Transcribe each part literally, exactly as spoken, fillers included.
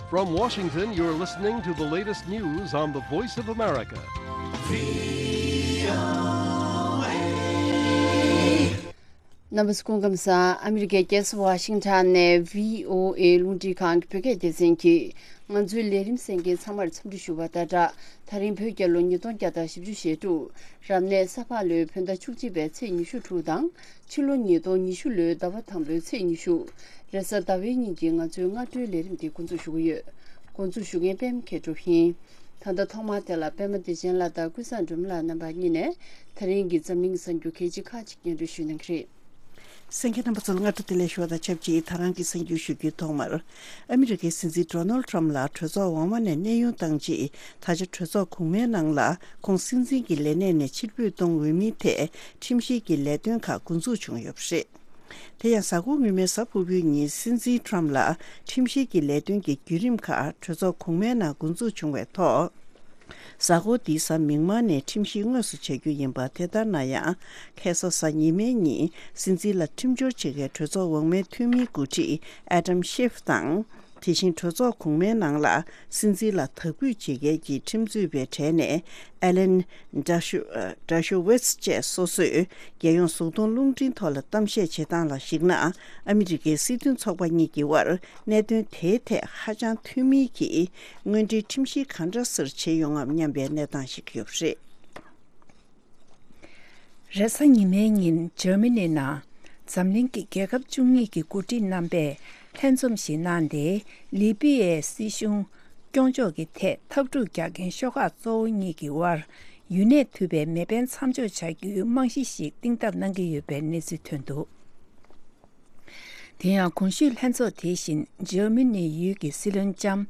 From Washington, you're listening to the latest news on the Voice of America. རྣམ་པ་ཚོ་སྐུ་ཁམས་བཟང་། ཨ་མི་རི་ཀའི་རྒྱལ་ས་ཝ་ཤིང་ཊོན་ནས་བྷི་ཨོ་ཨེ་རླུང་འཕྲིན་ཁང་གི་བོད་སྐད་སྡེ་ཚན་གྱིས་ང་ཚོའི་ལས་རིམ་གསན་མཁན་ཚང་མར་འཚམས་འདྲི་ཞུ་བ་དང་སྦྲགས། ད་རིང་བོད་རྒྱལ་ལོ་ཉིས་སྟོང་བརྒྱ་དང་བཞི་བཅུ་ཞེ་དྲུག་རབ་གནས་ས་ཕག་ལོའི་བོད་ཟླ་བཅུ་གཅིག་པའི་ཚེས་ཉི་ཤུ་དྲུག་དང་། ཕྱི་ལོ་ཉིས་སྟོང་ཉི་ཤུ་ལོའི་ཟླ་བ་དང་པོའི་ཚེས་ཉི་ཤུ། རེས་གཟའ་ཟླ་བའི་ཉིན་གྱི་ང་ཚོའི་སྔ་དྲོའི་ལས་རིམ་འདི་འགོ་འཛུགས་ཞུ་གི་ཡོད། འགོ་འཛུགས་ཞུ་མཁན་པད་མ་མཁས་གྲུབ་ཡིན། ད་ལྟ་ཐོག་མར་དེ་ལ་པད་མ་བདེ་ཆེན་ལགས་དང་ཀུན་བཟང་སྒྲོལ་མ་ལགས་རྣམ་པ་གཉིས་ནས་ད་རིང་གི་འཛམ་གླིང་གི་གསར་འགྱུར་གལ་ཆེ་ཁག་ཅིག་སྙན་སྒྲོན་ཞུ་གནང་གི་རེད། གསན་མཁན་རྣམ་པ་ཚོ་ལ་སྔ་དྲོ་བདེ་ལེགས་ཞུ་བ་དང་ཆབས་ཅིག་ད་རང་གི་གསར་འགྱུར་ཞུ་རྒྱུའི་ཐོག་མར། ཨ་མི་རི་ཀའི་སྲིད་འཛིན་ཌོ་ནལ་ཊམ་ལགས་གྲོས་ཚོགས་འོག་མ་ནས་གནས་དབྱུང་བཏང་རྗེས་ད་ཆ་གྲོས་ཚོགས་གོང་མའི་ནང་ལ་ཁོང་སྲིད་འཛིན་གྱི་ལས་གནས་ནས་ཕྱིར་འབུད་གཏོང་འོས་མིན་ཐད་ཁྲིམས་བཤེར་གྱི་ལས་དོན་ཁག་འགོ་འཛུགས་བྱུང་ཡོད་པ་རེད། དེ་ཡང་གཟའ་འཁོར་སྔོན་མའི་གཟའ་ཕུར་བུའི་ཉིན་སྲིད་འཛིན་ཊམ་ལགས་ཁྲིམས་བཤེར་གྱི་ལས་དོན་གྱི་བརྒྱུད་རིམ་ཁག་གྲོས་ཚོགས་གོང་མའི་ནང་འགོ་འཛུགས་བྱུང་བའི་ཐོག་གཟའ་འཁོར་འདིའི་གཟའ་མིག་དམར་ནས་ཁྲིམས་བཤེར་དངོས་སུ་བྱ་རྒྱུ་ཡིན་པ། དེ་ལྟར་ན་ཡང་ཁ་སང་གཟའ་ཉི་མའི་ཉིན་སྲིད་འཛིན་ལ་ཁྲིམས་སྦྱོར་བྱེད་མཁན་གྲོས་ཚོགས་འོག་མའི་འཐུས་མིའི་འགོ་ཁྲིད་ཨེ་ཌམ་ཤིབ་དང་། དེ་བཞིན་གྲོས་ཚོགས་གོང་མའི་ནང་ལ་སྲིད་འཛིན་ལ་དག་འབུད་བྱེད་མཁན་གྱི་ཁྲིམས་རྩོད་པའི་གྲས་ནས་ཨེ་ལན་ཌར་ཤོ་ཌར་ཤོ་ཝེ་ཚི་བཅས་སོ་སོས་རྒྱལ་ཡོངས་གཟུགས་མཐོང་རླུང་འཕྲིན་ཐོག་ལ་གཏམ་བཤད་བྱེད་སྟངས་ལ་གཞིགས་ན། ཨ་མི་རི་ཀའི་སྲིད་དོན་ཚོགས་པ་གཉིས་ཀྱི་དབར་གནད་དོན་དེའི་ཐད་ཧ་ཅང་མཐུན་མིན་གྱི་དངོས་འབྲེལ་ཁྲིམས་བཤེར་གང་འདྲ་སེ་བྱེད་ཡོང་ངམ་སྙམ་པའི་གནས་སྟངས་ཤིག་ཡོད་པ་རེད། རེས་གཟའ་ཉི་མའི་ཉིན་འཇར་མ་ནི་ནང་འཛམ་གླིང་གི་རྒྱལ་ཁབ་བཅུ་གཉིས་ཀྱི་འགོ་ཁྲིད་རྣམ་པས་ལྷན་འཛོམས་ཤིག་གནང་སྟེ། ལི་པི་ཡའི་སྲིད་གཞུང་སྐྱོང་ཕྱོགས་ཀྱི་ཐད་འཐབ་འཁྲུག་རྒྱག་མཁན་ཤོག་ཁག་གཙོ་བོ་གཉིས་ཀྱི་དབར་ཡུན་གནས་ཐུབ་པའི་མེ་འཕེན་མཚམས་འཇོག་བྱ་རྒྱུའི་རྨང་གཞི་ཞིག་གཏིང་ཟབ་གནང་གི་ཡོད་པའི་གནས་ཚུལ་ཐོན་འདུག་དེ་ཡང་གོང་ཞུས་ལྷན་ཚོགས་དེ་བཞིན་འཇར་མ་ནི་ཡུལ་གྱི་སྲིད་བློན་ལྕམ་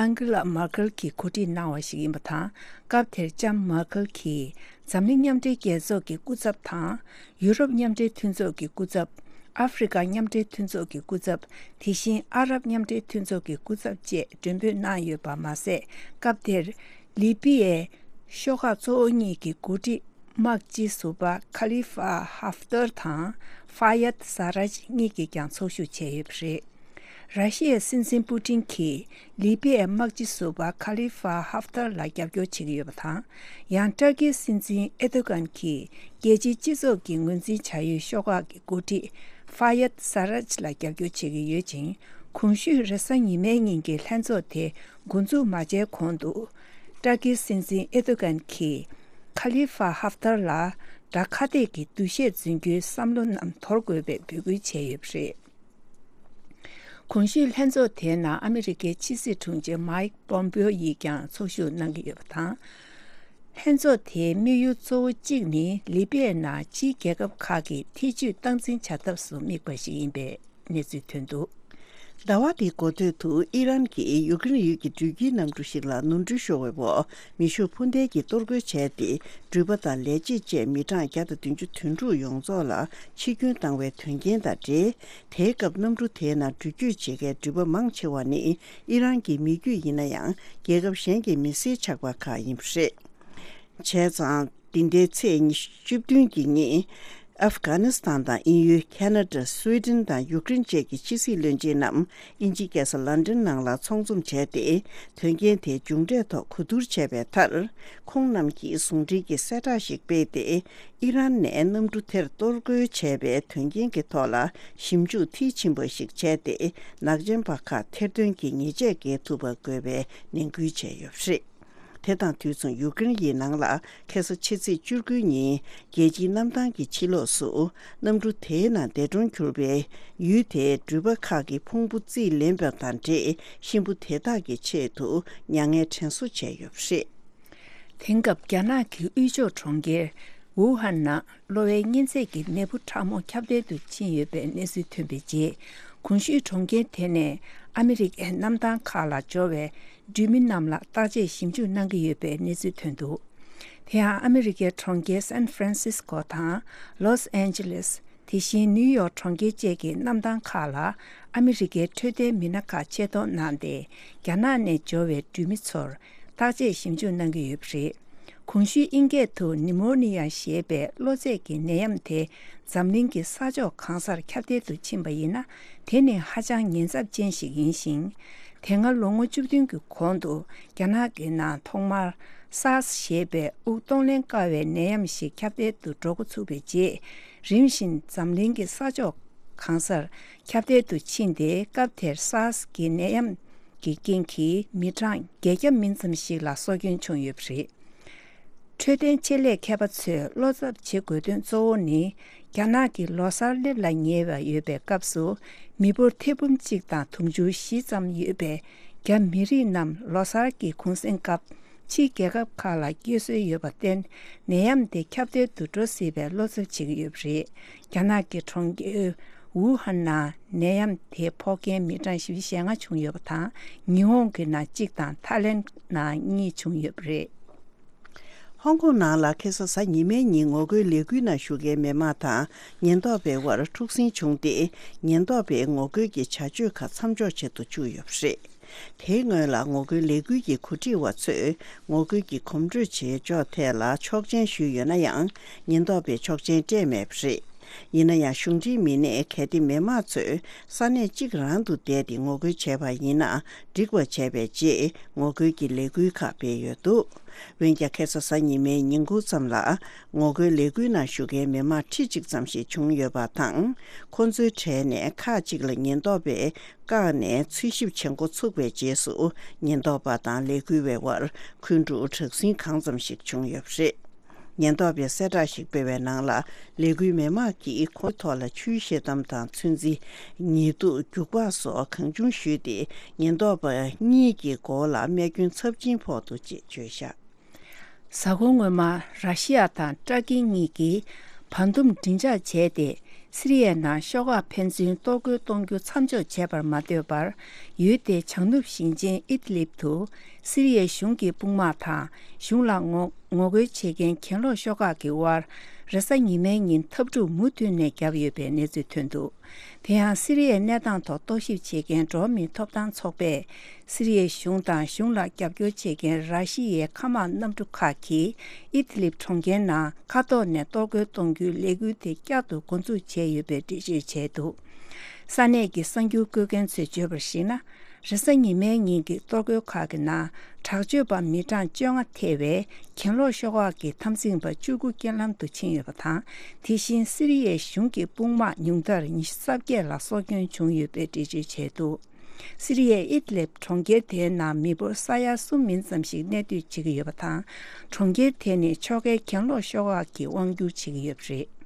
ཨན་གྷི་ལ་མར་ཁལ་གྱིས་གོ་སྒྲིག་གནང་བ་ཞིག་ཡིན་པ་དང་། སྐབས་དེར་ལྕམ་མར་ཁལ་གྱིས་འཛམ་གླིང་མཉམ་འབྲེལ་རྒྱལ་ཚོགས་ཀྱི་སྐུ་ཚབ་དང་། ཡུ་རོབ་མཉམ་འབྲེལ་མཐུན་ཚོགས་ཀྱི་སྐུ་ཚབ། ཨ་ཧྥེ་རི་ཁ་མཉམ་འབྲེལ་མཐུན་ཚོགས་ཀྱི་སྐུ་ཚབ། དེ་བཞིན་ཨ་རབ་མཉམ་འབྲེལ་མཐུན་ཚོགས་ཀྱི་སྐུ་ཚབ་བཅས་མགྲོན་འབོད་གནང་ཡོད་པ་མ་ཟད། སྐབས་དེར་ལི་པི་ཡའི་ཤོག་ཁག་གཙོ་བོ་གཉིས་ཀྱི་འགོ་ཁྲིད་དམག་སྤྱི་ཟུར་པ་ཁ་ལི་ཧྥ་ཧབ་ཏར་དང་ཧྥ་ཡད་ས་རཱཇ་གཉིས་ཀྱིས་ཀྱང་ཚོགས་ཞུགས་བྱས་ཡོད་པ་རེད། ར་ཤི་ཡའི་སྲིད་འཛིན་པུ་ཏིན་གྱིས་ལི་པི་ཡའི་དམག་སྤྱི་ཟུར་པ་ཁ་ལི་ཧྥ་ཧབ་ཏར་ལ་རྒྱབ་སྐྱོར་བྱེད་ཀྱི་ཡོད་པ་དང་། ཡང་ཏར་ཀིའི་སྲིད་འཛིན་ཨེ་རྡོ་གྷན་གྱིས་རྒྱལ་སྤྱིའི་སྤྱི་ཚོགས་ཀྱིས་ངོས་འཛིན་བྱ་ཡུལ་ཤོག་ཁག་གི་འགོ་ཁྲིད་ཧྥ་ཡད་ས་རཱཇ་ལ་རྒྱབ་སྐྱོར་བྱེད་ཀྱི་ཡོད་ཅིང་། གོང་ཞུས་རེས་གཟའ་ཉི་མའི་ཉིན་གྱི་ལྷན་ཚོགས་དེ་འགོ་འཛུགས་མ་བྱས་གོང་དུ། ཏར་ཀིའི་སྲིད་འཛིན་ཨེ་རྡོ་གྷན་གྱིས་ཁ་ལི་ཧྥ་ཧབ་ཏར་ལ་དགྲ་ཁ་གཏད་ཀྱི་འདུ་ཤེས་འཛིན་རྒྱུའི་བསམ་བློ་རྣམས་དོར་དགོས་པའི་འབོད་སྐུལ་བྱས་ཡོད་པ་རེད། གོང་ཞུས་ལྷན་ཚོགས་དེའི་ནང་ཨ་མི་རི་ཀའི་ཕྱི་སྲིད་དྲུང་ཆེ་མའིག་པོམ་པེའོ་ཡིས་ཀྱང་ཚོགས་ཞུགས་གནང་གི་ཡོད་པ་དང་། ལྷན་ཚོགས་དེའི་དམིགས་ཡུལ་གཙོ་བོ་གཅིག་ནི་ལི་པི་ཡའི་ནང་ཕྱིའི་རྒྱལ་ཁབ་ཁག་གིས་ཐེ་ཇུས་སྟངས་འཛིན་བྱ་ཐབས་སུ་དམིགས་པ་ཞིག་ཡིན་པའི་གནས་ཚུལ་ཐོན་འདུག་ཟླ་བ་འདིའི་འགོ་སྟོད་དུ་ཨི་རན་གྱིས་ཡུཀ་རེན་ཡུལ་གྱི་འགྲུལ་སྐྱེལ་གནམ་གྲུ་ཞིག་ལ་ནོར་འཁྲུལ་ཤོར་བའི་འོག་མེ་ཤུགས་འཕུར་མདེལ་གྱིས་གཏོར་རྒོལ་བྱས་ཏེ། འགྲུལ་པ་དང་ལས་བྱེད་བཅས་མི་གྲངས་བརྒྱ་དང་བདུན་ཅུ་དོན་དྲུག་ཡོངས་རྫོགས་ལ་འཆི་སྐྱོན་བཏང་བའི་དོན་རྐྱེན་དང་འབྲེལ། དེའི་སྐབས་གནམ་གྲུ་དེའི་ནང་འགྲུལ་སྐྱོད་བྱེད་མཁན་འགྲུལ་པ་མང་ཆེ་བ་ནི་ཨི་རན་གྱི་མི་རྒྱུད་ཡིན་ན་ཡང་། རྒྱལ་ཁབ་གཞན་གྱི་མི་སེར་ཆགས་པ་ཁག་ཡིན་པ་རེད། བྱས་ཙང་། འདི་ཟླའི་ཚེས་ཉི་ཤུ་བདུན་གྱི་ཉིན། ཨབ་གྷ་ནི་སི་ཐན་དང་དབྱིན་ཡུལ། ཁེ་ན་ཌ། སུའེ་ཏན་དང་ཡུཀ་རེན་བཅས་ཀྱི་ཕྱི་སྲིད་བློན་ཆེན་རྣམས་དབྱིན་ཇིའི་རྒྱལ་ས་ལན་ཀྲན་ནང་ལ་ཚོགས་འཛོམས་བྱས་ཏེ། དོན་རྐྱེན་དེའི་མཇུག་འབྲས་ཐོག་གོ་བསྡུར་བྱས་པའི་མཐར། ཁོང་རྣམས་ཀྱིས་ཟུང་འབྲེལ་གྱི་གསལ་བསྒྲགས་ཤིག་སྤེལ་ཏེ། ཨི་རན་ནས་གནམ་གྲུ་དེར་གཏོར་རྒོལ་བྱས་པའི་དོན་རྐྱེན་གྱི་ཐོག་ལ་ཞིབ་འཇུག་མཐིལ་ཕྱིན་པ་ཞིག་བྱས་ཏེ། ནག་ཅན་པ་ཁག་ཐེར་འདོན་གྱིས་ཉེས་ཆད་འགེལ་ཐུབ་པ་དགོས་པའི་ནན་སྐུལ་བྱས་ཡོད་པ་རེད། དེ་དང་དུས་མཚུངས་ཡུཀ་རེན་ཡི་ནང་ལ་ཁ་སང་ཕྱི་ཚེས་བཅུ་དགུའི་ཉིན་རྒྱལ་སྤྱིའི་གནམ་ཐང་གི་ཕྱི་ལོགས་སུ་གནམ་གྲུ་དེའི་ནང་འདས་གྲོངས་གྱུར་པའི་ཡུལ་དེའི་འགྲུལ་པ་ཁག་གི་ཕུང་པོ་རྩིས་ལེན་པ་དང་འབྲེལ་གཤིན་པོ་དེ་དག་གི་ཆེད་དུ་མྱ་ངན་དྲན་གསོ་བྱས་ཡོད་པ་རེད། དེང་སྐབས་རྒྱ་ནག་གི་དབུས་ཕྱོགས་གྲོང་ཁྱེར་ཝུ་ཧན་ནང་གློ་བའི་གཉན་ཚད་ཀྱི་ནད་འབུ་ཕྲ་མོ་ཁྱབ་གདལ་དུ་ཕྱིན་ཡོད་པའི་གནས་ཚུལ་ཐོན་པའི་རྗེས། གོང་ཞུས་གྲོང་ཁྱེར་དེ་ནས་ཨ་མི་རི་ཀའི་གནམ་ཐང་ཁག་ལ་འབྱོར་བའི་འགྲུལ་མི་རྣམས་ལ་བརྟག་དཔྱད་ཞིབ་འཇུག་གནང་གི་ཡོད་པའི་གནས་ཚུལ་ཐོན་འདུག་དེ་ཡང་ཨ་མི་རི་ཀའི་གྲོང་ཁྱེར་སན་ཧྥ་རན་སིས་ཀོ་དང་ལོས་ཨན་ཇི་ལེས། དེ་བཞིན་ནིའུ་ཡོག་གྲོང་ཁྱེར་བཅས་ཀྱི་གནམ་ཐང་ཁག་ལ་ཨ་མི་རི་ཀའི་འཕྲོད་བསྟེན་མི་སྣ་ཁག་ཆེད་གཏོང་གནང་སྟེ། རྒྱ་ནག་ནས་འབྱོར་བའི་འགྲུལ་མི་ཚོར་བརྟག་དཔྱད་ཞིབ་འཇུག་གནང་གི་ཡོད་པ་རེད། གོང་ཞུས་ཨིན་སྐད་དུ་ནི་མོ་ནི་ཡ་ཞེས་པའི་གློ་ཚད་ཀྱི་ནད་ཡམས་དེ་འཛམ་གླིང་གི་ས་ཕྱོགས་གང་སར་ཁྱབ་གདལ་དུ་ཕྱིན་པ་ཡིན་ན། དེ་ནི་ཧ་ཅང་ཉེན་ཚབས་ཅན་ཞིག་ཡིན་ཞིང་། དེ་སྔ་ལོ་ངོ་བཅུ་བདུན་གྱི་གོང་དུ་རྒྱ་ནག་གི་ནང་ཐོག་མར་སཱར་སི་ཞེས་པའི་དབུགས་གཏོང་ལེན་དཀའ་བའི་ནད་ཡམས་ཤིག་ཁྱབ་གདལ་དུ་འགྲོ་འགོ་ཚུགས་པའི་རྗེས། རིམ་བཞིན་འཛམ་གླིང་གི་ས་ཕྱོགས་གང་སར་ཁྱབ་གདལ་དུ་ཕྱིན་ཏེ། སྐབས་དེར་སཱར་སི་གི་ནད་ཡམས་ཀྱི་རྐྱེན་གྱིས་མི་གྲངས་བརྒྱད་བརྒྱ་མིན་ཙམ་ཞིག་ལ་སྲོག་སྐྱོན་བྱུང་ཡོད་པ་རེད། འཕྲོད་བསྟེན་ཆེད་ལས་མཁས་པ་ཚོས་བློ་འཚབ་བྱེད་དགོས་དོན་གཙོ་བོ་ནི། རྒྱ་ནག་གི་ལོ་གསར་སླེབས་ལ་ཉེ་བ་ཡོད་པའི་སྐབས་སུ། མི་འབོར་ཐེར་འབུམ་གཅིག་དང་དུང་ཕྱུར་བཞི་ཙམ་ཡོད་པའི་རྒྱ་མི་རིགས་རྣམས་ལོ་གསར་གྱི་གུང་གསེང་སྐབས་ཕྱིའི་རྒྱལ་ཁབ་ཁག་ལ་སྐྱེལ་སྲོལ་ཡོད་པར་བརྟེན། ནད་ཡམས་དེ་ཁྱབ་གདལ་དུ་འགྲོ་སྲིད་པའི་བློ་འཚབ་བྱེད་ཀྱི་ཡོད་པ་རེད། རྒྱ་ནག་གི་གྲོང་ཁྱེར་ཝུ་ཧན་ནང་ནད་ཡམས་དེ་ཕོག་མཁན་མི་གྲངས་བཞི་བཅུ་ཞེ་ལྔ་བྱུང་ཡོད་པ་དང་། ཉི་ཧོང་གི་ནང་གཅིག་དང་ཐའི་ལེན་ནང་གཉིས་བྱུང་ཡོད་པ་རེད། ཧོང་ཀོང་ནང་ལ་ཁ་སང་གཟའ་ཉི་མའི་ཉིན་ངོ་རྒོལ་ལས་འགུལ་ནང་ཞུགས་མཁན་མི་མང་དང་ཉེན་རྟོག་པའི་དབར་འཁྲུག་ཟིང་བྱུང་སྟེ། ཉེན་རྟོག་པས་ངོ་རྒོལ་གྱི་བྱ་སྤྱོད་ཁག་མཚམས་འཇོག་བྱེད་དུ་བཅུག་ཡོད་པ་རེད། དེའི་སྔོན་ལ་ངོ་རྒོལ་ལས་འགུལ་གྱི་གོ་སྒྲིག་པ་ཚོས་ངོ་རྒོལ་གྱི་གོམ་བགྲོད་བྱེད་ཕྱོགས་ཐད་ལ་ཆོག་མཆན་ཞུས་ཡོད་ན་ཡང་། ཉེན་རྟོག་པས་ཆོག་མཆན་སྤྲད་མེད་པ་རེད། ཡིན་ན་ཡང་། གཞུང་འབྲེལ་མི་སྣས་གལ་ཏེ་མི་མང་ཚོས་ས་གནས་གཅིག་རང་དུ་བསྡད་དེ་ངོ་རྒོལ་བྱས་པ་ཡིན་ན། འགྲིག་པ་བྱས་པའི་རྗེས་ངོ་རྒོལ་གྱི་ལས་འགུལ་ཁག་སྤེལ་ཡོད་འདུག་འོན་ཀྱང་། ཁ་སང་གཟའ་ཉི་མའི་ཉིན་གུང་ཙམ་ལ་ངོ་རྒོལ་ལས་འགུལ་ནང་ཞུགས་མཁན་མི་མང་ཁྲི་གཅིག་ཙམ་ཞིག་བྱུང་ཡོད་པ་དང་། ཁོ་ཚོའི་གྲས་ནས་ཁག་ཅིག་ལ་ཉེན་རྟོག་པས་བཀག་ནས་འཚོལ་ཞིབ་བྱེད་འགོ་ཚུགས་པའི་རྗེས་སུ། ཉེན་རྟོག་པ་དང་ལས་འགུལ་བའི་དབར་འཁོན་འཁྲུག་དྲག་ཟིང་གང་ཙམ་ཞིག་བྱུང་ཡོད་པ་རེད། ཉེན་རྟོག་པས་གསལ་བསྒྲགས་ཤིག་སྤེལ་བའི་ནང་ལ། ལས་འགུལ་མི་མང་གིས་ཁོའི་ཐོག་ལ་ཆུའི་ཤེལ་དམ་དང་ཚོན་རྩི། ཉེས་དུག་རྒྱུག་པ་སོགས་གང་བྱུང་གཞུས་ཏེ། ཉེན་རྟོག་པ་གཉིས་ཀྱི་མགོ་ལ་རྨས་སྐྱོན་ཚབས་ཆེན་ཕོག་འདུག་ཅེས་བརྗོད་བཞག་གཟའ་འཁོར་སྔོན་མ། ར་ཤི་ཡ་དང་ཏྲ་ཀི་གཉིས་ཀྱིས་བར་འདུམ་མགྲིན་ཆགས་བྱས་ཏེ། སི་རི་ཡའི་ནང་ཤོག་ཁག་ཕན་ཚུན་གཏོར་རྒོལ་གཏོང་རྒྱུ་མཚམས་འཇོག་བྱས་པར་མ་ལྟོས་པར། ཡུལ་དེའི་བྱང་ནུབ་ཞིང་ཆེན་ཨིད་ལིབ་ཏུ། སི་རི་ཡའི་གཞུང་གི་དཔུང་དམག་དང་། གཞུང་ལ་ངོ་ངོ་རྒོལ་བྱེད་མཁན་གྱེན་ལོག་ཤོག་ཁག་གི་དབར། རེས་གཟའ་ཉི་མའི་ཉིན་འཐབ་འཁྲུག་མུ་མཐུད་ནས་བརྒྱབ་ཡོད་པའི་གནས་ཚུལ་ཐོན་འདུག་དེ་ཡང་། སི་རི་ཡའི་གནས་སྟངས་ཐོག་རྟོག་ཞིབ་བྱེད་མཁན་འགྲོ་བ་མིའི་ཐོབ་ཐང་ཚོགས་པས། སི་རི་ཡའི་གཞུང་དང་། གཞུང་ལ་རྒྱབ་སྐྱོར་བྱེད་མཁན་ར་ཤི་ཡའི་མཁའ་དམག་གནམ་གྲུ་ཁག་གིས་ཨིད་ལིབ་གྲོང་ཁྱེར་ནང་མཁའ་ཐོག་ནས་གཏོར་རྒོལ་གཏོང་རྒྱུའི་ལས་འགུལ་དེ་བསྐྱར་དུ་འགོ་འཛུགས་བྱས་ཡོད་པའི་འགྲེལ་བརྗོད་བྱས་འདུག་ས་གནས་ཀྱི་གསར་འགྱུར་བཀོད་མཁན་ཚོས་བརྗོད་པར་གཞིགས་ན། རེས་གཟའ་ཉི་མའི་ཉིན་གྱི་གཏོར་རྒོལ་ཁག་གི་ནང་དྲག་སྤྱོད་པ་མི་གྲངས་བཅོ་ལྔ་ཐེ་བའི་གྱེན་ལོག་ཤོག་ཁག་གི་འཐབ་འཛིང་པ་བཅུ་དགུ་རྐྱེན་ལམ་དུ་ཕྱིན་ཡོད་པ་དང་། དེ་བཞིན་སི་རི་ཡའི་གཞུང་གི་དཔུང་དམག་ཉུང་མཐར་ཉི་ཤུ་རྩ་བརྒྱད་ལ་སྲོག་སྐྱོན་བྱུང་ཡོད་པའི་འགྲེལ་བརྗོད་བྱས་འདུག་སི་རི་ཡའི་ཨིད་ལིབ་གྲོང་ཁྱེར་དེའི་ནང་མི་འབོར་ས་ཡ་གསུམ་མིན་ཙམ་ཞིག་གནས་སྡོད་བྱེད་ཀྱི་ཡོད་པ་དང་། གྲོང་ཁྱེར་དེ་ནི་ཕྱོགས་འགལ་གྱེན་ལོག་ཤོག་ཁག་གིས་དབང་སྒྱུར་བྱེད་ཀྱི་ཡོད་པ་རེད།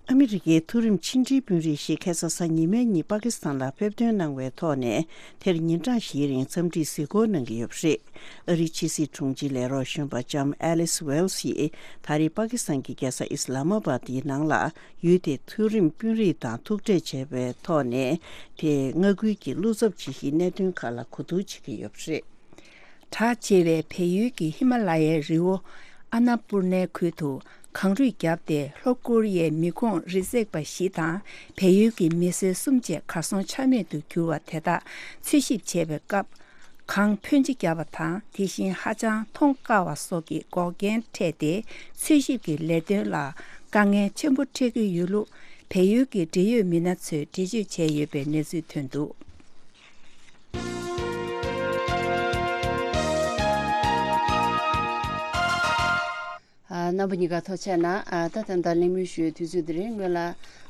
ཨ་མི་རི་ཀའི་མཐོ་རིམ་ཕྱི་འབྲེལ་དཔོན་རིགས་ཤིག་ཁ་སང་གཟའ་ཉི་མའི་ཉིན་པ་ཀི་སི་ཐན་ལ་ཕེབས་ཐོན་གནང་བའི་ཐོག་ནས། དེར་ཉིན་གྲངས་བཞིའི་རིང་འཚམས་འདྲིའི་གཟིགས་སྐོར་གནང་གི་ཡོད་པ་རེད། ཨ་རིའི་ཕྱི་སྲིད་དྲུང་ཆེའི་ལས་རོགས་གཞོན་པ་ལྕམ་ཨེ་ལིས་ཝེལ་སི་ཡིས། ད་རེས་པ་ཀི་སི་ཐན་གྱི་རྒྱལ་ས་ཨི་སི་ལ་མ་པ་དེའི་ནང་ལ། ཡུལ་དེའི་མཐོ་རིམ་དཔོན་རིགས་དང་ཐུག་འཕྲད་བྱས་པའི་ཐོག་ནས། དེས་མངའ་ཁུལ་གྱི་བློ་འཚབ་ཇི་ཞིག་གནད་དོན་ཁག་ལ་གོ་བསྡུར་བྱེད་ཀྱི་ཡོད་པ་རེད། གྲགས་ཆེ་བའི་བལ་ཡུལ་གྱི་ཧི་མ་ལ་ཡའི་རི་བོ་ཨ་ན་པུར་ནའི་ཁུལ་དུ་གངས་རུད་བརྒྱབ་སྟེ། ལྷོ་ཀོ་རི་ཡའི་མི་ཁོངས་རི་འཛེག་པ་བཞི་དང་། བལ་ཡུལ་གྱི་མི་སེར་གསུམ་བཅས་གར་སོང་ཆ་མེད་དུ་གྱུར་བ་དེ་དག་འཚོལ་ཞིབ་བྱེད་པའི་སྐབས། གངས་ཕོན་ཆེ་བརྒྱབ་པ་དང་། དེ་བཞིན་ཧ་ཅང་མཐོང་དཀའ་བ་སོགས་ཀྱི་འགོག་རྐྱེན་འཕྲད་དེ། འཚོལ་ཞིབ་ཀྱི་ལས་དོན་ལ་དཀའ་ངལ་ཆེན་པོ་འཕྲད་ཀྱི་ཡོད་ལུགས། བལ་ཡུལ་གྱི་འབྲེལ་ཡོད་མི་སྣ་ཚོས་འགྲེལ་བརྗོད་བྱས་ཡོད་པའི་གནས་ཚུལ་ཐོན་འདུག་ཨ། རྣམ་པ་གཉིས་ཀ་ཐུགས་རྗེ་གནང་། ཨ། ད་ད་ལྟ་གླེང་མོལ་ཞུ་བའི་དུས་ཚོད་འདི་རེད། སྔོན་ལ།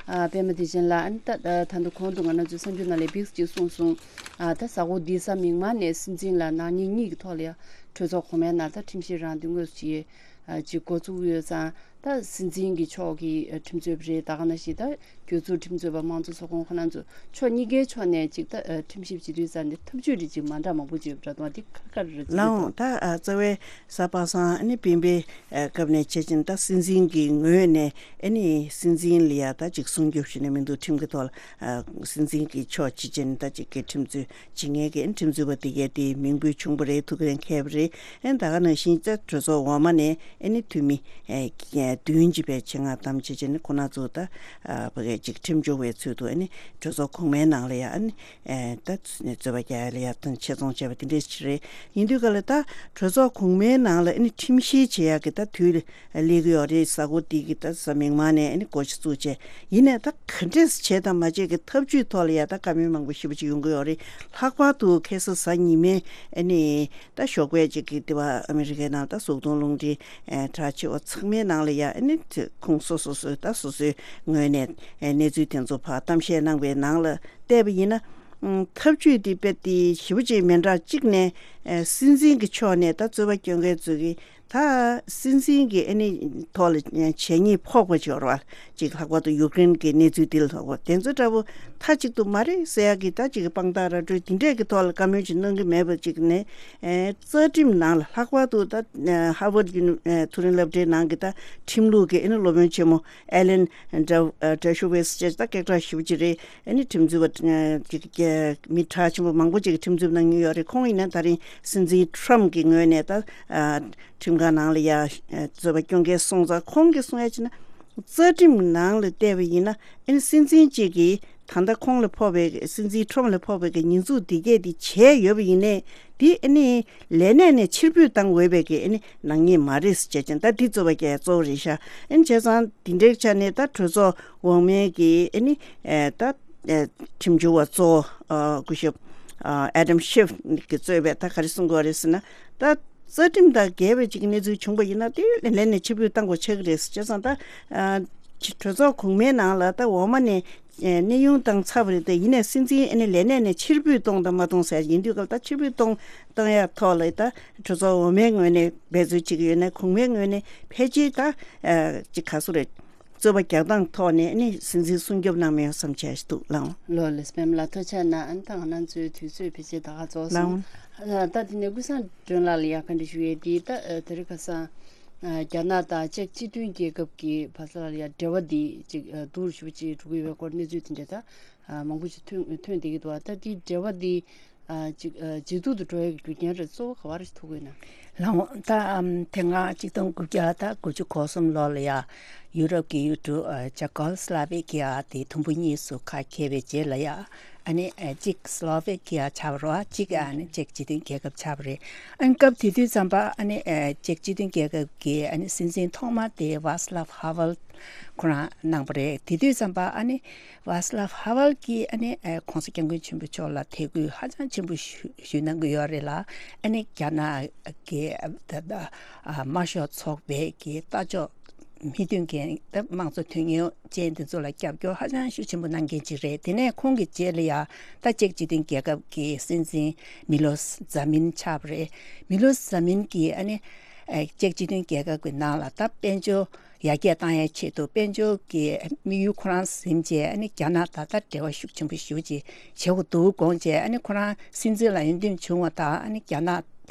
ཨ། པད་མ་བདེ་ཆེན་ལགས། ཨ་ནི་ད་ད་དུང་གོང་དུ་ང་རང་ཚོའི་གསར་འགྱུར་ནང་ལ་བིགས་ཅིག་གསུངས་སོང་། ཨ། ད་གཟའ་འཁོར་འདིའི་གཟའ་མིག་དམར་ནས་སྲིད་འཛིན་ལ་ནག་ཉེས་གཉིས་ཀྱི་ཐོག་ལ་ཡ་གྲོས་ཚོགས་གོང་མའི་ནང་ད་ཁྲིམས་ཞིབ་རང་འདུན་དངོས་སུ་ཅིག་ཨ། ཅིག་འགོ་བཙུགས་ཡོད་ཙང་། ད་སྲིད་འཛིན་གྱི་ཕྱོགས་ཀྱི་ཁྲིམས་རྩོད་པ་རེད། ད་ག་ནང་བཞིན་ད་གྱོད་ཚུལ་ཁྲིམས་རྩོད་པ་དམངས་གཙོ་ཚོགས་ཁོངས་ཁོ་རང་ཚོ་ཕྱོགས་གཉིས་ཀའི་ཕྱོགས་ནས་ཅིག་ད་ཨ། ཁྲིམས་ཞིབ་བྱེད་དུས་ཙང་ནས་ཐབས་ཇུས་རེ་ཅིག་མ་འདྲ་མང་པོ་ཅིག་ཡོད་པ་འདྲ་འདུག་དེ་ག་རེ་རེད། ལགས་འོང་། ད་ཨ། རྩ་བའི་གཟའ་པ་སངས་ཨ་ནི་སྤེན་པའི་ཨ། སྐབས་ནས་བྱས་ཙང་ད་སྲིད་འཛིན་གྱི་ངོས་ནས་ཨ་ནི་སྲིད་འཛིན་ལ་ཡ་ད་ཅིག་སྲུང་སྐྱོབ་ཞུས་ནས་མི་འདུག་ཁྲིམས་ཀྱི་ཐོག་ལ་ཨ། སྲིད་འཛིན་གྱི་ཕྱོགས་ཅིག་བྱས་ནས་ད་ཅིག་གི་ཁྲིམས་རྩོད་བྱེད་མཁན་གྱི་ཁྲིམས་རྩོད་པ་དེ་གས་དེའི་མིང་འབོད་བྱུང་བ་རེད། ཐུགས་འགན་འཁྱེར་བ་རེད། ཨ་ནི་ད་ག་ནང་བཞིན་ད་གྲོས་ཚོགས་འོག་མ་ནས་ཨ་ནི་འཐུས་མི་ཨ། བདུན་གྱི་བའི་ཆེད་མངགས་བདམས་བྱས་བྱས་ནས་ཁོ་ན་ཚོ་ད་ཕ་གའི་ཅིག་ཁྲིམས་སྦྱོར་བའི་ཚུལ་དུ་ཨ་ནི་གྲོས་ཚོགས་གོང་མའི་ནང་ལ་ཡ་ཨ་ནི་ད་རྩོད་པ་རྒྱག་ཡ་ལ་ཡ་དང་ཆེད་རྫོང་བྱས་པ་དེ་འདྲས་ཅིག་རེད། ཡིན་དུས་ག་ལ་ད་གྲོས་ཚོགས་གོང་མའི་ནང་ལ་ཨ་ནི་ཁྲིམས་བཤེར་བྱེད་ཡ་གི་ད་དུས་སླེབས་ཀྱི་ཡོད་རེད། གཟའ་འཁོར་འདི་གི་ད་གཟའ་མིག་དམར་ནས་ཨ་ནི་འགོ་ཞིག་བཙུགས་བྱས་ཡིན་ནའི་ད་ག་འདྲས་བྱས་དང་མ་བྱས་ཀྱི་ཐབས་ཇུས་ཐོག་ལ་ཡ་ད་བཀའ་མོལ་མང་པོ་ཞེ་པོ་ཅིག་ཡོང་གི་ཡོད་རེད། ལྷག་པར་དུ་ཁ་སང་གཟའ་ཉི་མའི་ཨ་ནི་ད་ཞོགས་པའི་ཅིག་གི་དེ་བ་ཨ་མི་རི་ཀའི་ནང་ད་གཟུགས་མཐོང་རླུང་འཕྲིན་ཨེ་གྲགས་ཆེ་བ་ཚང་མའི་ནང་ལ་ཡ་ཨ་ནི་ཁོང་སོ་སོ་སོའི་ད་སོ་སོའི་ངོས་ནས་ཨེ་གནས་ཚུལ་དེ་ཚོ་ཕར་གཏམ་བཤད་གནང་བའི་ནང་ལ་བལྟས་པ་ཡིན་ན། ཨུམ། ཐབས་ཇུས་དེ་དཔེ་དེ་ཞེ་པོ་ཅིག་མི་འདྲ་གཅིག་ནས་ཨེ་སྲིད་འཛིན་གྱི་ཕྱོགས་ནས་ད་རྩོད་པ་སྐྱོན་མཁན་ཚོ་གིས་ད་སྲིད་འཛིན་གྱི་ཨ་ནི་ཐོག་ལ་ཨེ་བྱས་ཉེས་ཕོག་པ་ཅིག་ཡོད་རེད་བ། ཅིག་ལྷག་པར་དུ་ཡུཀ་རེན་གྱི་གནས་ཚུལ་དེ་ལ་ལྷག་པར་དེ་ཚོ་འདྲ་པོ་མཐའ་གཅིག་ཏུ་མ་རེད་ཟེར་ཡག་གི་ད་ཅིག་དཔང་རྟགས་ར་སྤྲོད་དེ་འདྲས་ཀྱི་ཐོག་ལ་བཀའ་མོལ་ཅིག་གནང་གི་མེད་པ་ཅིག་ནས་ཨེ་རྩ་ཁྲིམས་ནང་ལ་ལྷག་པར་དུ་ད་ཧར་ཝརཌ་ཡུ་ནི་ཨེ་མཐོ་རིམ་སློབ་གྲྭའི་ནང་གི་ད་ཁྲིམས་ལུགས་ཀྱི་ཨ་ནི་སློབ་དཔོན་ཆེན་མོ་ཨེ་ལན་ཌ་ཨེ་ཌེ་ཤོ་ཝེས་ཅེས་ད་སྐད་གྲགས་ཞེ་པོ་ཅིག་རེད། ཨ་ནི་ཁྲིམས་རྩོད་པ་ཅིག་མི་གྲགས་ཆེན་པོ་མང་པོ་ཅིག་གིས་ཁྲིམས་རྩོད་གནང་མྱོང་ཡོད་རེད། ཁོང་ཡིན་ན་ད་རིང་སྲིད་འཛིན་ཁྲོམ་གྱི་ངོས་ནས་ད་ཁྲིམས་ཁང་ནང་ལ་ཡ་རྩོད་པ་སྐྱོན་མཁན་སོང་ཙང་ཁོང་གིས་གསུང་ཡ་ཅིག་ན་རྩ་ཁྲིམས་ནང་ལ་བལྟས་པ་ཡིན་ན་ཨ་ནི་སྲིད་འཛིན་གཅིག་གིས་ད་ལྟ་ཁོང་ལ་ཕོག་པའི་སྲིད་འཛིན་ཁྲོམ་ལ་ཕོག་པའི་གི་ཉེས་འཛུགས་འདི་གས་འདི་བྱས་ཡོད་པ་ཡིན་ནའི་འདི་ཨ་ནི་ལས་གནས་ནས་ཕྱིར་འབུད་བཏང་འོས་པའི་གི་ཨ་ནི་ནག་ཉེས་མ་རེད་ཟེར་བྱས་ཅིང་ད་འདི་རྩོད་པ་རྒྱག་ཡ་གཙོ་བོ་རེད་ཤག་ཨ་ནི་བྱས་ཙང་འདི་འདྲའི་ཆ་ནས་ད་གྲོས་ཚོགས་འོག་མའི་གི་ཨ་ནི་ཨེ་ད་ཨེ་ཁྲིམས་སྦྱོར་བ་གཙོ་བོ་ཨ་སྐུ་ཞབས་ཨ་ཨེ་ཌམ་ཤིབ་གིས་གཙོས་པའི་ད་ག་རེ་གསུང་དགོས་རེད་ཟེར་ན་ད་རྩ་ཁྲིམས་དང་འགལ་བའི་ཅིག་གནས་ཚུལ་བྱུང་པ་ཡིན་ན་དེ་ལས་གནས་ནས་ཕྱིར་འབུད་བཏང་དགོས་ཆགས་ཀྱི་རེད་ཟེར། བྱས་ཙང་ད་ཨ་གྲོས་ཚོགས་གོང་མའི་ནང་ལ་ད་འོག་མ་ནས་ཨེ་གནས་དབྱུང་བཏང་ཚར་བ་རེད། དེ་ཡིན་ནའི་སྲིད་འཛིན་ཨ་ནི་ལས་གནས་ནས་ཕྱིར་འབུད་གཏོང་དང་མ་གཏོང་ཟེར་ཡིན་དུས་སྐབས་ད་ཕྱིར་འབུད་གཏོང་གཏོང་ཡ་ཐོག་ལ་ད་གྲོས་ཚོགས་འོག་མའི་ངོས་ནས་འབད་རྩོལ་བྱེད་ཀྱི་ཡོད་ན་གོང་མའི་ངོས་ནས་ཕལ་ཆེར་ད་ཨ་ཅིག་ག་སུ་རེད། རྩོད་པ་རྒྱག་སྟངས་ཐོག་ནས་ཨ་ནི་སྲིད་འཛིན་སྲུང་སྐྱོབ་གནང་མེད་བསམ་བྱས་ཤིག་འདུག་ལགས། ལོ་ལེགས་པད་མ་ལགས་ཐུགས་རྗེ་གནང་། ཨ་ནི་ད་ང་རང་ཚོའི་དུས་ཚོད་ཕལ་ཆེར་ད་ག་རྫོགས་སོང་། ལགས། ཨ་ད་དེ་ནས་ཀུན་བཟང་སྒྲོན་ལགས་ལ་ཡ་བཀའ་འདྲི་ཞུ་ཡས་དེ་ད་ཨ་དེ་རིང་ཁ་སང་ཨ་རྒྱ་ནག་དང་ཅེཀ་སྤྱི་མཐུན་རྒྱལ་ཁབ་ཀྱི་བར་ལ་ཡ་འབྲེལ་བ་འདི་ཅིག་ཨ་སྡུག་རུ་ཞེ་པོ་ཅིག་འགྲོ་གི་ཡོད་པའི་སྐོར་གནས་ཚུལ་དེ་འདྲ་ད་ཨ་མང་པོ་ཞིག་ཐོན་ཐོན་བསྡད་ཀྱི་འདུག་ཨ་ད་དེའི་འབྲེལ་བ་འདི་ཨ་ཅིག་ཨ་ཇེ་སྡུག་ཏུ་འགྲོ་ཡ་གི་རྒྱུ་རྐྱེན་རེད་གཙོ་བོ་ག་བ་རེ་ཞིག་ཐུག་གི་ཡོད་ན། ལགས་འོང་། ད་ཨམ་དེ་སྔ་ཆིག་སྟོང་དགུ་བརྒྱ་དང་དགུ་བཅུ་གོ་གསུམ་ལོ་ལ་ཡ་ཡུ་རོབ་ཀྱི་ཡུལ་གྲུ་ཨ་ཅེ་ཀོ་སི་ལོ་ཝེ་ཀི་ཡ་དེ་དུམ་བུ་གཉིས་སུ་ཁ་གྱེས་པའི་རྗེས་ལ་ཡ་ཨ་ནི་ཨ་གཅིག་སི་ལོ་ཝེ་ཀི་ཡ་ཆགས་པ་རེད་བ། གཅིག་ཨ་ནི་ཅེཀ་སྤྱི་མཐུན་རྒྱལ་ཁབ་ཆགས་པ་རེད། ཨ་ནི་སྐབས་དེ་དུས་ཙམ་པ་ཨ་ནི་ཨ་ཅེཀ་སྤྱི་མཐུན་རྒྱལ་ཁབ་ཀྱི་ཨ་ནི་སྲིད་འཛིན་ཐོག་མ་དེ་ཝཱ་སི་ལབ་ཧ་ཝལ་ཁོ་རང་གནང་པ་རེད། དེ་དུས་ཙམ་པ་ཨ་ནི་ཝཱ་སི་ལབ་ཧ་ཝལ་གྱིས་ཨ་ནི་ཨ་༸གོང་ས་༸སྐྱབས་མགོན་ཆེན་པོ་མཆོག་ལ་དད་གུས་ཧ་ཅང་ཆེན་པོ་ཞུ་ཞུ་གནང་གི་ཡོད་རེད་ལ། ཨ་ནི་རྒྱ་ནག་གི་ཨ་ད་ད་ཨ་དམར་ཤོག་ཚོགས་པའི་གི་ལྟ་ཕྱོགས་མི་མཐུན་མཁན་ད་དམངས་གཙོ་དོན་གཉེར་ཅན་དེ་ཚོ་ལ་རྒྱབ་སྐྱོར་ཧ་ཅང་ཤུགས་ཆེན་པོ་གནང་མཁན་ཅིག་རེད། དེ་ནས་ཁོང་གི་རྗེས་ལ་ཡ་ད་ཅེཀ་སྤྱི་མཐུན་རྒྱལ་ཁབ་ཀྱི་སྲིད་འཛིན་མི་ལོ་ཛ་མིན་ཆགས་པ་རེད། མི་ལོ་ཛ་མིན་གྱིས་ཨ་ནི་ཨ་ཅེཀ་སྤྱི་མཐུན་རྒྱལ་ཁབ་ཀྱི་ནང་ལ་ད་དཔལ་འབྱོར་ཡར་རྒྱས་བཏང་ཡའི་ཆེད་དུ་དཔལ་འབྱོར་གྱི་དམིགས་ཡུལ་ཁོ་རང་ཟིན་བྱས་ཨ་ནི་རྒྱ་ནག་ད་ལྟ་འབྲེལ་བ་ཤུགས་ཆེན་པོ་ཞེ་པོ་ཅིག་བྱེད་དགོས་འདུག་དགོངས་བྱས་ཨ་ནི་ཁོ་རང་སྲིད་འཛིན་ལ་འོས་འདེམས་བྱུང་བ་དང་ཨ་ནི་རྒྱ་ནག་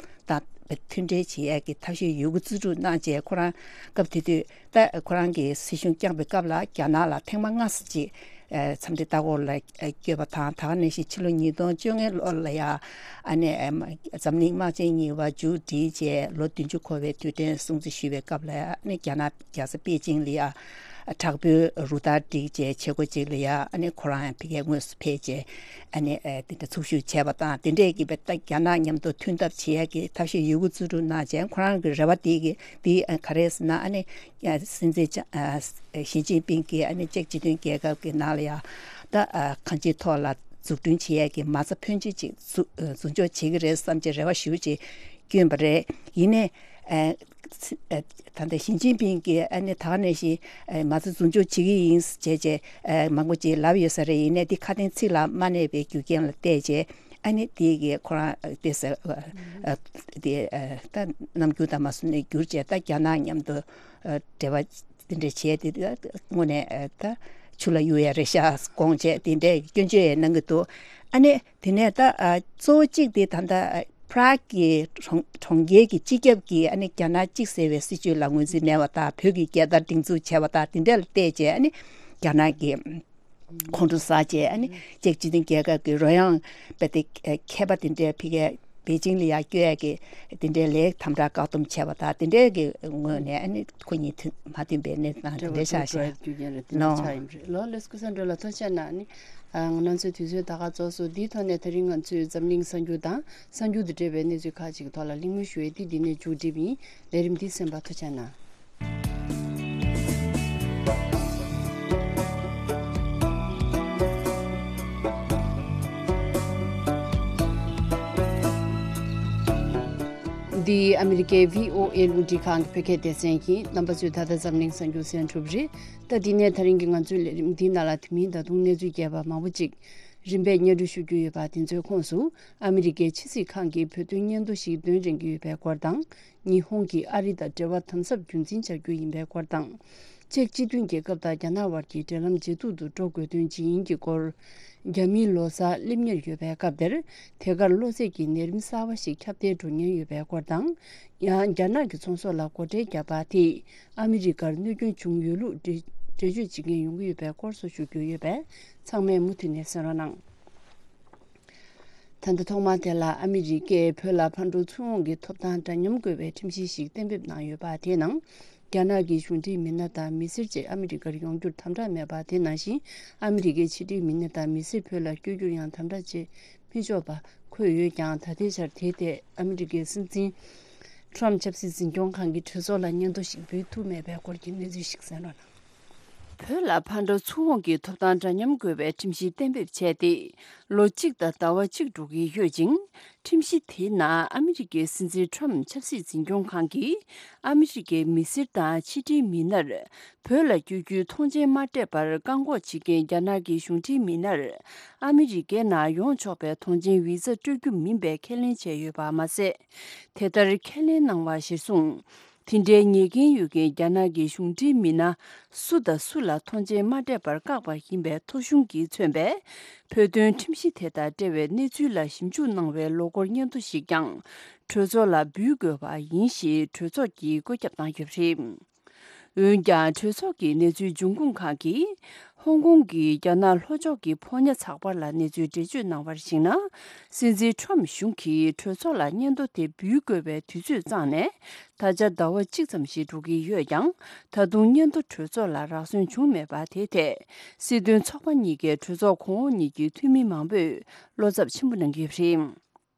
དང་མཐུན་འབྲེལ་བྱེད་ཡས་ཀྱི་ཐབས་ཤེས་ཡོད་རྒུ་རྩིས་སྤྲོད་གནང་བྱས་ཁོ་རང་སྐབས་དེ་དུས་ད་ཁོ་རང་གིས་སྲིད་གཞུང་བསྐྱངས་པའི་སྐབས་ལ་རྒྱ་ནག་ལ་ཐེངས་མ་སྔ་ས་ཅིག་ཨ་འཚམས་འདྲི་ལྟ་སྐོར་ལ་ཨ་བསྐྱོད་པ་དང་། ད་ག་ནང་བཞིན་ཕྱི་ལོ་ཉིས་སྟོང་བཅོ་ལྔ་ལོ་ལ་ཡ་ཨ་ནི་ཨ་འཛམ་གླིང་དམག་ཆེན་གཉིས་པ་མཇུག་སྒྲིལ་རྗེས་ལོ་བདུན་ཅུ་འཁོར་བའི་དུས་དྲན་སྲུང་བརྩི་ཞུ་བའི་སྐབས་ལ་ཡ་ཨ་ནི་རྒྱ་ནག་རྒྱལ་ས་པེ་ཅིང་ལ་ཡ་དྲག་པོའི་རུ་སྟར་བསྒྲིགས་རྗེས་བྱེད་སྒོ་ཅིག་ལ་ཡ་ཨ་ནི་ཁོ་རང་ཡང་ཕ་གིར་དངོས་སུ་ཕེབས་རྗེས་ཨ་ནི་ཨ་དེ་འདྲ་ཚོགས་ཞུགས་བྱས་པ་དང་། དེ་འདྲས་ཀྱི་བའི་ད་རྒྱ་ནག་མཉམ་དུ་མཐུན་ཐབས་བྱེད་ཡ་གི་ཐབས་ཤེས་ཡོད་རྒུ་རྩིས་སྤྲོད་གནང་རྗེས་ཁོ་རང་གི་རེ་བ་དེ་གི་དེ་ཨ་ག་རེ་ཟེར་ན་ཨ་ནི་ཡ་སྲིད་འཛིན་ཅ་ཨ་ཞི་ཅིན་ཕིང་གིས་ཨ་ནི་ཅེཀ་སྤྱི་མཐུན་རྒྱལ་ཁབ་ཀྱི་ནང་ལ་ཡ་ད་ཨ་གང་ཅིའི་ཐོག་ལ་འཛུགས་སྐྲུན་བྱེད་ཡས་ཀྱི་མ་རྩ་ཕོན་ཆེ་ཅིག་འཛུགས་འཛུགས་འཇོག་བྱེད་ཀྱི་རེད་བསམ་བྱས་རེ་བ་ཞེ་པོ་ཅིག་བསྐྱོན་པ་རེད། ཡིན་ནའི་ཨ་ཨ་ད་ལྟ་ཞི་ཅིན་ཕིང་གིས་ཨ་ནི་ད་ག་ནང་བཞིན་ཨ་མ་རྩ་འཛུགས་འཇོག་བྱེད་ཀྱི་ཡིན་བྱས་བྱས་ཨ་མང་པོ་ཅིག་ལབ་ཡོད་ས་རེད། ཡིན་ནའི་འདི་ཁ་དན་ཚིག་ལ་མ་གནས་པའི་རྒྱུ་རྐྱེན་ལ་བལྟས་བྱས་ཨ་ནི་དེ་གི་ཁོ་རང་ཨ་དེ་ཟེར་ཨ་ཨ་དེ་ཨ་ད་རྣམ་འགྱུར་དང་མ་བཟོ་ནས་བསྒྱུར་བྱས་ད་རྒྱ་ནག་མཉམ་དུ་ཨ་འབྲེལ་བ་དེ་འདྲ་བྱས་ཏེ་ད་དངོས་གནས་ཨ་ད་ཆུ་ལ་གཡུག་ཡ་རེད་ཤག་དགོངས་བྱས་དེ་འདྲའི་སྐྱོན་བརྗོད་ཡང་གནང་གི་འདུག་ཨ་ནི་དེ་ནས་ད་ཨ་གཙོ་བོ་གཅིག་དེ་ད་ལྟ་པ་རག་གི་གྲོང་གྲོང་ཁྱེར་གྱི་སྤྱི་ཁྱབ་ཀྱིས་ཨ་ནི་རྒྱ་ནག་གཅིག་ཟེར་བའི་སྲིད་བྱུས་ལ་ངོས་འཛིན་མེད་པ་དང་། བོད་ཀྱི་རྒྱལ་དར་སྒྲེང་འཛུགས་བྱས་པ་དང་། དེ་འདྲ་ལ་བལྟས་བྱས་ཨ་ནི་རྒྱ་ནག་གི་ཁོང་ཁྲོ་ཟ་བྱས་ཨ་ནི་ཅེཀ་སྤྱི་མཐུན་རྒྱལ་ཁབ་ཀྱི་རོལ་དབྱངས་དཔེ་དེ་མཁས་པ་དེ་འདྲའི་ཕ་གིའི་ པེ་ཅིང་ལ་ཡར་བསྐྱོད་ཡག་གི་དེ་འདྲའི་ལས་དམ་དྲག་བཀག་སྡོམ་བྱས་པ་དང་དེ་འདྲའི་གི་ངོས་ནས་ཨ་ནི་ཁོ་གཉིས་མཐུན་མ་མཐུན་པའི་གནས་སྟངས་དེ་འདྲའི་ཆགས་ཤག་ལོ། ལགས་སོ། སྐུ་ཞབས་འགྲོ་ལ་ཐུགས་རྗེ་གནང་། ཨ་ནི་ང་ཚོའི་དུས་ཚོད་ད་ག་རྫོགས་སོང་། འདིའི་ཐོག་ནས་ད་རིང་ང་ཚོས་འཛམ་གླིང་གསར་འགྱུར་དང་གསར་འགྱུར་དང་འབྲེལ་བའི་གནས་ཚུལ་ཁག་ཅིག་གི་ཐོག་ལ་གླེང་མོལ་ཞུ་ཡས་དེ་འདི་ནས་མཇུག་སྒྲིལ་བ་ཡིན། ལས་རིམ་འདི་གསན་པར་ཐུགས་རྗེ་གནང་། འདི་ཨ་མི་རི་ཀའི་བྷི་ཨོ་ཨེ་རླུང་འཕྲིན་ཁང་གི་བོད་སྐད་སྡེ་ཚན་ཡིན། རྣམ་པ་ཚོས་ད་ལྟ་འཛམ་གླིང་གསར་འགྱུར་གསན་གྲུབ་རེད། ད་འདི་ནས་ད་རིང་གི་ང་ཚོའི་ལས་རིམ་འདིའི་ནང་ལ་དེ་མིན་ད་དུང་གནས་ཚུལ་རྒྱས་པ་མང་པོ་ཅིག་རིམ་པས་སྙན་སྒྲོན་ཞུ་རྒྱུ་ཡོད་པ་དེ་ཚོའི་ཁོངས་སུ། ཨ་མི་རི་ཀའི་ཕྱི་སྲིད་ཁང་གིས་བོད་དོན་སྙན་ཐོ་ཞིག་འདོན་རན་གྱི་ཡོད་པའི་སྐོར་དང་། ཉི་ཧོང་གིས་ཨ་རི་དང་འབྲེལ་བ་དམ་ཟབ་རྒྱུན་འཛིན་བྱ་རྒྱུ་ཡིན་པའི་སྐོར་དང་། ཅེཀ་སྤྱི་མཐུན་རྒྱལ་ཁབ་དང་རྒྱ་ནག་དབར་གྱི་འབྲེལ་ལམ་ཇེ་སྡུག་ཏུ་འགྲོ་དགོས་དོན་ཇི་ཡིན་གྱི་སྐོར། རྒྱ་མིའི་ལོ་གསར་སླེབས་ཉེར་ཡོད་པའི་སྐབས་དེར། དེ་གར་གློ་ཚད་ཀྱི་ནད་རིམས་གསར་བ་ཞིག་ཁྱབ་གདལ་འགྲོ་ཉེན་ཡོད་པའི་སྐོར་དང་། ཡང་རྒྱ་ནག་གི་ཚོང་ཟོག་ལ་སྒོ་ཁྲལ་བརྒྱབ་པ་དེས་ཨ་མི་རི་ཀར་གནོད་སྐྱོན་བྱུང་ཡོད་ལུགས་འགྲེལ་འགྲེལ་བརྗོད་བྱེད་མཁན་ཡོང་གི་ཡོད་པའི་སྐོར་སོགས་ཞུ་རྒྱུ་ཡོད་པས་ཚང་མས་མུ་མཐུད་ནས་གསན་རོགས་གནང་། ད་ལྟ་ཐོག་མར་དེ་ལ་ཨ་མི་རི་ཀས་བོད་ལ་ཕར་འགྲོ་ཚུར་འོང་གི་ཐོབ་ཐང་འདྲ་མཉམ་དགོས་པའི་ཁྲིམས་གཞི་ཞིག་གཏན་འབེབས་གནང་ཡོད་པ་དེའི་ནང་། རྒྱ་ནག་གི་གཞུང་འབྲེལ་མི་སྣ་དང་མི་སེར་བཅས་ཨ་མི་རི་ཀར་ཡོང་རྒྱུར་དམ་དྲག་མེད་པ་དེ་ནང་བཞིན་ཨ་མི་རི་ཀའི་ཕྱི་འབྲེལ་མི་སྣ་དང་མི་སེར་བོད་ལ་བསྐྱོད་རྒྱུར་ཡང་དམ་དྲག་བྱེད་མི་ཆོག་པ་འཁོད་ཡོད་ཀྱང་། ད་ལྟའི་ཆར་དེའི་ཐད་ཨ་མི་རི་ཀའི་སྲིད་འཛིན་ཁྲོམ་ཆབ་སྲིད་འཛིན་སྐྱོང་ཁང་གིས་གྲོས་ཚོགས་ལ་སྙན་ཐོ་ཞིག་འབུལ་ཐུབ་མེད་པའི་སྐོར་གྱི་གནས་ཚུལ་ཞིག་གསན་རོགས་གནང་། བོད་ལ་ཕར་འགྲོ་ཚུར་འོང་གི་ཐོབ་ཐང་འདྲ་མཉམ་དགོས་པའི་ཁྲིམས་གཞི་གཏན་འབེབས་བྱས་ཏེ་ལོ་གཅིག་དང་ཟླ་བ་གཅིག་འགྲོ་གི་ཡོད་ཅིང་། ཁྲིམས་གཞི་དེའི་ནང་ཨ་མི་རི་ཀའི་སྲིད་འཛིན་ཁྲོམ་ཆབ་སྲིད་འཛིན་སྐྱོང་ཁང་གིས་ཨ་མི་རི་ཀའི་མི་སེར་དང་ཕྱི་འབྲེལ་མི་སྣར་བོད་ལ་བསྐྱོད་རྒྱུའི་ཐོངས་མཆན་མ་སྤྲད་པར་བཀག་འགོག་བྱེད་མཁན་རྒྱ་ནག་གི་གཞུང་འབྲེལ་མི་སྣར་ཨ་མི་རི་ཀའི་ནང་ཡོང་ཆོག་པའི་ཐོངས་མཆན་བི་ཛ་སྤྲོད་རྒྱུ་མིན་པའི་ཁས་ལེན་བྱས་ཡོད་པ་མ་ཟད། དེ་ལྟར་ཁས་ལེན་གནང་བ་གཞིར་བཟུང་། དེ་འདྲའི་ཉེས་འགན་ཡོད་མཁན་རྒྱ་ནག་གི་གཞུང་འབྲེལ་མི་སྣ་སུ་དང་སུ་ལ་ཐོངས་མཆན་མ་སྤྲད་པར་བཀག་པ་ཡིན་པའི་ཐོ་གཞུང་གིས་མཚོན་པའི་བོད་དོན་ཁྲིམས་གཞི་དེ་དང་འབྲེལ་བའི་གནས་ཚུལ་ལ་ཞིབ་འཇུག་གནང་བའི་ལོ་འཁོར་སྙན་ཐོ་ཞིག་ཀྱང་གྲོས་ཚོགས་ལ་འབུལ་དགོས་པ་ཡིན་ཞེས་གྲོས་ཚོགས་ཀྱིས་བཀོད་ཁྱབ་བཏང་ཡོད་པ་རེད། འོན་ཀྱང་གྲོས་ཚོགས་ཀྱི་གནས་ཚུལ་འབྱུང་ཁུངས་ཁག་གིས། ཧོང་ཀོང་གི་རྒྱ་ནག་ལྷོ་ཕྱོགས་ཀྱི་ཕོ་ཉ་ཚགས་པར་ལ་གནས་ཚུལ་འགྲེལ་བརྗོད་གནང་བར་གཞིགས་ན། སྲིད་འཛིན་ཁྲོམ་གཞུང་གིས་གྲོས་ཚོགས་ལ་སྙན་ཐོ་དེ་འབུལ་དགོས་པའི་དུས་ཚོད་བརྩམས་ནས། ད་ཆ་ཟླ་བ་གཅིག་ཙམ་ཞིག་འགྲོ་གི་ཡོད་ཀྱང་། ད་དུང་སྙན་ཐོ་གྲོས་ཚོགས་ལ་རག་སོན་བྱུང་མེད་པ་དེའི་ཐད། སྲིད་དོན་ཚོགས་པ་གཉིས་ཀའི་གྲོས་ཚོགས་གོང་འོག་གཉིས་ཀྱི་འཐུས་མི་མང་པོས་བློ་འཚབ་ཆེན་པོ་གནང་གི་ཡོད་པ་རེད།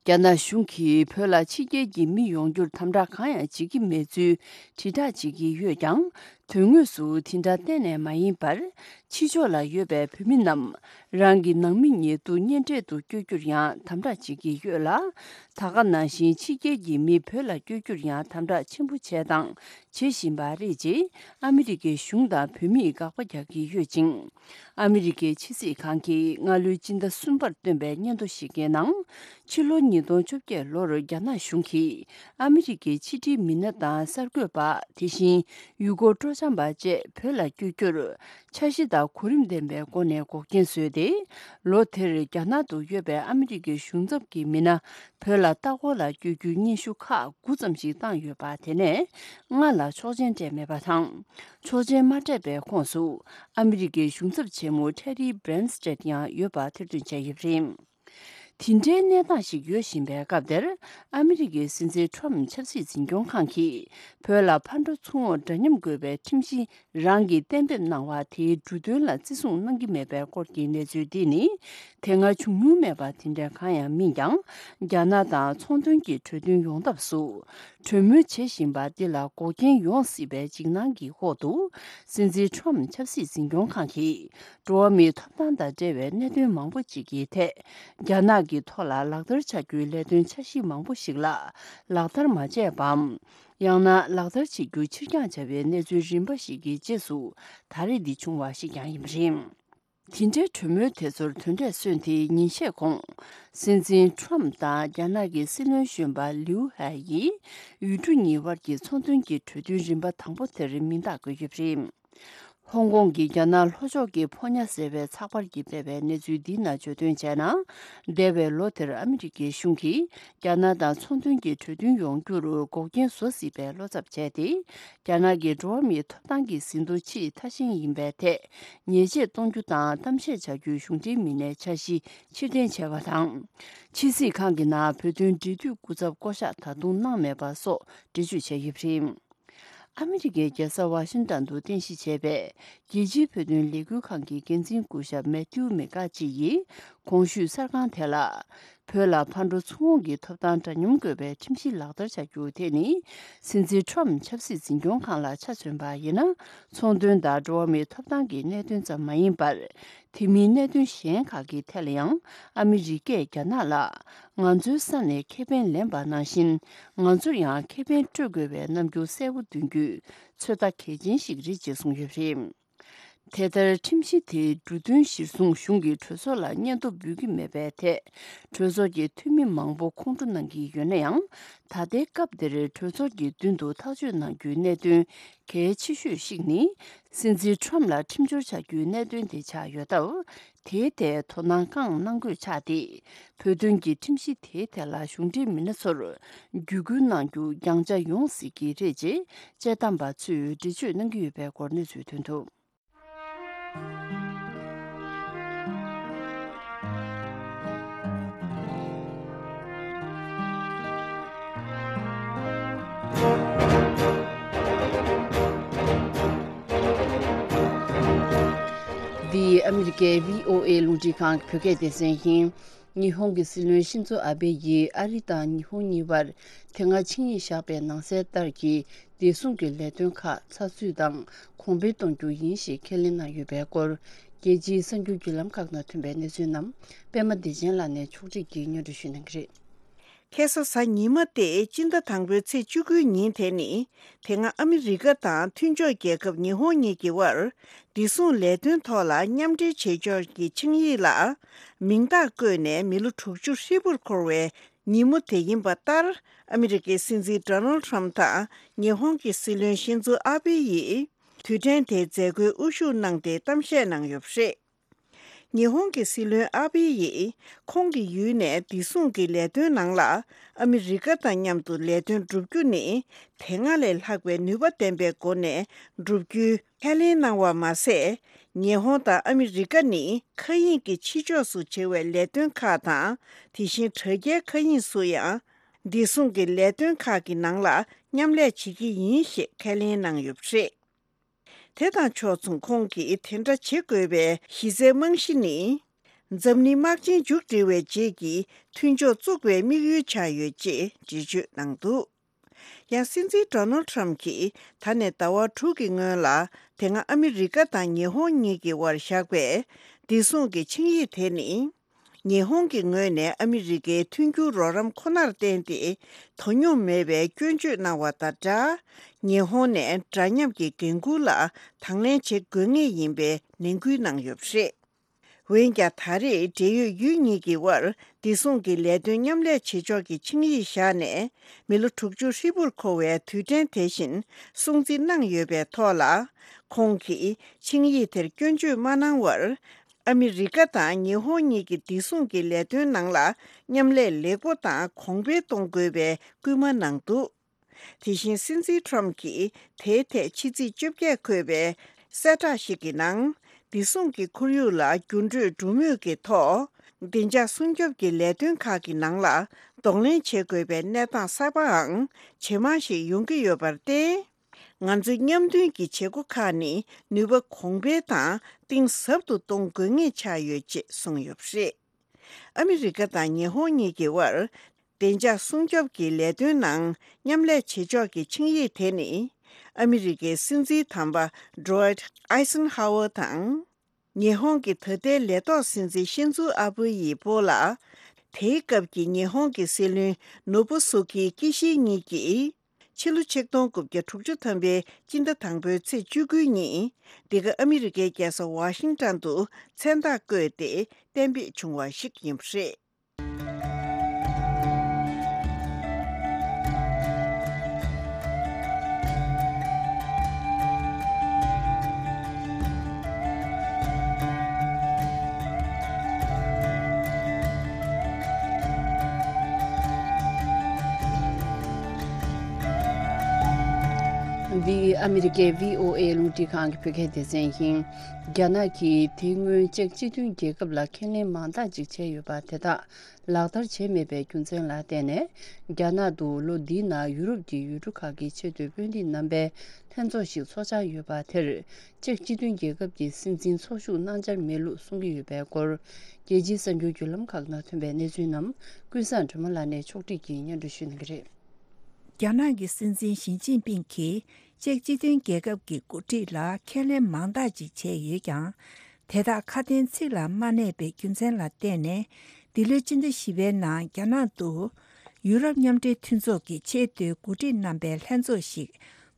རྒྱ་ནག་གཞུང་གིས་བོད་ལ་ཕྱི་རྒྱལ་གྱི་མི་ཡོང་རྒྱུར་དམ་དྲག་གང་ཡང་བྱེད་ཀྱི་མེད་ཚུལ་དྲིལ་བསྒྲགས་བྱེད་ཀྱི་ཡོད་ཀྱང་། དོན་དངོས་སུ་དེ་འདྲ་གཏན་ནས་མ་ཡིན་པར། ཕྱི་ཕྱོགས་ལ་ཡོད་པའི་བོད་མི་རྣམས་རང་གི་ནང་མི་ཉེ་དུ་གཉེན་འཕྲད་དུ་བསྐྱོད་རྒྱུར་ཡང་དམ་དྲག་བྱེད་ཀྱི་ཡོད་ལ། ད་ག་ནང་བཞིན་ཕྱི་རྒྱལ་གྱི་མི་བོད་ལ་བསྐྱོད་རྒྱུར་ཡང་དམ་དྲག་ཆེན་པོ་བྱས་དང་བྱེད་བཞིན་པ་རེད་ཅེས་ཨ་མི་རི་ཀའི་གཞུང་དང་བོད་མིས་དགག་པ་རྒྱག་གི་ཡོད་ཅིང་། ཨ་མི་རི་ཀའི་ཕྱི་སྲིད་ཁང་གིས་སྔ་ལོའི་སྤྱི་ཟླ་གསུམ་པར་བཏོན་པའི་སྙན་ཐོ་ཞིག་གི་ནང་། ཕྱི་ལོ་ཉིས་སྟོང་བཅོ་བརྒྱད་ལོར་རྒྱ་ནག་གཞུང་གིས་ཨ་མི་རི་ཀའི་ཕྱི་འབྲེལ་མི་སྣ་དང་གསར་འགོད་པ། དེ་བཞིན་ཡུལ་སྐོར་སྤྲོ་འཆམ་པ་བཅས་བོད་ལ་བསྐྱོད་རྒྱུར། འཆར་གཞི་དང་གོ་རིམ་ལྡན་པའི་སྒོ་ནས་འགོག་རྐྱེན་བཟོས་ཏེ། ལོ་དེར་རྒྱ་ནག་ཏུ་ཡོད་པའི་ཨ་མི་རི་ཀའི་གཞུང་ཚབ་ཀྱི་མི་སྣ། བོད་ལ་ལྟ་སྐོར་ལ་བསྐྱོད་རྒྱུའི་སྙན་ཞུ་ཁག་དགུ་ཙམ་ཞིག་བཏང་ཡོད་པ། དེ་ནས་ལྔ་ལ་ཆོག་མཆན་སྤྲད་མེད་པ་དང་། ཆོག་མཆན་མ་སྤྲད་པའི་ཁོངས་སུ་ཨ་མི་རི་ཀའི་གཞུང་ཚབ་ཆེན་མོ་ཊེ་རི་བྷི་རན་སི་ཊེད་ཡང་ཡོད་པ་ཐེར་འདོན་བྱས་ཡོད་པ་རེད། དེ་འདྲའི་གནས་སྟངས་ཤིག་ཡོད་བཞིན་པའི་སྐབས་དེར། ཨ་མི་རི་ཀའི་སྲིད་འཛིན་ཁྲོམ་ཆབ་སྲིད་འཛིན་སྐྱོང་ཁང་གིས་བོད་ལ་ཕར་འགྲོ་ཚུར་འོང་འདྲ་མཉམ་དགོས་པའི་ཁྲིམས་གཞི། རང་གིས་གཏན་འབེབས་གནང་བ་དེའི་འབྲུ་དོན་ལ་བརྩི་སྲུང་གནང་གི་མེད་པའི་སྐོར་གྱི་གནས་ཚུལ་འདི་ནི། དེ་སྔ་བྱུང་མྱོང་མེད་པ་དེ་འདྲ་གང་ཡང་མིན་ཀྱང་། རྒྱ་ནག་དང་ཚོང་དོན་གྱི་གྲོས་མཐུན་ཡོང་ཐབས་སུ་གྲོས་མོལ་བྱེད་བཞིན་པ་འདི་ལ་འགོག་རྐྱེན་ཡོང་སྲིད་པའི་འཇིགས་སྣང་གི་འོག་ཏུ། སྲིད་འཛིན་ཁྲོམ་ཆབ་སྲིད་འཛིན་སྐྱོང་ཁང་གིས་འགྲོ་བ་མིའི་ཐོབ་ཐང་དང་འབྲེལ་བའི་གནད་དོན་མང་པོ་ཅིག་གི་ཐད། རྒྱ་ནག་གི་ཐོག་ལ་ལག་བསྟར་བྱ་རྒྱུའི་ལས་དོན་འཆར་གཞི་མང་པོ་ཞིག་ལ་ལག་བསྟར་མ་བྱས་པའམ། ཡང་ན་ལག་བསྟར་བྱེད་རྒྱུ་ཕྱིར་འགྱངས་བྱ་བའི་གནས་ཚུལ་རིམ་པ་ཞིག་གི་རྗེས་སུ་ད་རེས་འདི་བྱུང་བ་ཞིག་ཀྱང་ཡིན་པ་རེད། དེ་འདྲའི་གྲོས་མོལ་དེ་ཚོར་དོན་འབྲས་སོན་ཏེ་ཉིན་ཤས་གོང་། སྲིད་འཛིན་ཁྲོམ་དང་རྒྱ་ནག་གི་སྲིད་བློན་གཞོན་པ་ལིའུ་ཧའེ་ཡིས་ཡུལ་གྲུ་གཉིས་དབར་གྱི་ཚོང་དོན་གྱི་གྲོས་མཐུན་རིམ་པ་དང་པོ་དེར་མིང་རྟགས་བཀོད་ཡོད་པ་རེད། ཧོང་ཀོང་གི་རྒྱ་ནག་ལྷོ་ཕྱོགས་ཀྱི་ཕོ་ཉ་ཟེར་བའི་ཚགས་པར་གྱིས་སྤེལ་བའི་གནས་ཚུལ་འདིའི་ནང་བརྗོད་དོན་བྱས་ན། འདས་པའི་ལོ་དེར་ཨ་མི་རི་ཀའི་གཞུང་གིས་རྒྱ་ནག་དང་ཚོང་དོན་གྱི་གྲོས་མཐུན་ཡོང་རྒྱུར་འགོག་རྐྱེན་བཟོ་སྲིད་པའི་བློ་འཚབ་བྱས་ཏེ། རྒྱ་ནག་གི་འགྲོ་བ་མིའི་ཐོབ་ཐང་གི་ཟིན་ཐོ་ཆེས་མཐའ་ཞེན་ཡིན་པའི་ཐད། ཉེས་ཆད་གཏོང་རྒྱུ་དང་གཏམ་བཤད་བྱ་རྒྱུའི་གཞུང་འབྲེལ་མི་སྣའི་འཆར་གཞི་ཕྱིར་འཐེན་བྱས་པ་དང་། ཕྱི་སྲིད་ཁང་གི་ནང་བོད་དོན་འབྲེལ་མཐུད་སྐུ་ཚབ་བསྐོ་གཞག་ད་དུང་གནང་མེད་པ་སོགས་འགྲེལ་བརྗོད་བྱས་ཡོད་པ་རེད། ཨ་མི་རི་ཀའི་རྒྱལ་ས་ཝ་ཤིང་ཏན་དུ་རྟེན་གཞི་བྱས་པའི་རྒྱལ་སྤྱིའི་བོད་དོན་ལས་འགུལ་ཁང་གི་འགན་འཛིན་སྐུ་ཞབས་མེ་ཐིའུ་མེ་ཀ་ཅི་ཡིས་གོང་ཞུས་གསར་ཁང་དེ་ལ། བོད་ལ་ཕར་འགྲོ་ཚུར་འོང་གི་ཐོབ་ཐང་འདྲ་མཉམ་དགོས་པའི་ཁྲིམས་གཞི་ལག་བསྟར་བྱ་རྒྱུ་དེ་ནི། སྲིད་འཛིན་ཁྲོམ་ཆབ་སྲིད་འཛིན་སྐྱོང་ཁང་ལ་ཆ་མཚོན་པ་ཡིན་ན། ཚོང་དོན་དང་འགྲོ་བ་མིའི་ཐོབ་ཐང་གི་གནད་དོན་ཙམ་མ་ཡིན་པར། དེ་མིན་གནད་དོན་གཞན་ཁག་གི་ཐད་ལ་ཡང་ཨ་མི་རི་ཀས་རྒྱ་ནག་ལ་ང་ཚོའི་ས་ནས་ཁེ་ཕན་ལེན་པ་ནང་བཞིན། ང་ཚོར་ཡང་ཁེ་ཕན་སྤྲོད་དགོས་པའི་རྣམ་འགྱུར་གསལ་པོ་སྟོན་རྒྱུ་ཚོད་ལྟ་གལ་ཆེན་ཞིག་རེད་ཅེས་གསུངས་ཡོད་པ་རེད། དེ་ལྟར་ཁྲིམས་གཞི་དེའི་འབྲུ་དོན་གཞིར་བཟུང་གཞུང་གིས་གྲོས་ཚོགས་ལ་སྙན་ཐོ་འབུལ་གྱི་མེད་པའི་ཐད། གྲོས་ཚོགས་ཀྱི་འཐུས་མི་མང་པོ་ཁོང་ཁྲོ་གནང་གི་ཡོད་ན་ཡང་། ད་ལྟའི་སྐབས་འདིར་གྲོས་ཚོགས་ཀྱི་མདུན་དུ་ཐག་གཅོད་གནང་རྒྱུའི་གནད་དོན་གལ་ཆེ་ཤོས་ཤིག་ནི། སྲིད་འཛིན་ཁྲོམ་ལ་ཁྲིམས་སྦྱོར་བྱ་རྒྱུའི་གནད་དོན་དེ་ཆགས་ཡོད་སྟབས། དེའི་ཐད་དོ་སྣང་བསྐངས་གནང་དགོས་ཆགས་ཏེ། བོད་དོན་གྱི་ཁྲིམས་གཞི་དེའི་ཐད་ལ་གཞུང་འབྲེལ་མི་སྣ་ཚོར་བརྒྱུད་སྐུལ་གནང་རྒྱུ་རྒྱང་ཆ་ཡོང་སྲིད་ཀྱི་རེད་ཅེས་དཔྱད་གཏམ་པ་ཚོས་འགྲེལ་བརྗོད་གནང་གི་ཡོད་པའི་སྐོར་གནས་ཚུལ་ཐོན་འདུག་འདི་ཨ་མི་རི་ཀའི་བྷི་ཨོ་ཨེ་རླུང་འཕྲིན་ཁང་གི་བོད་སྐད་སྡེ་ཚན་ཡིན། ཉི་ཧོང་གི་སྲིད་བློན་ཤིན་ཛོ་ཨ་བྷེ་ཡིས་ཨ་རི་དང་ཉི་ཧོང་གཉིས་བར་དེ་སྔ་ཆིངས་ཡིག་བཞག་པའི་ནང་གསལ་ལྟར་གྱི་བདེ་སྲུང་གི་ལས་དོན་ཁག་ཚགས་ཚུད་དང་གོང་འཕེལ་གཏོང་རྒྱུ་ཡིན་ཞེས་ཁས་ལེན་གནང་ཡོད་པའི་སྐོར། རྒྱལ་སྤྱིའི་གསར་འགྱུར་བརྒྱུད་ལམ་ཁག་ནང་ཐོན་པའི་གནས་ཚུལ་རྣམས་པད་མ་བདེ་ཆེན་ལགས་ནས་ཕྱོགས་སྒྲིག་གིས་སྙན་སྒྲོན་ཞུ་གནང་གི་རེད། ཁ་སང་གཟའ་ཉི་མ་སྟེ་སྤྱི་ཟླ་དང་པོའི་ཚེས་བཅུ་དགུའི་ཉིན་དེ་ནི། དེ་སྔ་ཨ་མི་རི་ཀ་དང་མཐུན་ཕྱོགས་རྒྱལ་ཁབ་ཉི་ཧོང་གཉིས་ཀྱི་དབར་བདེ་སྲུང་ལས་དོན་ཐོག་ལ་མཉམ་འབྲེལ་བྱེད་ཕྱོགས་ཀྱི་ཆིངས་ཡིག་ལ་མིང་རྟགས་བཀོད་ནས་མི་ལོ་དྲུག་ཅུ་ཧྲིལ་པོར་འཁོར་བའི་ཉིན་མོ་དེ་ཡིན་པ་ལྟར། ཨ་མི་རི་ཀའི་སྲིད་འཛིན་ཌོ་ནལ་ཁྲམ་དང་ཉི་ཧོང་གི་སྲིད་བློན་ཤིན་ཛོ་ཨ་བྷེ་ཡིས་དུས་དྲན་དེའི་མཛད་སྒོའི་དབུ་བཞུགས་གནང་སྟེ་གཏམ་བཤད་གནང་ཡོད་པ་རེད། ཉི་ཧོང་གི་སྲིད་བློན་ཨ་བྷེ་ཡིས་ཁོང་གི་ཡུལ་ནས་བདེ་སྲུང་གི་ལས་དོན་ནང་ལ་ཨ་མི་རི་ཀ་དང་མཉམ་དུ་ལས་དོན་བསྒྲུབ་རྒྱུ་ནི་དེ་སྔ་ལས་ལྷག་པའི་ནུས་པ་ལྡན་པའི་སྒོ་ནས་བསྒྲུབ་རྒྱུའི་ཁས་ལེན་གནང་བ་མ་ཟད། ཉི་ཧོང་དང་ཨ་མི་རི་ཀ་ནི་མཁའ་དབྱིངས་ཀྱི་ཕྱི་ཕྱོགས་སུ་བྱེད་པའི་ལས་དོན་ཁག་དང་། དེ་བཞིན་དྲ་རྒྱའི་མཁའ་དབྱིངས་སུ་ཡང་བདེ་སྲུང་གི་ལས་དོན་ཁག་གི་ནང་ལ་མཉམ་ལས་བྱེད་ཀྱི་ཡིན་ཞེས་ཁས་ལེན་གནང་ཡོད་པ་རེད། དེ་དང་ཕྱོགས་མཚུངས་ཁོང་གིས་དེ་འདྲ་བྱེད་དགོས་པའི་གཞི་རྩའི་རྨང་གཞི་ནི། འཛམ་གླིང་དམག་ཆེན་མཇུག་སྒྲིལ་བའི་རྗེས་ཀྱི་མཐུན་ཕྱོགས་བཙུགས་པའི་དམིགས་ཡུལ་ཆགས་ཡོད་ཅེས་འགྲེལ་བརྗོད་གནང་འདུག་ཡང་སྲིད་འཛིན་ཌོ་ནལ་ཁྲམ་གྱིས་ད་ནས་ཟླ་བ་དྲུག་གི་སྔོན་ལ་དེ་སྔ་ཨ་མི་རི་ཀ་དང་ཉི་ཧོང་གཉིས་ཀྱི་དབར་བཞག་པའི་བདེ་སྲུང་གི་ཆིངས་ཡིག་དེ་ནི། ཉི་ཧོང་གི་ངོས་ནས་ཨ་མི་རི་ཀའི་མཐུན་འགྱུར་རོགས་རམ་ཁོ་ནར་བརྟེན་ཏེ་དོ་སྙོམས་མེད་པའི་སྐྱོན་བརྗོད་གནང་བ་དང་སྦྲགས། ཉི་ཧོང་ནས་འདྲ་མཉམ་གྱི་འགན་འཁུར་ལ་དང་ལེན་བྱེད་དགོས་ངེས་ཡིན་པའི་ནན་སྐུལ་གནང་ཡོད་པ་རེད། འོན་ཀྱང་ད་རེས་འབྲེལ་ཡོད་ཡུལ་གཉིས་ཀྱི་དབར་བདེ་སྲུང་གི་ལས་དོན་མཉམ་ལས་བྱེད་ཕྱོགས་ཀྱི་ཆིངས་ཡིག་བཞག་ནས་མི་ལོ་དྲུག་ཅུ་ཧྲིལ་པོར་འཁོར་བའི་དུས་དྲན་དེ་བཞིན་སྲུང་བརྩི་གནང་ཡོད་པའི་ཐོག་ལ། ཁོང་གིས་ཆིངས་ཡིག་དེར་སྐྱོན་བརྗོད་མ་གནང་བར། ཨ་མི་རི་ཀ་དང་ཉི་ཧོང་གཉིས་ཀྱི་བདེ་སྲུང་གི་ལས་དོན་ནང་ལ་མཉམ་ལས་ལེགས་པོ་དང་གོང་འཕེལ་གཏོང་དགོས་པའི་སྐུལ་མ་གནང་འདུག་དེ་བཞིན་སྲིད་འཛིན་ཁྲོམ་གྱིས་དེའི་ཐད་ཕྱི་ཚེས་བཅོ་བརྒྱད་འཁོད་པའི་གསལ་བསྒྲགས་ཤིག་གི་ནང་། བདེ་སྲུང་གི་ཁོར་ཡུག་ལ་འགྱུར་འགྲོས་འགྲོ་མུས་ཀྱི་ཐོག་བདེ་འཇགས་སྲུང་སྐྱོབ་ཀྱི་ལས་དོན་ཁག་གི་ནང་ལ་གདོང་ལེན་བྱེད་དགོས་པའི་གནས་སྟངས་གསར་པའང་ཇེ་མང་ཞིག་ཡོང་གི་ཡོད་པར་བརྟེན། ང་ཚོའི་མཉམ་མཐུན་གྱི་བྱེད་སྒོ་ཁག་ནི་ནུས་པ་གོང་འཕེལ་དང་གཏིང་ཟབ་ཏུ་གཏོང་དགོས་ངེས་ཆགས་ཡོད་ཅེས་གསུངས་ཡོད་པ་རེད། ཨ་མི་རི་ཀ་དང་ཉི་ཧོང་གཉིས་ཀྱི་དབར་བདེ་འཇགས་སྲུང་སྐྱོབ་ཀྱི་ལས་དོན་ནང་མཉམ་ལས་བྱེད་ཕྱོགས་ཀྱི་ཆིངས་ཡིག་དེ་ནི། ཨ་མི་རི་ཀའི་སྲིད་འཛིན་དམ་པ་ཌོ་ཝའིཊ་ཨའི་སན་ཧ་ཝར་དང་། ཉི་ཧོང་གི་ད་ལྟའི་ལས་ཐོག་སྲིད་འཛིན་ཤིན་ཛུ་ཨ་བྷེ་ཡི་སྤོ་ལགས། དེའི་སྐབས་ཀྱི་ཉི་ཧོང་གི་སྲིད་བློན་ནོ་བུ་སུ་ཀི་ཀི་ཤི་གཉིས་ཀྱིས། ཕྱི་ལོ་ཆིག་སྟོང་དགུ་བརྒྱ་དྲུག་ཅུ་ཐམ་པའི་སྤྱི་ཟླ་དང་པོའི་ཚེས་བཅུ་དགུ་ཉིན། འདི་ག་ཨ་མི་རི་ཀའི་རྒྱལ་ས་ཝ་ཤིང་ཊོན་དུ་མཚན་རྟགས་བཀོད་དེ་གཏན་འབེབས་བྱུང་བ་ཞིག་ཡིན་པ་རེད། འདི་ཨ་མི་རི་ཀའི་བྷི་ཨོ་ཨེ་རླུང་འཕྲིན་ཁང་གི་བོད་སྐད་སྡེ་ཚན་ཡིན། རྒྱ་ནག་གིས་དེ་སྔོན་ཅེཀ་སྤྱི་མཐུན་རྒྱལ་ཁབ་ལ་ཁས་ལེན་མང་དག་ཅིག་བྱས་ཡོད་པ་དེ་དག་ལག་བསྟར་བྱས་མེད་པའི་རྒྱུ་མཚན་ལ་བརྟེན་ནས། རྒྱ་ནག་ཏུ་ལོ་འདིའི་ནང་ཡུ་རོབ་ཀྱི་ཡུལ་གྲུ་ཁག་གི་ཆེས་མཐོའི་དཔོན་རིགས་རྣམ་པའི་ལྷན་ཚོགས་ཤིག་འཚོགས་འཆར་ཡོད་པ་དེར། ཅེཀ་སྤྱི་མཐུན་རྒྱལ་ཁབ་ཀྱི་སྲིད་འཛིན་ཚོགས་ཞུགས་གནང་འཆར་མེད་ལུགས་གསུང་གི་ཡོད་པའི་སྐོར། རྒྱལ་སྤྱིའི་གསར་འགྱུར་བརྒྱུད་ལམ་ཁག་ནང་ཐོན་པའི་གནས་ཚུལ་རྣམས་ཀུན་བཟང་སྒྲོལ་མ་ལགས་ནས་ཕྱོགས་སྒྲིག་གིས་སྙན་སྒྲོན་ཞུ་གནང་གི་རེད། རྒྱ་ནག་གི་སྲིད་འཛིན་ཞི་ཅིན་ཕིང་གིས་ཅེཀ་སྤྱི་མཐུན་རྒྱལ་ཁབ་ཀྱི་འགོ་ཁྲིད་ལ་ཁས་ལེན་མང་དག་ཅིག་བྱས་ཡོད་ཀྱང་། དེ་དག་ཁ་དན་ཚིག་ལ་མ་གནས་པའི་རྒྱུ་མཚན་ལ་བརྟེན་ནས། འདི་ལོའི་སྤྱི་ཟླ་བཞི་པའི་ནང་རྒྱ་ནག་ཏུ་ཡུ་རོབ་མཉམ་འབྲེལ་མཐུན་ཚོགས་ཀྱི་ཆེས་མཐོའི་འགོ་ཁྲིད་རྣམ་པའི་ལྷན་ཚོགས་ཤིག་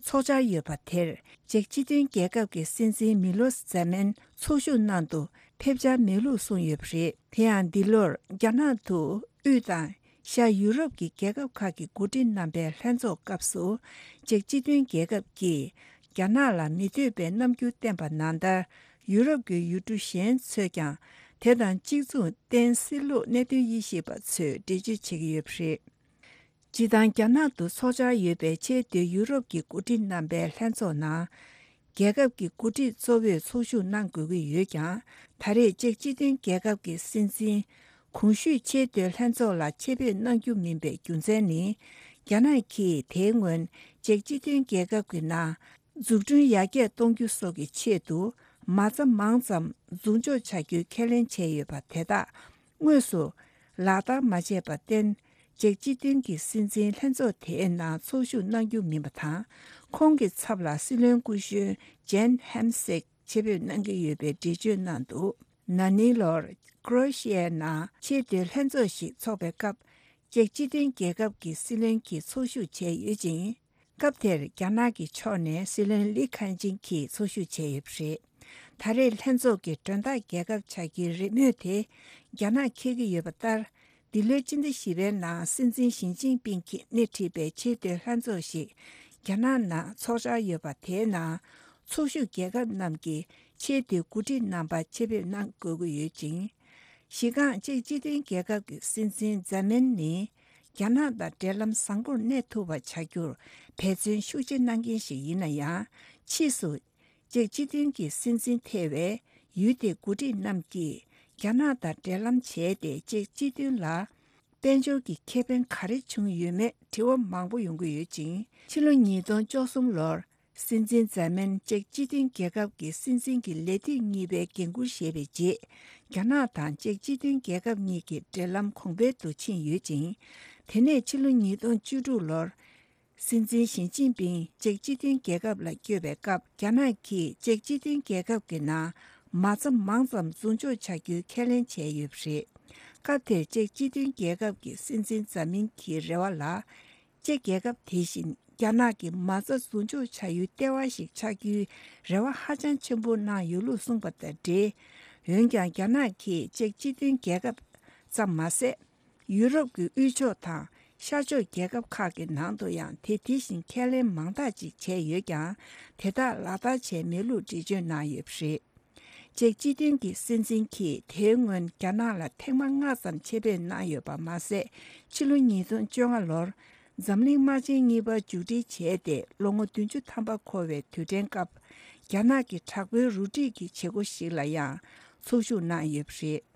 འཚོགས་འཆར་ཡོད་པ་དེར། ཅེཀ་སྤྱི་མཐུན་རྒྱལ་ཁབ་ཀྱི་སྲིད་འཛིན་མི་ལོ་ཟེ་མན་ཚོགས་ཞུགས་གནང་དུ་ཕེབས་འཆར་མེད་ལུགས་གསུངས་ཡོད་པ་རེད། དེ་ཡང་འདི་ལོར་རྒྱ་ནག་ཏུ་དབུས་དང་ཤར་ཡུ་རོབ་ཀྱི་རྒྱལ་ཁབ་ཁག་གི་འགོ་ཁྲིད་རྣམ་པའི་ལྷན་ཚོགས་སྐབས་སུ། ཅེཀ་སྤྱི་མཐུན་རྒྱལ་ཁབ་ཀྱིས་རྒྱ་ནག་ལ་མི་འདོད་པའི་རྣམ་འགྱུར་བསྟན་པ་ནང་ལྟར། ཡུ་རོབ་ཀྱི་ཡུལ་གྲུ་གཞན་ཚོས་ཀྱང་དེ་དང་གཅིག་མཚུངས་བརྟེན་སྲིད་ལུགས་གནད་དོན་དབྱེ་ཞིབ་པ་ཚོས་འགྲེལ་བརྗོད་བྱེད་ཀྱི་ཡོད་པ་རེད། སྤྱིར་བཏང་རྒྱ་ནག་ཏུ་འཚོགས་འཆར་ཡོད་པའི་ཆེས་མཐོའི་ཡུ་རོབ་ཀྱི་འགོ་ཁྲིད་རྣམ་པའི་ལྷན་ཚོགས་ནང་། རྒྱལ་ཁབ་ཀྱི་འགོ་ཁྲིད་གཙོ་བོས་ཚོགས་ཞུགས་གནང་དགོས་ཀྱི་ཡོད་ཀྱང་། ད་རེས་ཅེཀ་སྤྱི་མཐུན་རྒྱལ་ཁབ་ཀྱི་སྲིད་འཛིན་གོང་ཞུས་ཆེས་མཐོའི་ལྷན་ཚོགས་ལ་ཆེད་ཕེབས་གནང་རྒྱུ་མིན་པའི་རྒྱུ་མཚན་ནི། རྒྱ་ནག་གིས་དེའི་སྔོན་ཅེཀ་སྤྱི་མཐུན་རྒྱལ་ཁབ་ཀྱི་ནང་འཛུགས་སྐྲུན་ཡར་རྒྱས་གཏོང་རྒྱུ་སོགས་ཀྱི་ཆེད་དུ། མ་རྩ་མང་ཙམ་འཛུགས་འཇོག་བྱ་རྒྱུའི་ཁས་ལེན་བྱས་ཡོད་པ་དེ་དག་དངོས་སུ་ལག་བསྟར་མ་བྱས་པར་བརྟེན། ཅེཀ་སྤྱི་མཐུན་གྱི་སྲིད་འཛིན་ལྷན་ཚོགས་དེའི་ནང་ཚོགས་ཞུགས་གནང་རྒྱུ་མིན་པ་དང་། ཁོང་གི་ཚབ་ལ་སྲིད་བློན་སྐུ་གཞོན་ཇན་ཧེམ་སིག་ཆེད་ཕེབས་གནང་གི་ཡོད་པའི་འགྲེལ་བརྗོད་གནང་འདུག་ན་ནིང་ལོར་ཀྲོ་ཨེ་ཤི་ཡའི་ནང་ཆེས་མཐོའི་ལྷན་ཚོགས་ཤིག་འཚོགས་པའི་སྐབས། ཅེཀ་སྤྱི་མཐུན་རྒྱལ་ཁབ་ཀྱི་སྲིད་བློན་གྱིས་ཚོགས་ཞུགས་བྱས་ཡོད་ཅིང་། སྐབས་དེར་རྒྱ་ནག་གི་ཕྱོགས་ནས་སྲིད་བློན་ལི་ཁེ་ཆིང་གིས་ཚོགས་ཞུགས་བྱས་ཡོད་པ་རེད། ད་རེས་ལྷན་ཚོགས་ཀྱི་མགྲོན་བདག་རྒྱལ་ཁབ་བྱ་རྒྱུའི་རེ་མོས་དེ་རྒྱ་ནག་འཁྱེར་གྱི་ཡོད་པ་ལྟར། འདི་ལོའི་སྤྱི་ཟླ་བཞི་པའི་ནང་སྲིད་འཛིན་ཞི་ཅིན་ཕིང་གིས་སྣེ་ཁྲིད་པའི་ཆེས་མཐོའི་ལྷན་ཚོགས་ཤིག་རྒྱ་ནག་ནང་འཚོགས་འཆར་ཡོད་པ་དེའི་ནང་། ཚོགས་ཞུགས་རྒྱལ་ཁབ་རྣམས་ཀྱི་ཆེས་མཐོའི་འགོ་ཁྲིད་རྣམ་པ་ཆེད་ཕེབས་གནང་དགོས་ཀྱི་ཡོད་ཅིང་། གཞི་རྐང་ཅེཀ་སྤྱི་མཐུན་རྒྱལ་ཁབ་ཀྱི་སྲིད་འཛིན་ཛེ་མན་ནི། རྒྱ་ནག་དང་འབྲེལ་ལམ་བཟང་པོར་གནས་ཐུབ་པ་བྱ་རྒྱུར་འབད་བརྩོན་ཤུགས་ཆེ་གནང་མཁན་ཞིག་ཡིན་ན་ཡང་། ཕྱིས་སུ་ཅེཀ་སྤྱི་མཐུན་གྱི་སྲིད་འཛིན་ཐེ་བའི་ཡུལ་དེའི་འགོ་ཁྲིད་རྣམས་ཀྱིས་རྒྱ་ནག་དང་འབྲེལ་ལམ་བྱས་ཏེ། ཅེཀ་སྤྱི་མཐུན་ལ་དཔལ་འབྱོར་གྱི་ཁེ་ཕན་ག་རེ་བྱུང་ཡོད་མེད་དྲི་བ་མང་པོ་ཡོང་གི་ཡོད་ཅིང་། ཕྱི་ལོ་ཉིས་སྟོང་བཅུ་གསུམ་ལོར། སྲིད་འཛིན་ཛེ་མན་ཅེཀ་སྤྱི་མཐུན་རྒྱལ་ཁབ་ཀྱི་སྲིད་འཛིན་གྱི་ལས་དུས་གཉིས་པའི་འགན་འཁུར་བཞེས་པའི་རྗེས། རྒྱ་ནག་དང་ཅེཀ་སྤྱི་མཐུན་རྒྱལ་ཁབ་གཉིས་ཀྱི་འབྲེལ་ལམ་གོང་འཕེལ་དུ་ཕྱིན་ཡོད་ཅིང་། དེ་ནས་ཕྱི་ལོ་ཉིས་སྟོང་བཅུ་དྲུག་ལོར། སྲིད་འཛིན་ཞི་ཅིན་ཕིང་ཅེཀ་སྤྱི་མཐུན་རྒྱལ་ཁབ་ལ་བསྐྱོད་པའི་སྐབས། རྒྱ་ནག་གིས་ཅེཀ་སྤྱི་མཐུན་རྒྱལ་ཁབ་ཀྱི་ནང་མ་རྩ་མང་ཙམ་འཛུགས་འཇོག་བྱ་རྒྱུའི་ཁས་ལེན་བྱས་ཡོད་པ་རེད། སྐབས་དེར་ཅེཀ་སྤྱི་མཐུན་རྒྱལ་ཁབ་ཀྱི་སྲིད་འཛིན་ཛེ་མན་གྱི་རེ་བ་ལ། ཅེཀ་རྒྱལ་ཁབ་དེ་བཞིན་རྒྱ་ནག་གི་མ་རྩ་འཛུགས་འཇོག་བྱ་ཡུལ་ལྟེ་བ་ཞིག་ཆགས་རྒྱུའི་རེ་བ་ཧ་ཅང་ཆེན་པོ་གནང་ཡོད་ལུགས་གསུངས་པ་དང་འབྲེལ། འོན་ཀྱང་རྒྱ་ནག་གིས་ཅེཀ་སྤྱི་མཐུན་རྒྱལ་ཁབ་ཙམ་མ་ཟད། ཡུ་རོབ་ཀྱི་དབུས་ཕྱོགས་དང་ཤར་ཕྱོགས་རྒྱལ་ཁབ་ཁག་གི་ནང་དུ་ཡང་དེ་དེ་བཞིན་ཁས་ལེན་མང་དག་ཅིག་བྱས་ཡོད་ཀྱང་། དེ་དག་ལག་བསྟར་བྱས་མེད་ལུགས་འགྲེལ་བརྗོད་གནང་ཡོད་པ་རེད། ཅེཀ་སྤྱི་མཐུན་གྱི་སྲིད་འཛིན་གྱིས་དེའི་སྔོན་རྒྱ་ནག་ལ་ཐེངས་མ་ལྔ་ཙམ་ཆེད་ཕེབས་གནང་ཡོད་པ་མ་ཟད། ཕྱི་ལོ་ཉིས་སྟོང་བཅོ་ལྔ་ལོར་འཛམ་གླིང་དམག་ཆེན་གཉིས་པ་མཇུག་སྒྲིལ་བྱས་ཏེ་ལོ་ངོ་བདུན་ཅུ་ཐམ་པ་འཁོར་བའི་དུས་དྲན་སྐབས། རྒྱ་ནག་གི་དྲག་པོའི་རུ་སྒྲིག་གི་བྱེད་སྒོ་ཞིག་ལ་ཡང་ཚོགས་ཞུགས་གནང་ཡོད་པ་རེད།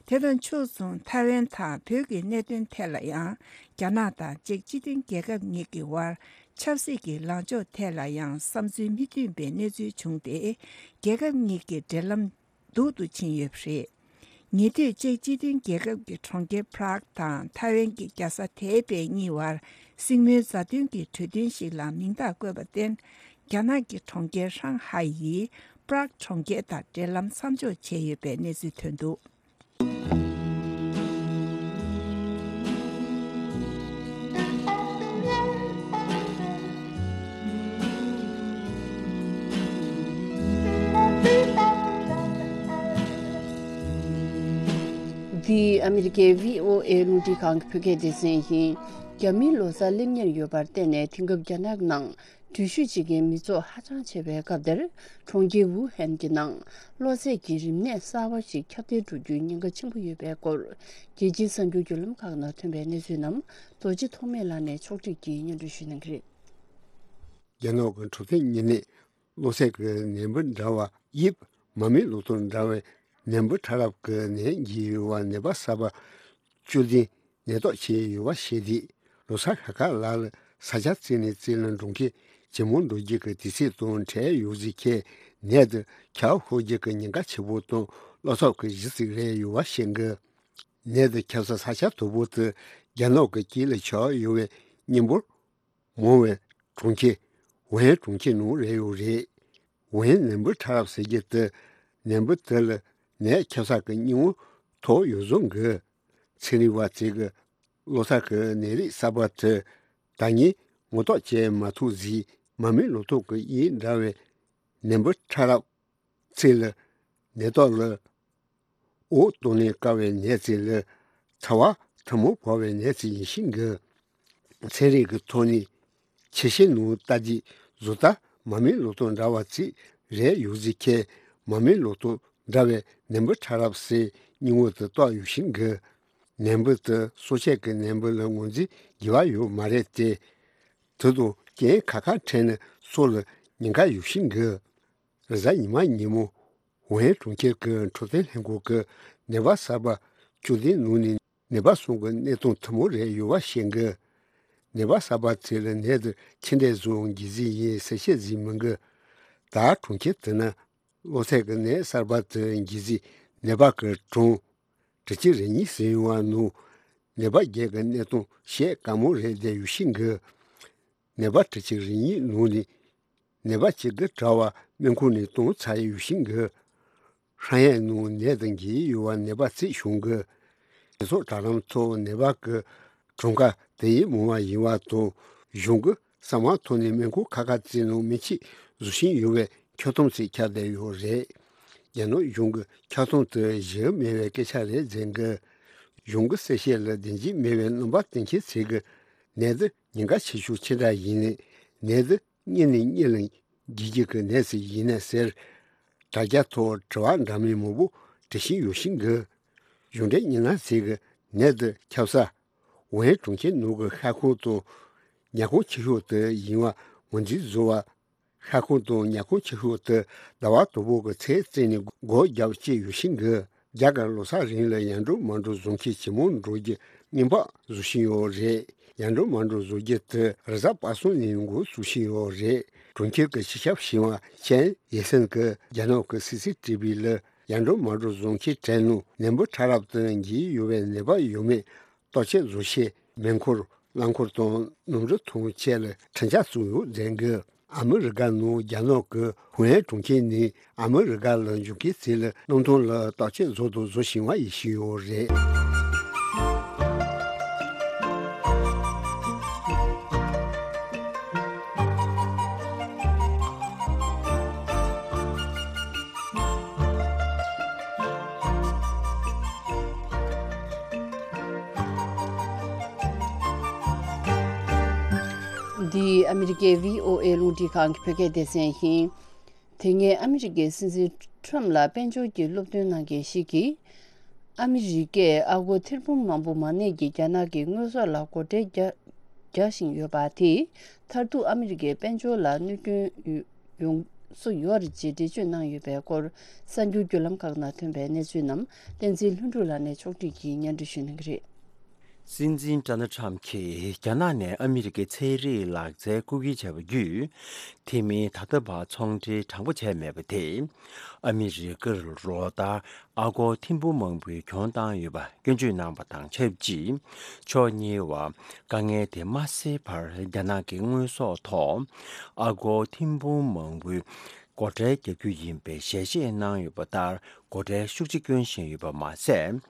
དེ་དང་ཕྱོགས་མཚུངས་ཐའེ་ཝན་དང་བོད་ཀྱི་གནད་དོན་ཐད་ལ་ཡང་། རྒྱ་ནག་དང་ཅེཀ་སྤྱི་མཐུན་རྒྱལ་ཁབ་གཉིས་ཀྱི་དབར་ཆབ་སྲིད་ཀྱི་ལངས་ཕྱོགས་ཐད་ལ་ཡང་བསམ་ཚུལ་མི་མཐུན་པའི་གནས་ཚུལ་བྱུང་སྟེ། རྒྱལ་ཁབ་གཉིས་ཀྱི་འབྲེལ་ལམ་སྡུག་ཏུ་ཕྱིན་ཡོད་པ་རེད། ཉེ་དུས་ཅེཀ་སྤྱི་མཐུན་རྒྱལ་ཁབ་ཀྱི་གྲོང་ཁྱེར་པ་རག་དང་ཐའེ་ཝན་གྱི་རྒྱལ་ས་ཐའེ་པེ་གཉིས་བར་སྲིང་མོའི་མཛའ་མཐུན་གྱི་གྲོས་མཐུན་ཞིག་ལ་མིང་རྟགས་བཀོད་པར་བརྟེན། རྒྱ་ནག་གི་གྲོང་ཁྱེར་ཧྲང་ཧའེ་ཡིས་པ་རག་གྲོང་ཁྱེར་དང་འབྲེལ་ལམ་མཚམས་འཇོག་བྱས་ཡོད་པའི་གནས་ཚུལ་ཐོན་འདུག་འདི་ཨ་མི་རི་ཀའི་བྷི་ཨོ་ཨེ་རླུང་འཕྲིན་ཁང་གི་བོད་སྐད་སྡེ་ཚན་ཡིན། རྒྱ་མིའི་ལོ་གསར་སླེབས་ཉེར་ཡོད་པར་བརྟེན་ནས། དེང་སྐབས་རྒྱ་ནག་ནང་འགྲུལ་བཞུད་བྱེད་མཁན་མི་ཚོགས་ཧ་ཅང་ཆེ་བའི་སྐབས་འདིར། གྲོང་ཁྱེར་ཝུ་ཧན་གྱི་ནང་གློ་ཚད་ཀྱི་རིམས་ནད་གསར་བ་ཞིག་ཁྱབ་གདལ་འགྲོ་རྒྱུའི་ཉེན་ཁ་ཆེན་པོ་ཡོད་པའི་སྐོར། རྒྱལ་སྤྱིའི་གསར་འགྱུར་བརྒྱུད་ལམ་ཁག་ནང་ཐོན་པའི་གནས་ཚུལ་རྣམས་རྡོ་རྗེ་ཐོགས་མེད་ལགས་ནས་ཕྱོགས་སྒྲིག་གིས་སྙན་སྒྲོན་ཞུ་གནང་གི་རེད། རྒྱ་ནག་གི་འཕྲོད་བསྟེན་ཉེ་གནས། གློ་ཚད་ཀྱི་ནད་འབུ་འདྲ་བ་དབྱིབས་མ་རྨོས་ལོ་ཏོག་འདྲ་བའི་ནད་འབུ་ཕྲ་རབ་ཀྱི་ནད་འགོས་ཡོད་པ། ནད་པ་གསར་པ་བཅུ་བདུན་ནད་རྟགས་ཕྱིན་ཡོད་པ་ཤེས་རྗེས། ལོ་གསར་ཤར་ཁ་ལ་ལ་ས་ཆ་བཙལ་ནས་བཙལ་ལ་འགྲོ་མཁན་ཇེ་མང་འགྲོ་རྒྱུ་གི་དུས་ཚོད་དང་འཕྲད་ཡོད་ཟེར་མཁན་ནད་དེ་ཁྱབ་ཤོར་རྒྱུ་གི་ཉེན་ཁ་ཆེ་པོ་དང་བློ་འཚབ་ཀྱི་གཞི་ཟིག་རེད་ཡོད་པ་ཤེས་དགོས། ནད་དེ་ཁྱབ་ས་ས་ཆ་དོད་པོ་དེ་རྒྱ་ནག་གི་དཀྱིལ་ལ་ཆགས་ཡོད་པའི་མི་འབོར་མང་བའི་གྲོང་ཁྱེར་ཝུ་ཧན་གྲོང་ཁྱེར་ནང་རེད་ཡོད་རེད། ཝུ་ཧན་ནད་འབུ་ཕྲ་རབ་ཟེར་རྒྱུ་དེ་ནད་འབུ་དེ་ལ་ནད་ཁྱབ་ས་གི་སྙིང་བོ་ཐོགས་ཡོད་བཟོ་གི། ཚན་རིག་པ་ཚོས་གི་གློ་ཚད་ཀྱི་ནད་རིགས་གསར་པ་དེ་ད་ངས་ངོ་ཐོག་བྱས་མ་ཐུབ་ཟེར། མ་རྨོས་ལོ་ཏོག་གི་དབྱིབས་འདྲ་བའི་ནད་འབུ་ཕྲ་རབ་ཚོས་ལ་ནད་རྟགས་ལ། འོ་སྟོང་ནས་དཀའ་བའི་ནད་ཅིག་ལ། ཚ་བ་ཐལ་མོ་བབས་པའི་ནད་ཅིག་ཡིན་ཤེས་གི། ཚན་རིག་གི་ཐོག་ནས་ཆེ་ཤེལ་ནང་ལྟ་རྒྱུ་བཟོ་ལྟ་མ་རྨོས་ལོ་ཏོག་འདྲ་བ་ཅིག་རེད་ཡོད་ཟེར་མཁན། མ་རྨོས་ལོ་ཏོག་འདྲ་བའི་ནད་འབུ་ཕྲ་རབ་ཟེར་སྙིང་བོ་དེ་བཏགས་ཡོད་ཤེས་གི། ནད་འབུ་དེ་སྲོག་ཆགས་ཀྱི་ནད་འབུ་ལ་ངོས་འཛིན་དགོས་པ་ཡོད་མ་རེད་དེ། དེ་དང་རྐྱེན་ཁ་ཁ་འཕྲད་ན་སྲོག་ལ་ཉེན་ཁ་ཡོད་ཤེས་གི། རེས་གཟའ་ཉི་མ་ཉིན་མོ་ཝུ་ཧན་གྲོང་ཁྱེར་གྱི་འཕྲོད་བསྟེན་ལྷན་ཁང་གིས་ནད་པ་གསར་པ་བཅུ་བདུན་ནང་ནས་ནད་པ་གསུམ་གྱི་གནས་སྟངས་ཐུན་མོང་རེད་ཡོད་པ་ཤེས་གི། ནད་པ་གསར་པ་ཚོ་ལ་ནད་དེ་ཆེ་འདྲ་བཟོ་འགོས་ཟིན་ཡིན་ཟེར་བཤད་ཟིན་མི་འགི། ད་གྲོང་ཁྱེར་དེ་ན་གློ་ཚད་ཀྱི་ནད་གསར་པ་དེ་འགོས་ཟིན་ནད་པ་གི་གྲངས་དྲུག་ཅུ་རེ་གཉིས་ཟིན་ཡོང་བ་ནང་ནད་པ་བརྒྱད་ཀྱི་གནས་སྟངས་བཤད་དཀའ་མོ་རེད་བསྡད་ཡོད་ཤེས་གི། ནད་པ་དྲུག་ཅུ་རེ་གཉིས་ནང་ནས་ནད་པ་གཅིག་གི་གྲྭ་བ་སྨན་ཁང་ནས་གཏོང་ཚར་ཡོད་ཤིང་གི། ཧྲང་ཧའེ་ནང་ནད་དང་འགོས་ཡོད་པ་ནད་པ་རྩིས་བྱུང་གི། སྤྱི་ཚོགས་དྲ་ལམ་ཐོག་ནད་པ་གི་གྲངས་ཀ་དེ་ཡིས་མང་བ་ཡིན་པ་དང་གཞུང་གི་གསང་བ་ཐོག་ནས་སྨན་ཁང་ཁག་ཁག་ཅིག་ནང་སྨན་ཆས་བཟོ་བཞིན་ཡོད་པའི་འཁྱོག་ཐུམ་ཞིག་ཁྱབ་བསྡད་ཡོད་རེད། རྒྱ་ནག་གཞུང་གི་འཁྱོག་ཐུམ་དེ་གཞི་མེད་པའི་སྐད་ཆ་རེད་ཟེར་གི། གཞུང་གི་གསལ་བཤད་ལ་བདེན་འཇིགས་མེད་པའི་རྣམ་པ་སྟོན་མཁན་ཚོས་གི། ནད་འདི་ཉེན་ཁ་ཆེ་ཤོས་ཅི་འདྲ་ཡིན་ནས་ནད་འདི་གཉིད་ནས་གཉིད་ལ་འགྱུར་རྒྱུ་གི་ནད་ཅིག་ཡིན་ནས་ཟེར། དྲ་རྒྱ་ཐོག་དྲི་བ་འདྲ་མིན་མང་པོ་འདྲི་བཞིན་ཡོད་ཤིང་གི། གཞུང་འབྲེལ་མི་སྣ་ཞིག་གིས་ནད་འདི་ཁྱབ་ས་ཝུ་ཧན་གྲོང་ཁྱེར་ནང་གི་ཤ་ཁང་དང་ཉ་ཁང་ཆེ་ཤོས་དེ་ཡིན་པ་ངོས་འཛིན་བཟོ་བ། ཤ་ཁང་དང་ཉ་ཁང་ཆེ་ཤོས་དེ་ཟླ་བ་དང་པོ་གི་ཚེས་བཙུགས་ནས་སྒོ་བརྒྱབ་བྱས་ཡོད་ཤིང་གི། རྒྱ་གར་ལོ་གསར་རིང་ལ་ཡར་འགྲོ་མར་འགྲོ་བཟོ་མཁན་ཇེ་མང་འགྲོ་རྒྱུ་སྔོན་དཔག་བཟོ་བཞིན་ཡོད་རེད། ཡར་འགྲོ་མར་འགྲོ་བཟོ་རྒྱུ་དེ་རེས་གཟའ་པ་སངས་ནས་འགོ་བཙུགས་བཞིན་ཡོད་རེད། གྲོང་ཁྱེར་གྱི་སྤྱི་ཁྱབ་ཞི་བ་ཆན་ཡེ་སན་གྱིས་རྒྱ་ནག་གི་སི་སི་ཊི་བི་ལ་ཡར་འགྲོ་མར་འགྲོ་བཟོ་མཁན་གྲས་ནང་ནད་འབུ་ཕྲ་རབ་དང་འགོས་ཡོད་པའི་ནད་པ་ཡོད་མེད་བརྟག་དཔྱད་བཟོ་ཆེད་མེ་འཁོར་རླངས་འཁོར་དང་གནམ་གྲུ་ཐོག་ཆེད་ལ་འཕྲིན་བཅར་བཙུགས་ཡོད་ཟེར་གི། ཨ་མི་རི་ཀ་ནང་རྒྱ་ནག་གི་ཧུའེ་གྲོང་ཁྱེར་ནས་ཨ་མི་རི་ཀ་ལ་འབྱོར་མཁན་ཚོ་ལ་གནམ་ཐང་ལ་བརྟག་དཔྱད་བཟོ་དང་བཟོ་བཞིན་པ་ཡིན་བཞིན་ཡོད་རེད། འདི་ཨ་མི་རི་ཀའི་བྷི་ཨོ་ཨེ་རླུང་འཕྲིན་ཁང་གི་བོད་སྐད་སྡེ་ཚན་ཡིན། དེ་སྔའི་ཨ་མི་རི་ཀའི་སྲིད་འཛིན་ཁྲོམ་ལ་དཔལ་འབྱོར་གྱི་སློབ་སྟོན་གནང་མཁན་ཞིག་གིས། ཨ་མི་རི་ཀས་ཨ་སྒོར་ཐེར་འབུམ་མང་པོ་མ་གནས་ཀྱིས་རྒྱ་ནག་གི་དངོས་ཟོག་ལ་སྒོ་ཁྲལ་རྒྱག་རྒྱག་བཞིན་ཡོད་པ་དེས་མཐར་ཐུག་ཨ་མི་རི་ཀའི་དཔལ་འབྱོར་ལ་གནོད་སྐྱོན་ཡོང་ཡོང་སྲོལ་ཡོད་རེད་ཅེས་འགྲེལ་བརྗོད་གནང་ཡོད་པའི་སྐོར་གསར་འགྱུར་བརྒྱུད་ལམ་ཁག་ནང་ཐོན་པའི་གནས་ཚུལ་རྣམས་བསྟན་འཛིན་ལྷུན་གྲུབ་ལགས་ནས་ཕྱོགས་སྒྲིག་གིས་སྙན་སྒྲོན་ཞུ་གནང་གི་རེད། སྲིད་འཛིན་ཌོ་ནལ་ཊམ་གྱིས་རྒྱ་ནག་ནས་ཨ་མི་རི་ཀའི་ཚན་རིག་ལག་རྩལ་རྐུ་འཁྱེར་བྱས་པ་བརྒྱུད། དེ་མིན་ད་ལྟ་བར་ཚོང་འབྲེལ་དྲང་པོ་བྱས་མེད་པ་དེས། ཨ་མི་རི་ཀར་ལོ་ལྟར་ཨ་སྒོར་ཐེར་འབུམ་མང་པོའི་གྱོང་བཏང་ཡོད་པ་སྐྱོན་བརྗོད་གནང་བ་དང་ཆབས་ཅིག་ཕྱོགས་གཉིས་བར་དཀའ་ངལ་དེ་མ་སེལ་བར་རྒྱ་ནག་གི་དངོས་ཟོག་ཐོག་ཨ་སྒོར་ཐེར་འབུམ་མང་པོའི་སྒོ་ཁྲལ་རྒྱག་རྒྱུ་ཡིན་པའི་ཞལ་བཞེས་གནང་ཡོད་པ་ལྟར་སྒོ་ཁྲལ་ཤུགས་ཆེ་སྐྱོན་བཞིན་ཡོད་པ་མ་ཟད།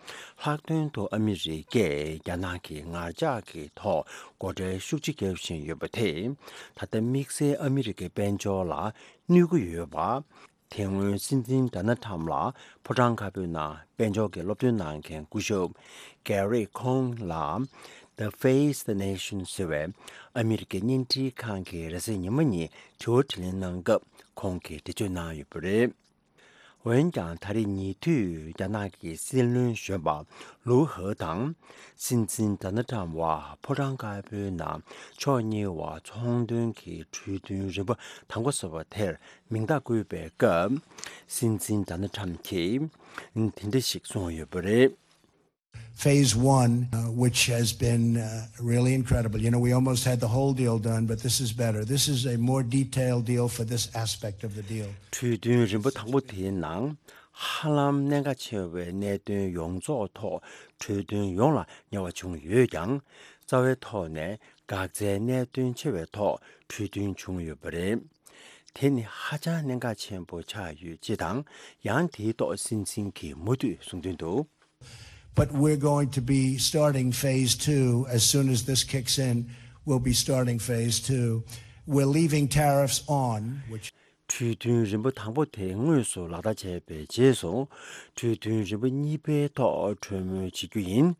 ལྷག་དོན་དུ་ཨ་མི་རི་ཀས་རྒྱ་ནག་གི་ངར་ལྕགས་ཀྱི་ཐོག་སྒོ་ཁྲལ་ཤུགས་ཆེ་བརྒྱབ་བཞིན་ཡོད་པ་དེས་ད་ལྟ་དམིགས་བསལ་ཨ་མི་རི་ཀའི་དཔལ་འབྱོར་ལ་གནོད་ཀྱི་ཡོད་པ། དེ་སྔོན་སྲིད་འཛིན་ཌོ་ནལ་ཊམ་ལ་ཕོ་བྲང་དཀར་པོའི་ནང་དཔལ་འབྱོར་གྱི་སློབ་སྟོན་གནང་མཁན་སྐུ་ཞབས་ཀེ་རི་ཁོང་ལ་The Face the Nation ཟེར་བའི་ཨ་མི་རི་ཀའི་བརྙན་འཕྲིན་ཁང་གི་རེས་གཟའ་ཉི་མ་ཉིན་དྲི་བ་དྲིས་ལན་གནང་སྐབས་ཁོང་གིས་འགྲེལ་བརྗོད་གནང་ཡོད་པ་རེད། འོན་ཀྱང་ད་རེས་ཉེ་དུས་རྒྱ་ནག་གི་སྲིད་བློན་གཞོན་པ་ལུའུ་ཧེ་དང་སྲིད་འཛིན་ཌོ་ནལ་ཁྲམ་བར་ཕོ་བྲང་དཀར་པོའི་ནང་ཕྱོགས་གཉིས་བར་ཚོང་དོན་གྱི་གྲོས་མཐུན་རིམ་པ་དང་པོ་ཟེར་བ་དེར་མིང་རྟགས་བཀོད་པའི་སྐབས། སྲིད་འཛིན་ཌོ་ནལ་ཁྲམ་གྱིས་དེ་འདྲ་ཞིག་གསུངས་ཡོད་པ་རེད། Phase one, uh, which has been uh, really incredible. You know, we almost had the whole deal done, but this is better. This is a more detailed deal for this aspect of the deal. གྲོས་མཐུན་རིམ་པ་དང་པོ་དེའི་ནང་ཧ་ལམ་གནད་འགག་ཆེ་བའི་གནད་དོན་ཡོངས་རྫོགས་ཐོག་གྲོས་མཐུན་ཡོང་ལ་ཉེ་བ་བྱུང་ཡོད་ཀྱང་། རྩ་བའི་ཐོག་ནས་འགག་རྩའི་གནད་དོན་ཆེ་བའི་ཐོག་གྲོས་མཐུན་བྱུང་ཡོད་པ་རེད། དེ་ནི་ཧ་ཅང་གནད་འགག་ཆེན་པོ་ཆགས་ཡོད་ཅེས་དང་། ཡང་དེའི་ཐོག་སྲིད་འཛིན་གྱིས་མུ་མཐུད་གསུངས་དོན་དུ། But we're going to be starting phase two as soon as this kicks in. We'll be starting phase two. We're leaving tariffs on, which གྲོས་མཐུན་རིམ་པ་དང་པོ་དེ་དངོས་སུ་ལག་བསྟར་བྱས་པའི་རྗེས་སུ། གྲོས་མཐུན་རིམ་པ་གཉིས་པའི་ཐོག་གྲོས་མོལ་བྱེད་རྒྱུ་ཡིན།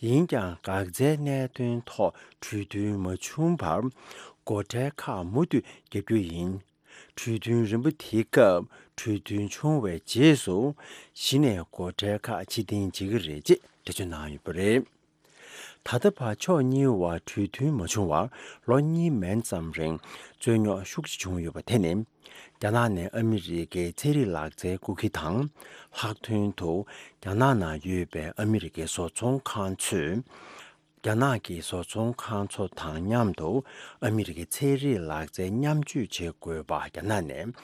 ཡིན་ཀྱང་། འགག་རྩའི་གནད་དོན་ཐོག་གྲོས་མཐུན་མ་བྱུང་བར། སྒོ་ཁྲལ་ཁག་མུ་མཐུད་རྒྱག་རྒྱུ་ཡིན། གྲོས་མཐུན་རིམ་པ་དེའི་སྐབས་གྲོས་མཐུན་བྱུང་བའི་རྗེས་སུ། གཞི་ནས་སྒོ་ཁྲལ་ཁག་ཕྱིར་འཐེན་བྱེད་ཀྱི་རེད་ཅེས་འགྲེལ་བརྗོད་གནང་ཡོད་པ་རེད། ད་ལྟ་བར་ཕྱོགས་གཉིས་བར་གྲོས་མཐུན་མ་བྱུང་བར་ལོ་གཉིས་མན་ཙམ་རིང་རྩོད་རྙོག་ཤུགས་ཆེ་བྱུང་ཡོད་པ་དེ་ནི། རྒྱ་ནག་ནས་ཨ་མི་རི་ཀའི་ཚན་རིག་ལག་རྩལ་རྐུ་མཁན་དང་། ལྷག་དོན་དུ་རྒྱ་ནག་ནང་ཡོད་པའི་ཨ་མི་རི་ཀའི་བཟོ་ཚོང་ཁང་ཚོས། རྒྱ་ནག་གི་བཟོ་ཚོང་ཁང་ཚོ་དང་མཉམ་དུ་ཨ་མི་རི་ཀའི་ཚན་རིག་ལག་རྩལ་མཉམ་སྤྱོད་བྱེད་དགོས་པ། རྒྱ་ནག་ནས་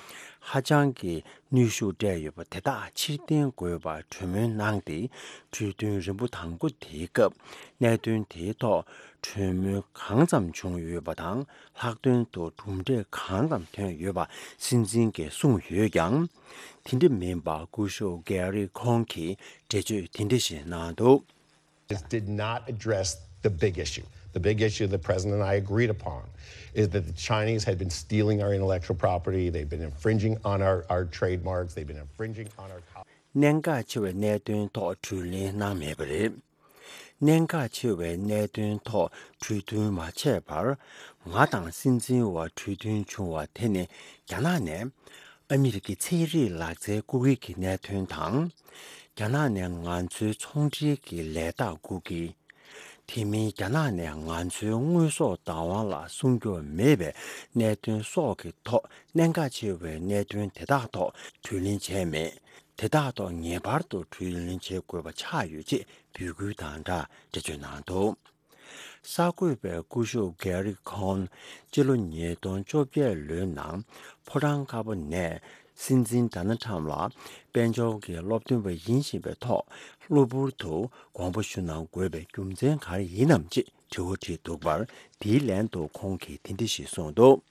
ཧ་ཅང་གི་ནུས་ཤུགས་སྤྲད་ཡོད་པ་དེ་དག་ཕྱིར་འཐེན་དགོས་པར་གྲོས་མོལ་གནང་སྟེ། གྲོས་མཐུན་རིམ་པ་དང་པོ་དེའི་སྐབས་གནད་དོན་དེའི་ཐོག་གྲོས་མོལ་གང་ཙམ་བྱུང་ཡོད་པ་དང་། ལྷག་དོན་དུ་གྲུབ་འབྲས་གང་ཙམ་ཐོན་ཡོད་པ་སྲིད་འཛིན་གྱིས་གསུངས་ཡོད་ཀྱང་། དེ་འདྲ་མིན་པར་སྐུ་ཞབས་གྷེ་རི་ཁོང་གིས་འགྲེལ་བརྗོད་དེ་འདྲ་ཞིག་གནང་འདུག། This did not address the big issue. The big issue the president and I agreed upon is that the Chinese had been stealing our intellectual property, they've been infringing on our, our trademarks, they've been infringing on our co- གནད་འགག་ཆེ་བའི་གནད་དོན་ཐོག་གྲོས་གླེང་གནང་མེད་པ་རེད། གནད་འགག་ཆེ་བའི་གནད་དོན་ཐོག་གྲོས་མཐུན་མ་བྱས་པར། ང་དང་སྲིད་འཛིན་བར་གྲོས་མཐུན་བྱུང་བ་དེ་ནི། རྒྱ་ནག་ནས་ཨ་མི་རི་ཀའི་ཚན་རིག་ལག་རྩལ་རྐུ་མཁན་གྱི་གནད་དོན་དང་། རྒྱ་ནག་ནས་ང་ཚོའི་ཚོང་འབྲེལ་གྱི་ལས་རྟགས་རྐུ་མཁན། དེ་མིན་རྒྱ་ནག་ནས་ང་ཚོའི་དངོས་ཟོག་བདག་དབང་ལ་སྲུང་སྐྱོབ་མེད་པའི་གནད་དོན་སོགས་ཀྱི་ཐོག་གནད་འགག་ཆེ་བའི་གནད་དོན་དེ་དག་ཐོག་གྲོས་གླེང་བྱས་མེད། དེ་དག་ཐོག་ངེས་པར་དུ་གྲོས་གླེང་བྱེད་དགོས་པ་ཆགས་ཡོད་ཅེས་འབོད་སྐུལ་དང་སྦྲགས་འགྲེལ་བརྗོད་གནང་འདུག། གསར་འགོད་པས་སྐུ་ཞབས་གྷེ་རི་ཁོང་སྤྱི་ལོ་ཉིས་སྟོང་བཅོ་བརྒྱད་ལོའི་ནང་ཕོ་བྲང་དཀར་པོ་ནས་སྲིད་འཛིན་ཌོ་ནལ་ཁྲམ་ལ་དཔལ་འབྱོར་གྱི་སློབ་སྟོན་པ་ཡིན་བཞིན་པའི་ཐོག་གློ་བུར་དུ་དགོངས་པ་ཞུ་གནང་དགོས་པའི་རྒྱུ་མཚན་ག་རེ་ཡིན་ནམ་ཅེས་དྲི་བ་དྲིས་འདུག་པར། དེའི་ལན་དུ་ཁོང་གིས་དེ་འདྲ་ཞིག་གསུངས་འདུག།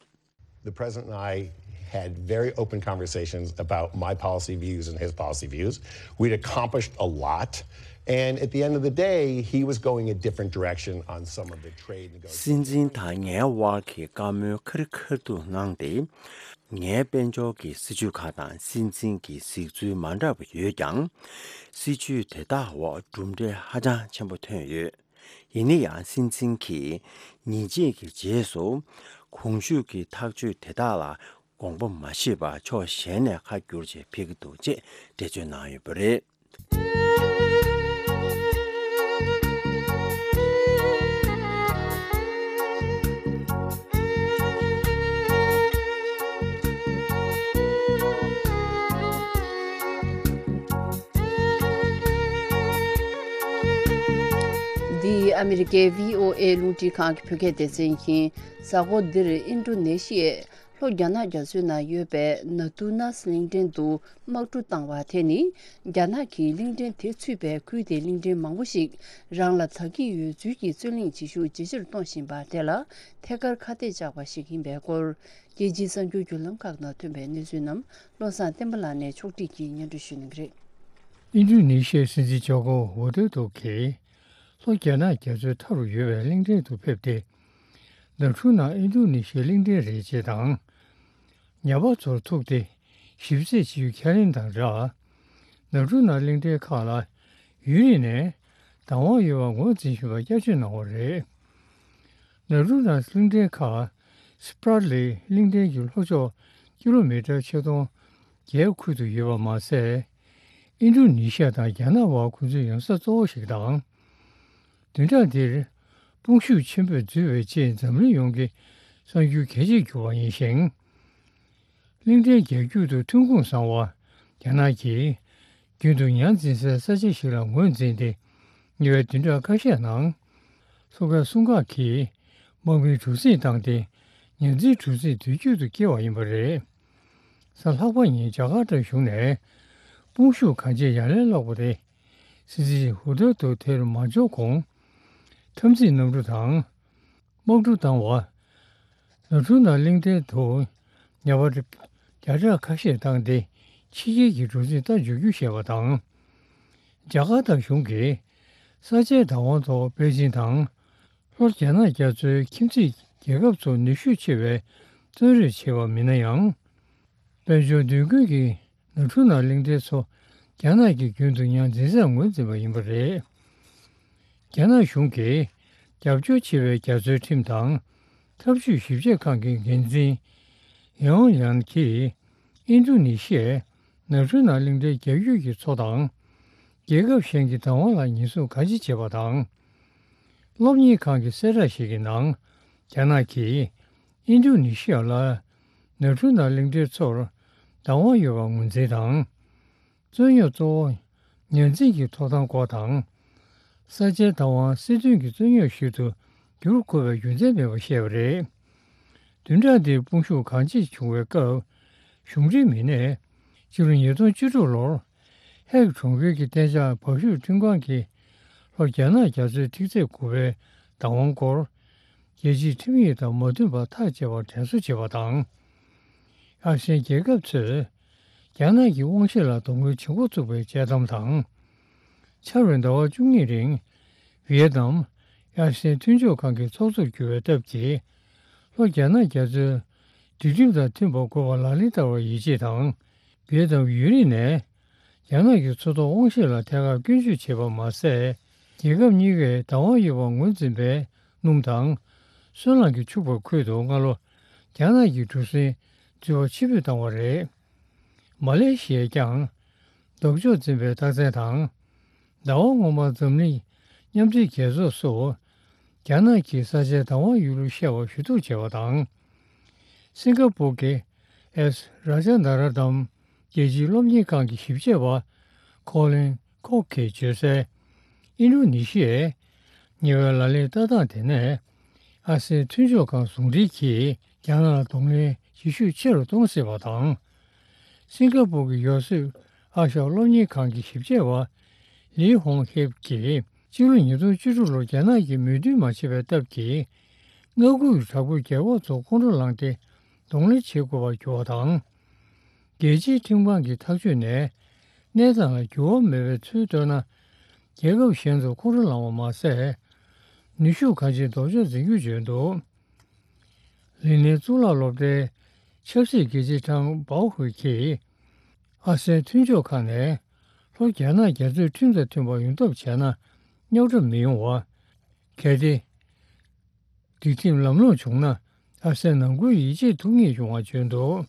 The president and I had very open conversations about my policy views and his policy views. We'd accomplished a lot. And at the end of the day, he was going a different direction on some of the trade negotiations. སྲིད་འཛིན་དང་ངའི་དབར་གྱི་བཀའ་མོལ་ཁ་རི་ཁ་ཐུག་གནང་སྟེ། ངའི་དཔལ་འབྱོར་གྱི་སྲིད་ཇུས་ཁག་དང་སྲིད་འཛིན་གྱི་གཟིགས་ཚུལ་མ་འདྲ་བ་ཡོད་ཀྱང་། སྲིད་ཇུས་དེ་དག་འོག་གྲུབ་འབྲས་ཧ་ཅང་ཆེན་པོ་ཐོན་ཡོད། ཡིན་ན་ཡང་། སྲིད་འཛིན་གྱིས་ཉིན་གཅིག་གི་རྗེས་སུ་གོང་ཞུས་ཀྱི་ཐག་གཅོད་དེ་དག་ལ་དགོངས་པ་མ་བཞེས་པར་ཕྱོགས་གཞན་ནས་ཁ་བསྒྱུར་བྱས་ཕེབས་ཀྱི་འདུག་ཅེས་འགྲེལ་བརྗོད་གནང་ཡོད་པ་རེད། འདི་ཨ་མི་རི་ཀའི་བྷི་ཨོ་ཨེ་རླུང་འཕྲིན་ཁང་གི་བོད་སྐད་སྡེ་ཚན་ཡིན། གཟའ་འཁོར་འདིར་ཨིན་ཌོ་ནེ་ཤི་ཡའི་ལྷོ་རྒྱ་ནག་རྒྱ་མཚོའི་ནང་ཡོད་པའི་ནཱ་ཏུ་ནཱས་གླིང་ཕྲན་དུ་དམག་འཁྲུག་བཏང་བ་དེ་ནི། རྒྱ་ནག་གིས་གླིང་ཕྲན་དེ་ཚུད་པའི་ཁུལ་དེའི་གླིང་ཕྲན་མང་པོ་ཞིག་རང་ལ་དགའ་སྐྱིད་ཡོད་ཚུལ་གྱི་རྩོད་གླེང་བྱེད་ཤུགས་ཇེ་ཆེར་གཏོང་བཞིན་པ་དེ་ལ་ཐད་ཀར་ཁ་གཏད་བཅག་པ་ཞིག་ཡིན་པའི་སྐོར། རྒྱལ་སྤྱིའི་གསར་འགྱུར་བརྒྱུད་ལམ་ཁག་ནང་ཐོན་པའི་གནས་ཚུལ་རྣམས་བློ་བཟང་བསྟན་པ་ལགས་ནས་ཕྱོགས་སྒྲིག་གིས་སྙན་སྒྲོན་ཞུ་གནང་གི་རེད། ཨིན་ཌོ་ནེ་ཤི་ཡའི་སྲིད་འཛིན་ཇོ་ཀོ་ཝི་ཌོ་ཌོ་གིས་ལྷོ་རྒྱ་ནག་རྒྱ་མཚོའི་མཐའ་རུ་ཡོད་པའི་གླིང་ཕྲན་དུ་ཕེབས་ཏེ། ནཱ་ཀྲུ་ནཱ་ཨིན་ཌོ་ནེ་ཤིའི་གླིང་ཕྲན་རེད་ཅེས་དང་། ཉ་པ་ཚོར་ཐུག་སྟེ་ཞིབ་རྩད་བྱེད་རྒྱུའི་ཁས་ལེན་དང་སྦྲགས། ནཱ་ཀྲུ་ནཱ་གླིང་ཕྲན་ཁག་ལ་ཡུན་རིང་ནས་བདག་དབང་ཡོད་པ་ངོས་འཛིན་བཞིན་པ་བསྐྱར་བརྗོད་གནང་བ་རེད། ནཱ་ཀྲུ་ནཱ་གླིང་ཕྲན་ཁག་སི་པྲ་ལི་གླིང་ཕྲན་གྱི་ལྷོ་ཕྱོགས་ཀི་ལོ་མི་ཊར་ཆིག་སྟོང་ རྒྱའི་ཁུལ་དུ་ཡོད་པ་མ་ཟད། ཨིན་ཌོ་ནི་ཤི་ཡ་དང་རྒྱ་ནག་བར་ཁོ་ཚོའི་ཡང་ས་གཙོ་བོ་ཞིག་དང་། བདུན་ཕྲག་འདིར་དཔུང་ཤུགས་ཆེན་པོས་འཛུལ་བའི་རྗེས་འཛམ་གླིང་ཡོངས་ཀྱི་གསར་འགྱུར་གལ་ཆེར་གྱུར་བ་ཡིན་ཞིང་། གླིང་ཕྲན་རྒྱ་རྒྱུད་དུ་ཐོན་ཁུངས་བཟང་བ་རྒྱ་ནག་གིས་རྒྱུན་དུ་ཉར་འཛིན་སའི་ས་ཆ་ཞིག་ལ་ངོས་འཛིན་ཏེ། ཉེ་བའི་བདུན་ཕྲག་ཁ་ཤས་ནང་། མཚོ་ཁའི་སྲུང་སྐར་གྱིས་དམག་མིའི་གྲུ་གཟིངས་བཏང་སྟེ། ཉར་འཛིན་གྲུ་གཟིངས་དུས་རྒྱུན་དུ་བསྐྱེལ་བ་ཡིན་པ་རེད། གཟའ་ལྷག་པ་ཉིན་ཇ་ཀར་ཏའི་གཞུང་ནས་དཔུང་ཤུགས་གང་ཆེ་ཡར་ལན་སློག་པ་དེ། སྲིད་འཛིན་ཧུ་ཏོ་ཏོ་དེར་མ་འབྱོར་གོང་། འཐབ་འཛིང་གནམ་གྲུ་དང་། དམག་གྲུ་བཏང་བ། ནོར་ཁྲུ་ནང་གླིང་ཕྲན་དུ་ཉ་པ་བརྒྱ་ཕྲག་ཁ་ཤས་བཏང་སྟེ། ཕྱི་རྒྱལ་གྱི་གྲུ་གཟིངས་རྟ་འཇུག་རྒྱུ་བཤད་པ་དང་། ཇ་ཀར་ཏའི་གཞུང་གིས་ས་ཆའི་བདག་དབང་ཐོག་པེ་ཅིང་དང་། ལྷོ་རྒྱ་ནག་རྒྱ་མཚོའི་ཁྱིམ་མཚེས་རྒྱལ་ཁབ་ཚོ་ནུས་ཤུགས་ཆེ་བའི་བཙོན་རེས་བྱས་པ་མིན་ན་ཡང་། དཔལ་འབྱོར་མདུན་སྐྱོད་ཀྱི་ནོར་ཁྲུ་ནང་གླིང་ཕྲན་ཚོ་རྒྱ་ནག་གིས་རྒྱུན་དུ་ཉར་འཛིན་སར་ངོས་འཛིན་པ་ཡིན་པ་རེད། རྒྱ་ནག་གཞུང་གིས་རྒྱབ་སྐྱོར་བྱེད་པའི་རྒྱ་མཚོའི་ཁྲིམས་དང་། འཐབ་ཇུས་ཞིབ་དཔྱད་ཁང་གི་འགན་འཛིན་ཡང་ཡང་གིས་ཨིན་ཌོ་ནི་ཤི་ཡའི་ནོར་ཁྲུ་ནང་གླིང་ཕྲན་རྒྱ་རྒྱུད་ཀྱི་མཚོ་དང་། རྒྱལ་ཁབ་གཞན་གྱི་བདག་དབང་ལ་ཉེས་འཛུགས་ག་ཅི་བྱས་པ་དང་། སློབ་གཉེར་ཁང་གི་གསལ་བསྒྲགས་ཤིག་གི་ནང་། རྒྱ་ནག་གིས་ཨིན་ཌོ་ནི་ཤི་ཡ་ལ་ནོར་ཁྲུ་ནང་གླིང་ཕྲན་ཚོར་བདག་དབང་ཡོད་པར་ངོས་འཛིན་དང་། རྩོད་རྙོག་གཙོ་བོ་ཉར་འཛིན་གྱི་ཐོབ་ཐང་སྐོར་དང་། ས་ཆའི་བདག་དབང་སྲིད་དོན་གྱི་རྩོད་རྙོག་ཞིག་ཏུ་འགྱུར་དགོས་པའི་རྒྱུ་མཚན་མེད་པར་བཤད་པ་རེད། བདུན་ཕྲག་འདིར་དཔུང་ཤུགས་གང་ཆེ་བྱུང་བའི་སྐབས། གཞུང་འབྲེལ་མི་སྣས་སྤྱི་ལོ་ཉིས་སྟོང་བཅུ་དྲུག་ལོར་ཧེག་གྲོང་ཁྱེར་གྱི་གཏན་འཇགས་འབབ་ཞུགས་ཁྲིམས་ཁང་གིས་ལྷོ་རྒྱ་ནག་རྒྱ་མཚོའི་ཐིག་ཚད་དགུ་པའི་བདག་དབང་སྐོར། རྒྱལ་སྤྱིའི་ཁྲིམས་ཡིག་དང་མ་མཐུན་པར་ཐག་བཅད་པར་དྲན་གསོ་བྱས་པ་དང་། ཨ་སེ་ཡན་རྒྱལ་ཁབ་ཚོས་རྒྱ་ནག་གི་དབང་ཤེད་ལ་གདོང་ལེན་བྱེད་འགོ་བཙུགས་པའི་དཔྱད་གཏམ་དང་། འཆར་བའི་ཟླ་བ་བཅུ་གཉིས་རིང་ཝི་ཡེ་ནམ་ཨ་སེ་ཡན་མཐུན་ཕྱོགས་ཁང་གི་ཚོགས་གཙོར་གྱུར་བའི་སྟབས་ཀྱིས། ལྷོ་རྒྱ་ནག་རྒྱ་མཚོའི་སྒྲིག་ཁྲིམས་དང་མཐུན་པར་དགོས་པ་ལག་ལེན་བསྟར་བར་ཡིད་ཆེས་དང་། ཝི་ཡེ་ནམ་ཡུན་རིང་ནས་རྒྱ་ནག་གི་མཚོ་ཐོག་དབང་ཤེད་ལ་ཐད་ཀར་སྐྱོན་བརྗོད་བྱས་པ་མ་ཟད། རྒྱལ་ཁབ་གཉིས་ཀས་བདག་དབང་ཡོད་པར་ངོས་འཛིན་པའི་སྣུམ་དང་། སོལ་རླངས་ཀྱིས་ཕྱུག་པའི་ཁུལ་དུ་སྔ་ལོ་རྒྱ་ནག་གི་གྲུ་གཟིངས་འཛུལ་བ་ཕྱིར་འབུད་བཏང་བ་རེད། མ་ལེ་ཤི་ཡས་ཀྱང་ལྡོག་ཕྱོགས་འཛིན་པའི་རྟགས་མཚན་དང་། ཟླ་བ་སྔོན་མར་འཛམ་གླིང་མཉམ་འབྲེལ་རྒྱལ་ཚོགས་སུ་རྒྱ་ནག་གིས་ས་ཆའི་བདག་དབང་ཡོད་ལུགས་བཤད་པ་ཞུ་གཏུག་བྱས་པ་དང་། སིང་ག་པུར་གྱི་ཨེས་ར་ཇ་ན་ར་ཏམ་རྒྱལ་སྤྱིའི་སློབ་གཉེར་ཁང་གི་ཞིབ་དཔྱད་པ་ཁོ་ལིན་ཁོག་གིས་བརྗོད་གསལ། ཨིན་ཌོ་ནི་ཤི་ཡས་ཉེ་བའི་ལག་ལེན་ལྟ་སྟངས་དེ་ནས་ཨ་སེ་མཐུན་ཕྱོགས་ཁང་ཟུང་འབྲེལ་གྱིས་རྒྱ་ནག་ལ་གདོང་ལེན་བྱེད་ཤུགས་ཆེ་རུ་གཏོང་སྲིད་པ་དང་། སིང་ག་པུར་གྱི་ཡོ་སུབ་ཨ་ཤ་སློབ་གཉེར་ཁང་གི་ཞིབ་དཔྱད་པ་ལི་ཧོང་ཧེབ་ཀྱིས་སྤྱི་ལོ་ཉིས་སྟོང་བཅུ་དྲུག་ལོར་རྒྱ་ནག་གིས་མོས་མཐུན་མ་བྱས་པའི་སྟབས་ཀྱིས། མངའ་ཁུལ་གྱི་དྲག་པོའི་རྒྱལ་ཁབ་ཚོ་ཁོང་ཁྲོ་ལངས་ཏེ་གདོང་ལེན་བྱེད་དགོས་པར་གྱུར་བ་དང་། རྒྱལ་སྤྱིའི་ཁྲིམས་ཁང་གི་ཐག་གཅོད་ནས་གནས་སྟངས་ལ་འགྱུར་བ་མེད་པའི་ཚུལ་བཏོན་ན། རྒྱལ་ཁབ་གཞན་ཚོ་ཁོང་ཁྲོ་ལངས་པ་མ་ཟད། ནུས་ཤུགས་གང་ཆེ་ལྡོག་ཕྱོགས་འཛིན་རྒྱུར་བརྗོད་འདུག་ལི་ནན་གཙུག་ལག་སློབ་གྲྭའི་ཆབ་སྲིད་དགེ་ཆེ་ཁྲང་པའོ་ཧུའེ་གིས། ཨ་སེ་མཐུན་ཕྱོགས་ཁག་ནས་ལྷོ་རྒྱ་ནག་རྒྱ་མཚོའི་ཁྲིམས་དང་མཐུན་པར་ཡོང་ཐབས་བྱས་ན་རྙོག་དྲ་མི་ཡོང་བ། གལ་ཏེ། སྒྲིག་ཁྲིམས་ལམ་ལྷོང་བྱུང་ན་ཨ་སེ་ནང་ཁུལ་ཡིད་ཆེས་ཐུབ་ངེས་ཡོང་བ་བརྗོད་འདུག་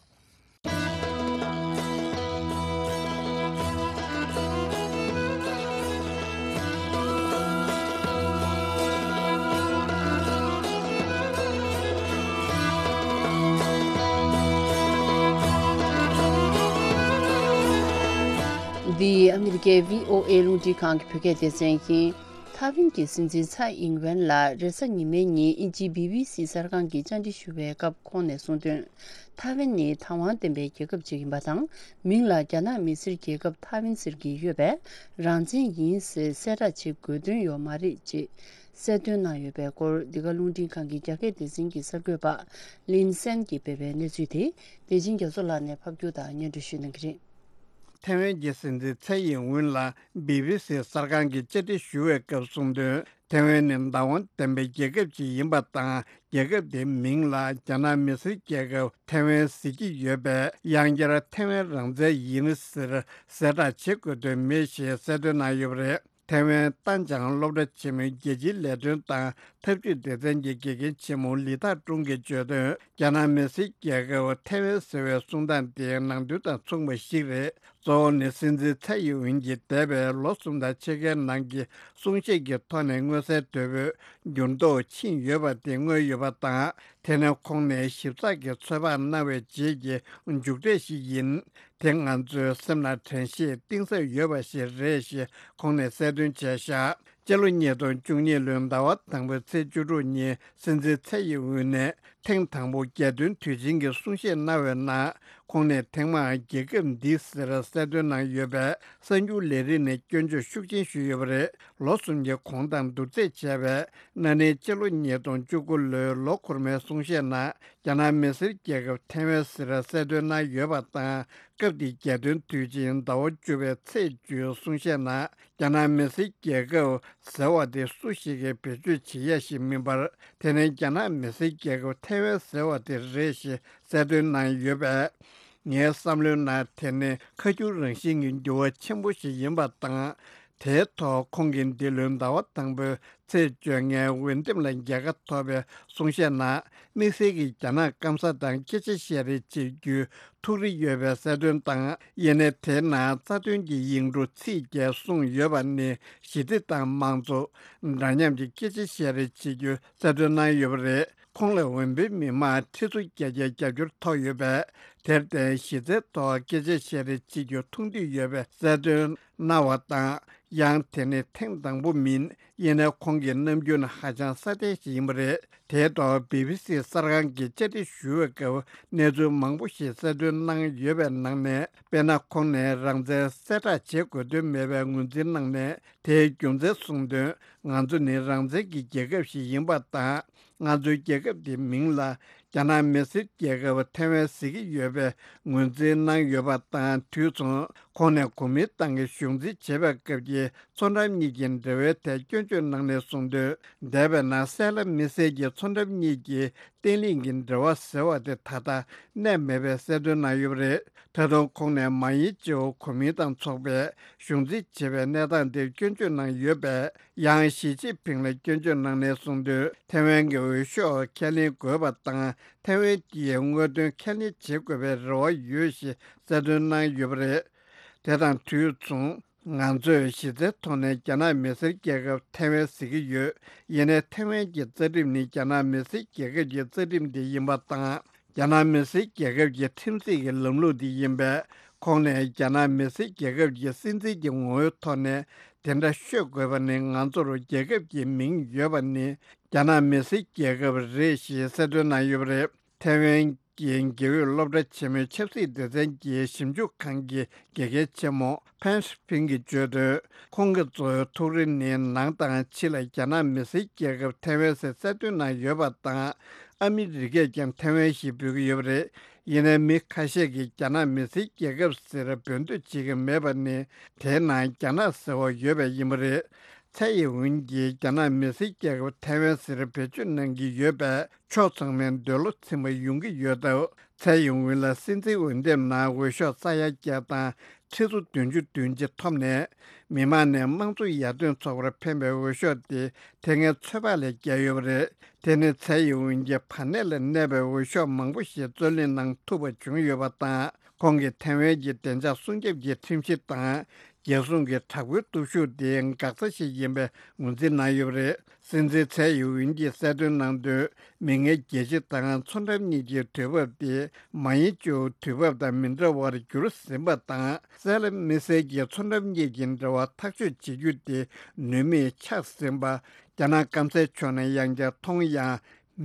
འདི་ཨ་མི་རི་ཀའི་བྷི་ཨོ་ཨེ་རླུང་འཕྲིན་ཁང་གི་བོད་སྐད་སྡེ་ཚན་ཡིན། ཐའེ་ཝན་གྱི་སྲིད་འཛིན་ཚའེ་ཨིང་ཝེན་ལ་རེས་གཟའ་ཉི་མའི་ཉིན་དབྱིན་ཇིའི་བྷི་བྷི་སི་གསར་ཁང་གིས་བཅར་འདྲི་ཞུ་བའི་སྐབས་ཁོང་ནས་གསུངས་དོན། ཐའེ་ཝན་ནི་དང་བ་ལྡན་པའི་རྒྱལ་ཁབ་ཅིག་ཡིན་པ་དང་། མིང་ལ་རྒྱ་ནག་མི་སེར་རྒྱལ་ཁབ་ཐའེ་ཝན་ཟེར་གྱི་ཡོད་པས། རང་བཙན་ཡིན་ཟེར་གསལ་བསྒྲགས་བྱེད་དགོས་དོན་ཡོད་མ་རེད་ཅེས་གསལ་སྟོན་གནང་ཡོད་པའི་སྐོར། འདི་ག་རླུང་འཕྲིན་ཁང་གི་རྒྱ་སྐད་སྡེ་ཚན་གྱི་གསར་འགོད་པ་ལིན་སན་གྱིས་སྤེལ་བའི་གནས་ཚུལ་དེ། བདེ་ཆེན་རྒྱ་མཚོ་ལགས་ནས་ཕབ་སྒྱུར་དང་སྙན་སྒྲོན་ཞུ་གནང་གི་རེད། ཐའེ་ཝན་གྱི་སྲིད་འཛིན་ཚའེ་ཡིན་ཝུན་ལ་བྷི་བྷི་སི་གསར་ཁང་གིས་བཅར་འདྲི་ཞུ་བའི་སྐབས་གསུངས་དོན། ཐའེ་ཝན་ནི་བདག་དབང་ལྡན་པའི་རྒྱལ་ཁབ་ཅིག་ཡིན་པ་དང་། རྒྱལ་ཁབ་དེའི་མིང་ལ་རྒྱ་ནག་མི་སེར་རྒྱལ་ཁབ་ཐའེ་ཝན་ཟེར་གྱི་ཡོད་པས། ཡང་བསྐྱར་ཐའེ་ཝན་རང་བཙན་ཡིན་ཟེར་གསལ་བསྒྲགས་བྱེད་དགོས་དོན་མེད་ཞེས་གསལ་སྟོན་གནང་ཡོད་པ་རེད། ཐའེ་ཝན་ཏན་ཅང་སློབ་གྲྭ་ཆེན་མོའི་རྒྱལ་སྤྱིའི་ལས་དོན་དང་འཐབ་ཇུས་སྡེ་ཚན་གྱི་དགེ་རྒན་ཆེན་མོ་ལི་ཐག་ཀྲུང་གིས་བརྗོད་དོན། རྒྱ་ནག་མི་སེར་རྒྱལ་ཁབ་ཐའེ་ཝན་ཟེར་བའི་གསུང་སྟངས་དེ་ནང་དོན་དང་མཚུངས་པ་ཞིག་རེད། གཙོ་བོ་ནི་སྲིད་འཛིན་ཚའེ་ཡིན་ཝིན་གྱིས་འདས་པའི་ལོ་གསུམ་དང་ཕྱེད་ཀའི་ནང་གི་གསུང་བཤད་ཀྱི་ཐོག་ནས་མངོན་གསལ་དོད་པོས་འགྱུར་ལྡོག་ཕྱིན་ཡོད་པ་དེ་མངོན་ཡོད་པ་དང་། དེ་ནི་ཁོང་ནས་ཞིབ་ཚགས་ཀྱི་ཚོད་དཔག་གནང་བའི་རྗེས་ཀྱི་མཇུག་འབྲས་ཤིག་ཡིན། དེ་ང་ཚོའི་སེམས་ལ་དྲན་ཤེས་གཏིང་ཟབ་ཡོད་པ་ཞིག་རེད་ཞེས་ཁོང་ནས་གསལ་སྟོན་བྱས་བཞག་སྤྱི་ལོ་ཉིས་སྟོང་བཅུ་གཉིས་ལོའི་ཟླ་བ་དང་པོའི་ཚེས་བཅུ་དྲུག་ཉིན་སྲིད་འཛིན་ཚའེ་ཡིན་ཝུན་ནས་ཐེངས་དང་པོ་རྒྱལ་སྟོན་དུས་ཆེན་གྱི་གསུང་བཤད་གནང་བའི་ནང་། ཁོང་ནས་ཐེངས་མང་རྒྱལ་ཁབ་འདི་ཟེར་གསལ་སྟོན་གནང་ཡོད་པས། གསར་འགྱུར་ལས་རིགས་ནས་སྐྱོན་བརྗོད་ཤུགས་ཆེན་ཞུས་ཡོད་པ་རེད། ལོ་གསུམ་གྱི་གོང་དང་བསྡུར་ཚད་བྱས་པས། ན་ནིང་སྤྱི་ལོ་ཉིས་སྟོང་བཅུ་དགུ་ལོའི་ལོ་འཁོར་མའི་གསུང་བཤད་ནང་། རྒྱ་ནག་མི་སེར་རྒྱལ་ཁབ་ཐའེ་ཝན་ཟེར་གསལ་སྟོན་གནང་ཡོད་པ་དང་། སྐབས་དེའི་རྒྱལ་སྟོན་དུས་ཆེན་ཟླ་བ་བཅུ་པའི་ཚེས་བཅུའི་གསུང་བཤད་ནང་། རྒྱ་ནག་མི་སེར་རྒྱལ་ཁབ་ཟེར་བ་དེ་སུ་ཞིག་གིས་བེད་སྤྱོད་བྱེད་ཡ་ཞིག་མིན་པར། དེ་ནི་རྒྱ་ནག་མི་སེར་རྒྱལ་ཁབ་ཐའེ་ཝན་ཟེར་བ་དེ་རེད་ཞེས་གསལ་སྟོན་གནང་ཡོད་པས། ངའི་བསམ་བློའི་ནང་དེ་ནི་ཁ་སྐྱུར་རང་བཞིན་གྱི་འགྱུར་བ་ཆེན་པོ་ཞིག་ཡིན་པ་དང་། དེའི་ཐོག་ཁོང་གིས་འདི་ལོའི་ཟླ་བ་དང་པོའི་ཚེས་བཅོ་ལྔའི་འོས་འདེམས་ལ་རྒྱལ་ཁ་ཐོབ་པའི་གསུང་བཤད་ནང་། དམིགས་བསལ་གྱིས་རྒྱ་ནག་སྐམ་ས་དང་སྐད་ཆ་བཤད་རེས་བྱེད་རྒྱུའི་ཐུགས་རེ་ཡོད་པའི་གསལ་སྟོན་དང་། ཡིན་ནའི་དེའི་ནང་རྩ་དོན་གྱི་ཡིག་འབྲུ་ཚིག་བརྒྱད་གསུངས་ཡོད་པ་ནི་གཞི་རྩའི་ཏང་མང་གཙོ་འདྲ་མཉམ་གྱི་སྐད་ཆ་བཤད་རེས་བྱེད་རྒྱུ་གསལ་སྟོན་གནང་ཡོད་པ་རེད། ཁོང་ལ་འོས་འཕེན་མི་མང་ཁྲི་ཚོ་བརྒྱད་བརྒྱ་རྒྱབ་སྐྱོར་ཐོབ་ཡོད་པས། དེར་བརྟེན་གཞི་རྩའི་ཐོག་སྐད་ཆ་བཤད་རེས་བྱེད་རྒྱུ་མཐོང་འདོད་ཡོད་པའི་གསལ་སྟོན་གནང་བ་དང་། ཡང་དེ་ནི་ཐེངས་དང་པོ་མིན། ཡིན་ནའི་ཁོང་གི་རྣམ་འགྱུར་ནི་ཧ་ཅང་སྲ་བརྟན་ཞིག་ཡིན་པ་རེད། དེའི་ཐོག་བི་བི་སི་གསར་ཁང་གིས་བཅར་འདྲི་ཞུ་བའི་སྐབས་གནས་ཚུལ་མང་པོ་ཞིག་གསལ་སྟོན་གནང་ཡོད་པའི་ནང་ནས། དཔེར་ན། ཁོང་ནས་རང་བཙན་གསལ་བསྒྲགས་བྱེད་དགོས་དོན་མེད་པའི་ངོས་འཛིན་གནང་ནས། དེའི་རྒྱུ་མཚན་གསུངས་དོན། ང་ཚོ་ནི་རང་བཙན་གྱི་རྒྱལ་ཁབ་ཞིག་ཡིན་པ་དང་། ང་ཚོའི་རྒྱལ་ཁབ་དེའི་མིང་ལ་རྒྱ་ནག་མི་སེར་རྒྱལ་ཁབ་ཐའེ་ཝན་ཟེར་གྱི་ཡོད་པའི་ངོས་འཛིན་གནང་ཡོད་པ་དང་། དུས་མཚུངས་ཁོང་ནས་གོ་མིན་ཏང་གིས་གཞུང་འཛིན་བྱེད་པའི་སྐབས་ཀྱི་མཚོ་འགྲམ་གཉིས་ཀྱི་འབྲེལ་བའི་ཐད་སྐྱོན་བརྗོད་གནང་ནས་གསུངས་དོན། འདས་པའི་ནང་སེ་ལ་མི་སེར་གྱིས་མཚོ་འགྲམ་གཉིས་ཀྱི་བརྟན་ལྷིང་གི་འབྲེལ་བ་ཟེར་བ་དེ་ད་ལྟ་གནས་མེད་པའི་གསལ་སྟོན་གནང་ཡོད་པ་རེད། ད་དུང་ཁོང་ནས་མཱ་ཡིན་ཅེའོ་གོ་མིན་ཏང་ཚོགས་པས་གཞུང་འཛིན་བྱེད་པའི་གནས་སྟངས་དེར་སྐྱོན་བརྗོད་གནང་ཡོད་པས། ཡང་ཞི་ཅིན་ཕིང་ལ་སྐྱོན་བརྗོད་གནང་ནས་གསུངས་དོན། ཐའེ་ཝན་གྱི་འོས་ཤོག་ཁས་ལེན་དགོས་པ་དང་། ཐའེ་ཝན་གྱི་དངོས་དོན་ཁས་ལེན་བྱེད་དགོས་པའི་རེ་བ་ཡོད་ཞེས་གསལ་སྟོན་གནང་ཡོད་པ་རེད། དེ་དང་དུས་མཚུངས། ང་ཚོས་གཞི་རྩའི་ཐོག་ནས་རྒྱ་ནག་མི་སེར་རྒྱལ་ཁབ་ཐའེ་ཝན་ཟེར་གྱི་ཡོད། ཡིན་ནའི་ཐའེ་ཝན་གྱི་རྩ་ཁྲིམས་ནི་རྒྱ་ནག་མི་སེར་རྒྱལ་ཁབ་ཀྱི་རྩ་ཁྲིམས་དེ་ཡིན་པ་དང་། རྒྱ་ནག་མི་སེར་རྒྱལ་ཁབ་ཀྱི་ཁྲིམས་སྲིད་ཀྱི་ལམ་ལུགས་དེ་ཡིན་པས། ཁོང་ནས་རྒྱ་ནག་མི་སེར་རྒྱལ་ཁབ་ཀྱི་སྲིད་འཛིན་གྱི་ངོ་བོའི་ཐོག་ནས་དེ་འདྲ་ཤོད་དགོས་པ་ནི། ང་ཚོར་རྒྱལ་ཁབ་ཀྱི་མིང་ཡོད་པ་ནི་རྒྱ་ནག་མི་སེར་རྒྱལ་ཁབ་རེད་ཞེས་གསལ་སྟོན་གནང་ཡོད་པ་རེད། ཐའེ་ཝན་གྱི་དགེ་འོས་སློབ་གྲྭ་ཆེན་མོའི་ཆབ་སྲིད་སྡེ་ཚན་གྱི་ཞིབ་འཇུག་ཁང་གི་དགེ་རྒན་ཆེན་མོ་ཕན་ཧྲི་ཕིང་གིས་བརྗོད་དོན། ཁོང་གི་གཙོ་བོའི་ཐུགས་རེ་ནི་ནང་དང་ཕྱི་ལ་རྒྱ་ནག་མི་སེར་རྒྱལ་ཁབ་ཐའེ་ཝན་ཟེར་གསལ་སྟོན་གནང་ཡོད་པ་དང་། ཨ་མི་རི་ཀས་ཀྱང་ཐའེ་ཝན་ཞེས་འབོད་ཀྱི་ཡོད་པ་རེད། ཡིན་ནའི་མི་ཁ་ཤས་ཀྱིས་རྒྱ་ནག་མི་སེར་རྒྱལ་ཁབ་ཟེར་འབོད་འདོད་བྱེད་ཀྱི་མེད་པ་ནི། དེའི་ནང་རྒྱ་ནག་ཟེར་བ་ཡོད་པས་ཡིན་པ་རེད། ཚའེ་ཡིན་ཝུན་གྱིས་རྒྱ་ནག་མི་སེར་རྒྱལ་ཁབ་ཐའེ་ཝན་ཟེར་བེད་སྤྱོད་གནང་གི་ཡོད་པས། ཕྱོགས་ཚང་མའི་འདོད་བློ་ཚིམ་པ་ཡོང་གི་ཡོད་སྟབས། ཚའེ་ཡིན་ཝུན་ལ་སྲིད་འཛིན་འོས་འདེམས་ནང་འོས་ཤོག་ས་ཡ་བརྒྱད་དང་ཁྲི་ཚོ་བདུན་ཅུ་དོན་གཅིག་ཐོབ་ནས། མི་མང་ནས་དམངས་གཙོ་ཡར་ཐོན་ཚོགས་པར་འཕེན་པའི་འོས་ཤོག་དེ་དེ་སྔའི་ཚོད་དཔག་ལས་བརྒལ་ཡོད་པ་རེད། དེ་ནི་ཚའེ་ཡིན་ཝུན་གྱི་བར་གནས་ལ་གནས་པའི་འོས་ཤོག་མང་པོ་ཞིག་རྩོད་ལེན་གནང་ཐུབ་པ་བྱུང་ཡོད་པ་དང་། ཁོང་གིས་ཐའེ་ཝན་གྱི་བདེ་འཇགས་སྲུང་སྐྱོབ་ཀྱི་ཁྲིམས་གཞི་དང་། རྒྱལ་སྲུང་གི་དྲག་པོའི་སྟོབས་ཤུགས་དེ་འགག་རྩ་ཞིག་ཡིན་པའི་ངོས་འཛིན་གནང་ཡོད་པ་རེད། སྲིད་འཛིན་ཚའེ་ཡིན་ཝུན་གྱིས་གསལ་སྟོན་གནང་དོན། མིག་སྔའི་རྒྱལ་སྤྱི་དང་མཚོ་འགྲམ་གཉིས་ཀྱི་དུས་བབ་དེ་མཱ་ཡིན་ཅེའོ་དུས་བབ་དང་མི་འདྲ་བར་གྱུར་ཟིན་པ་དང་། སེ་ལ་མི་སེར་གྱིས་མཚོ་འགྲམ་གཉིས་ཀྱི་འབྲེལ་བ་ཐག་གཅོད་བྱེད་རྒྱུ་དེ་ནུས་མེད་ཆགས་ཟིན་པ། རྒྱ་ནག་སྐམ་སའི་ཕྱོགས་ནས་ཡང་བསྐྱར་མཐོང་ཡང་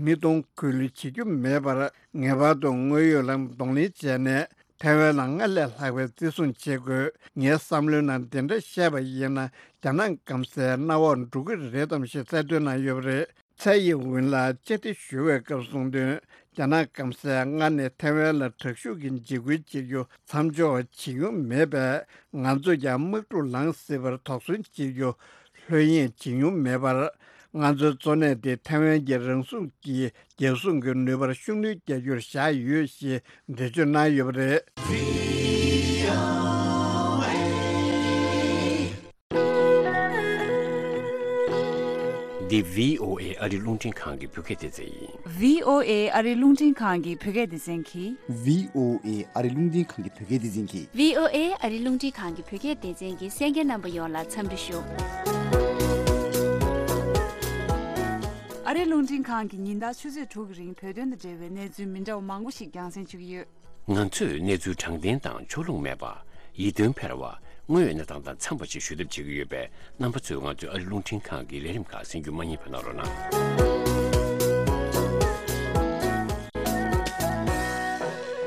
མི་གཏོང་ཁུལ་བྱེད་རྒྱུ་མེད་པར། ངེས་པར་དུ་དངོས་ཡོད་ལ་གདོང་ལེན་བྱས་ནས། ཐའེ་ཝན་ལ་སྔར་ལས་ལྷག་པའི་བརྩི་སྲུང་བྱེད་དགོས། ངའི་བསམ་བློའི་ནང་འདི་འདྲ་བཤད་པ་ཡིན་ན། རྒྱ་ནག་སྐམ་སའི་མནའ་འོག་འགྲོ་གི་རེད་དམ་ཞེས་གསལ་སྟོན་གནང་ཡོད་པ་རེད། ཚའེ་ཡིན་ཝུན་ལ་བཅར་འདྲི་ཞུ་བའི་སྐབས་གསུངས་དོན། རྒྱ་ནག་སྐམ་སས་སྔར་ནས་ཐའེ་ཝན་ལ་དྲག་ཤུགས་ཀྱི་འཇིགས་སྐུལ་བྱེད་རྒྱུ་མཚམས་འཇོག་བྱེད་མྱོང་མེད་པས། ང་ཚོས་ཀྱང་དམག་འཁྲུག་ལངས་སྲིད་པར་དོགས་ཟོན་བྱེད་རྒྱུ་ལྷོད་གཡེང་བྱེད་མྱོང་མེད་པར། ང་ཚོའི་གཙོ་གནད་དེ་ཐའེ་ཝན་གྱི་རང་སྲུང་གི་རྒྱལ་སྲུང་གི་ནུས་པར་ཤུགས་སྣོན་རྒྱག་རྒྱུར་བཞག་ཡོད་ཞེས་འགྲེལ་བརྗོད་གནང་ཡོད་པ་རེད། འདི་བྷི་ཨོ་ཨེ་ཨ་རི་རླུང་འཕྲིན་ཁང་གི་བོད་སྐད་སྡེ་ཚན་ཡིན། བྷི་ཨོ་ཨེ་ཨ་རི་རླུང་འཕྲིན་ཁང་གི་བོད་སྐད་སྡེ་ཚན་གྱིས། བྷི་ཨོ་ཨེ་ཨ་རི་རླུང་འཕྲིན་ཁང་གི་བོད་སྐད་སྡེ་ཚན་གྱིས། བྷི་ཨོ་ཨེ་ཨ་རི་རླུང་འཕྲིན་ཁང་གི་བོད་སྐད་སྡེ་ཚན་གྱི་གསན་མཁན་རྣམ་པ་ཡོངས་ལ་འཚམས་འདྲི་ཞུ། ཨ་རི་རླུང་འཕྲིན་ཁང་གིས་ཉིན་ལྟར་ཆུ་ཚོད་དྲུག་གི་རིང་བོད་དོན་དང་འབྲེལ་བའི་གནས་ཚུལ་མི་འདྲ་བ་མང་པོ་ཞིག་རྒྱང་སྲིང་ཞུ་གི་ཡོད། ང་ཚོས་གནས་ཚུལ་དྲང་བདེན་དང་ཕྱོགས་ལྷུང་མེད་པ། ཡིད་རྟོན་འཕེར་བ། དངོས་ཡོད་གནས་སྟངས་དང་འཚམས་པ་ཞིག་ཞུ་ཐབས་བྱེད་ཀྱི་ཡོད་པས། རྣམ་པ་ཚོས་ང་ཚོའི་ཨ་རི་རླུང་འཕྲིན་ཁང་གི་ལས་རིམ་ཁག་གསན་རྒྱུ་མ་བསྙེལ་བ་གནང་རོགས་གནང་།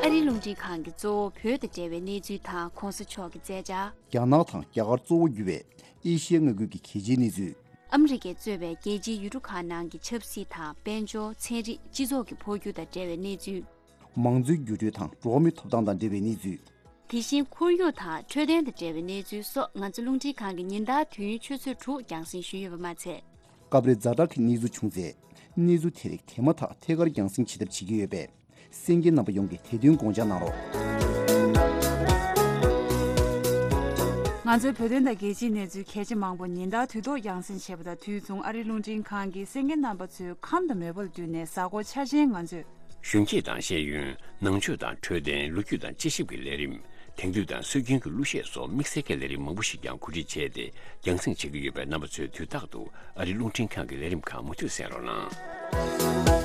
ཨ་རི་རླུང་འཕྲིན་ཁང་གིས་གཙོ་བོ་བོད་དང་འབྲེལ་བའི་གནས་ཚུལ་དང་གོང་ས་མཆོག་གི་མཛད་འཆར། རྒྱ་ནག་དང་རྒྱ་གར་གཙོ་བོ་གྱུར་བའི་ཨེ་ཤི་ཡའི་མངའ་ཁུལ་གྱི་གལ་ཆེའི་གནས་ཚུལ། ཨ་མི་རི་ཀས་གཙོས་པའི་རྒྱལ་སྤྱིའི་ཡུལ་གྲུ་ཁག་ནང་གི་ཆབ་སྲིད་དང་། དཔལ་འབྱོར། ཚན་རིག་སྤྱི་ཚོགས་ཀྱི་འཕོ་འགྱུར་དང་འབྲེལ་བའི་གནས་ཚུལ། མང་གཙོའི་འགྱུར་འགྲོས་དང་འགྲོ་བ་མིའི་ཐོབ་ཐང་དང་འབྲེལ་བའི་གནས་ཚུལ། དེ་བཞིན་ཁོར་ཡུག་དང་འཕྲོད་བསྟེན་དང་འབྲེལ་བའི་གནས་ཚུལ་སོགས། ང་ཚོ་རླུང་འཕྲིན་ཁང་གིས་ཉིན་ལྟར་དུས་ཡུན་ཆུ་ཚོད་དྲུག་རྒྱང་སྲིང་ཞུས་ཡོད་པ་མ་ཚད། སྐབས་རེ་ཛ་དྲག་གི་གནས་ཚུལ་བྱུང་ཚེ། གནས་ཚུལ་དེ་རིགས་དེ་མ་ཐག་ཐད་ཀར་རྒྱང་སྲིང་བྱེད་ཐབས་བྱེད་ཀྱི་ཡོད་པས། གསན་མཁན་རྣམ་པ་ཡོངས་ཀྱིས་དེ་དོན་དགོངས་འཇགས་གནང་རོགས། ང་ཚོའི་བོད་དོན་དང་རྒྱལ་སྤྱིའི་གནས་ཚུལ་གལ་ཆེ་མང་པོ་ཉིན་ལྟར་དུས་ཐོག་རྒྱང་སྲིང་བྱེད་པ་དང་། དུས་མཚུངས་ཨ་རིའི་རླུང་འཕྲིན་ཁང་གིས་གསན་མཁན་རྣམ་པ་ཚོའི་ཁམས་དང་མོས་པ་ལ་བསྟུན་ནས། གཟའ་འཁོར་འཆར་ཅན་ང་ཚོས། གཞོན་སྐྱེས་དང་ཤེས་ཡོན། ནང་ཆོས་དང་འཕྲོད་བསྟེན། ལོ་རྒྱུས་དང་དཔྱད་ཞིབ་ཀྱི་ལས་རིམ། དེང་དུས་དང་སྲོལ་རྒྱུན་གྱི་གླུ་གཞས་སོགས་དམིགས་བསལ་གྱི་ལས་རིམ་མང་པོ་ཞིག་ཀྱང་གོ་སྒྲིག་བྱས་ཏེ། རྒྱང་སྲིང་བྱེད་ཀྱི་ཡོད་པས། རྣམ་པ་ཚོས་དུས་རྟག་ཏུ་ཨ་རིའི་རླུང་འཕྲིན་ཁང་གི་ལས་རིམ་ཁག་མུ་མཐུད་གསན་རོགས་གནང་།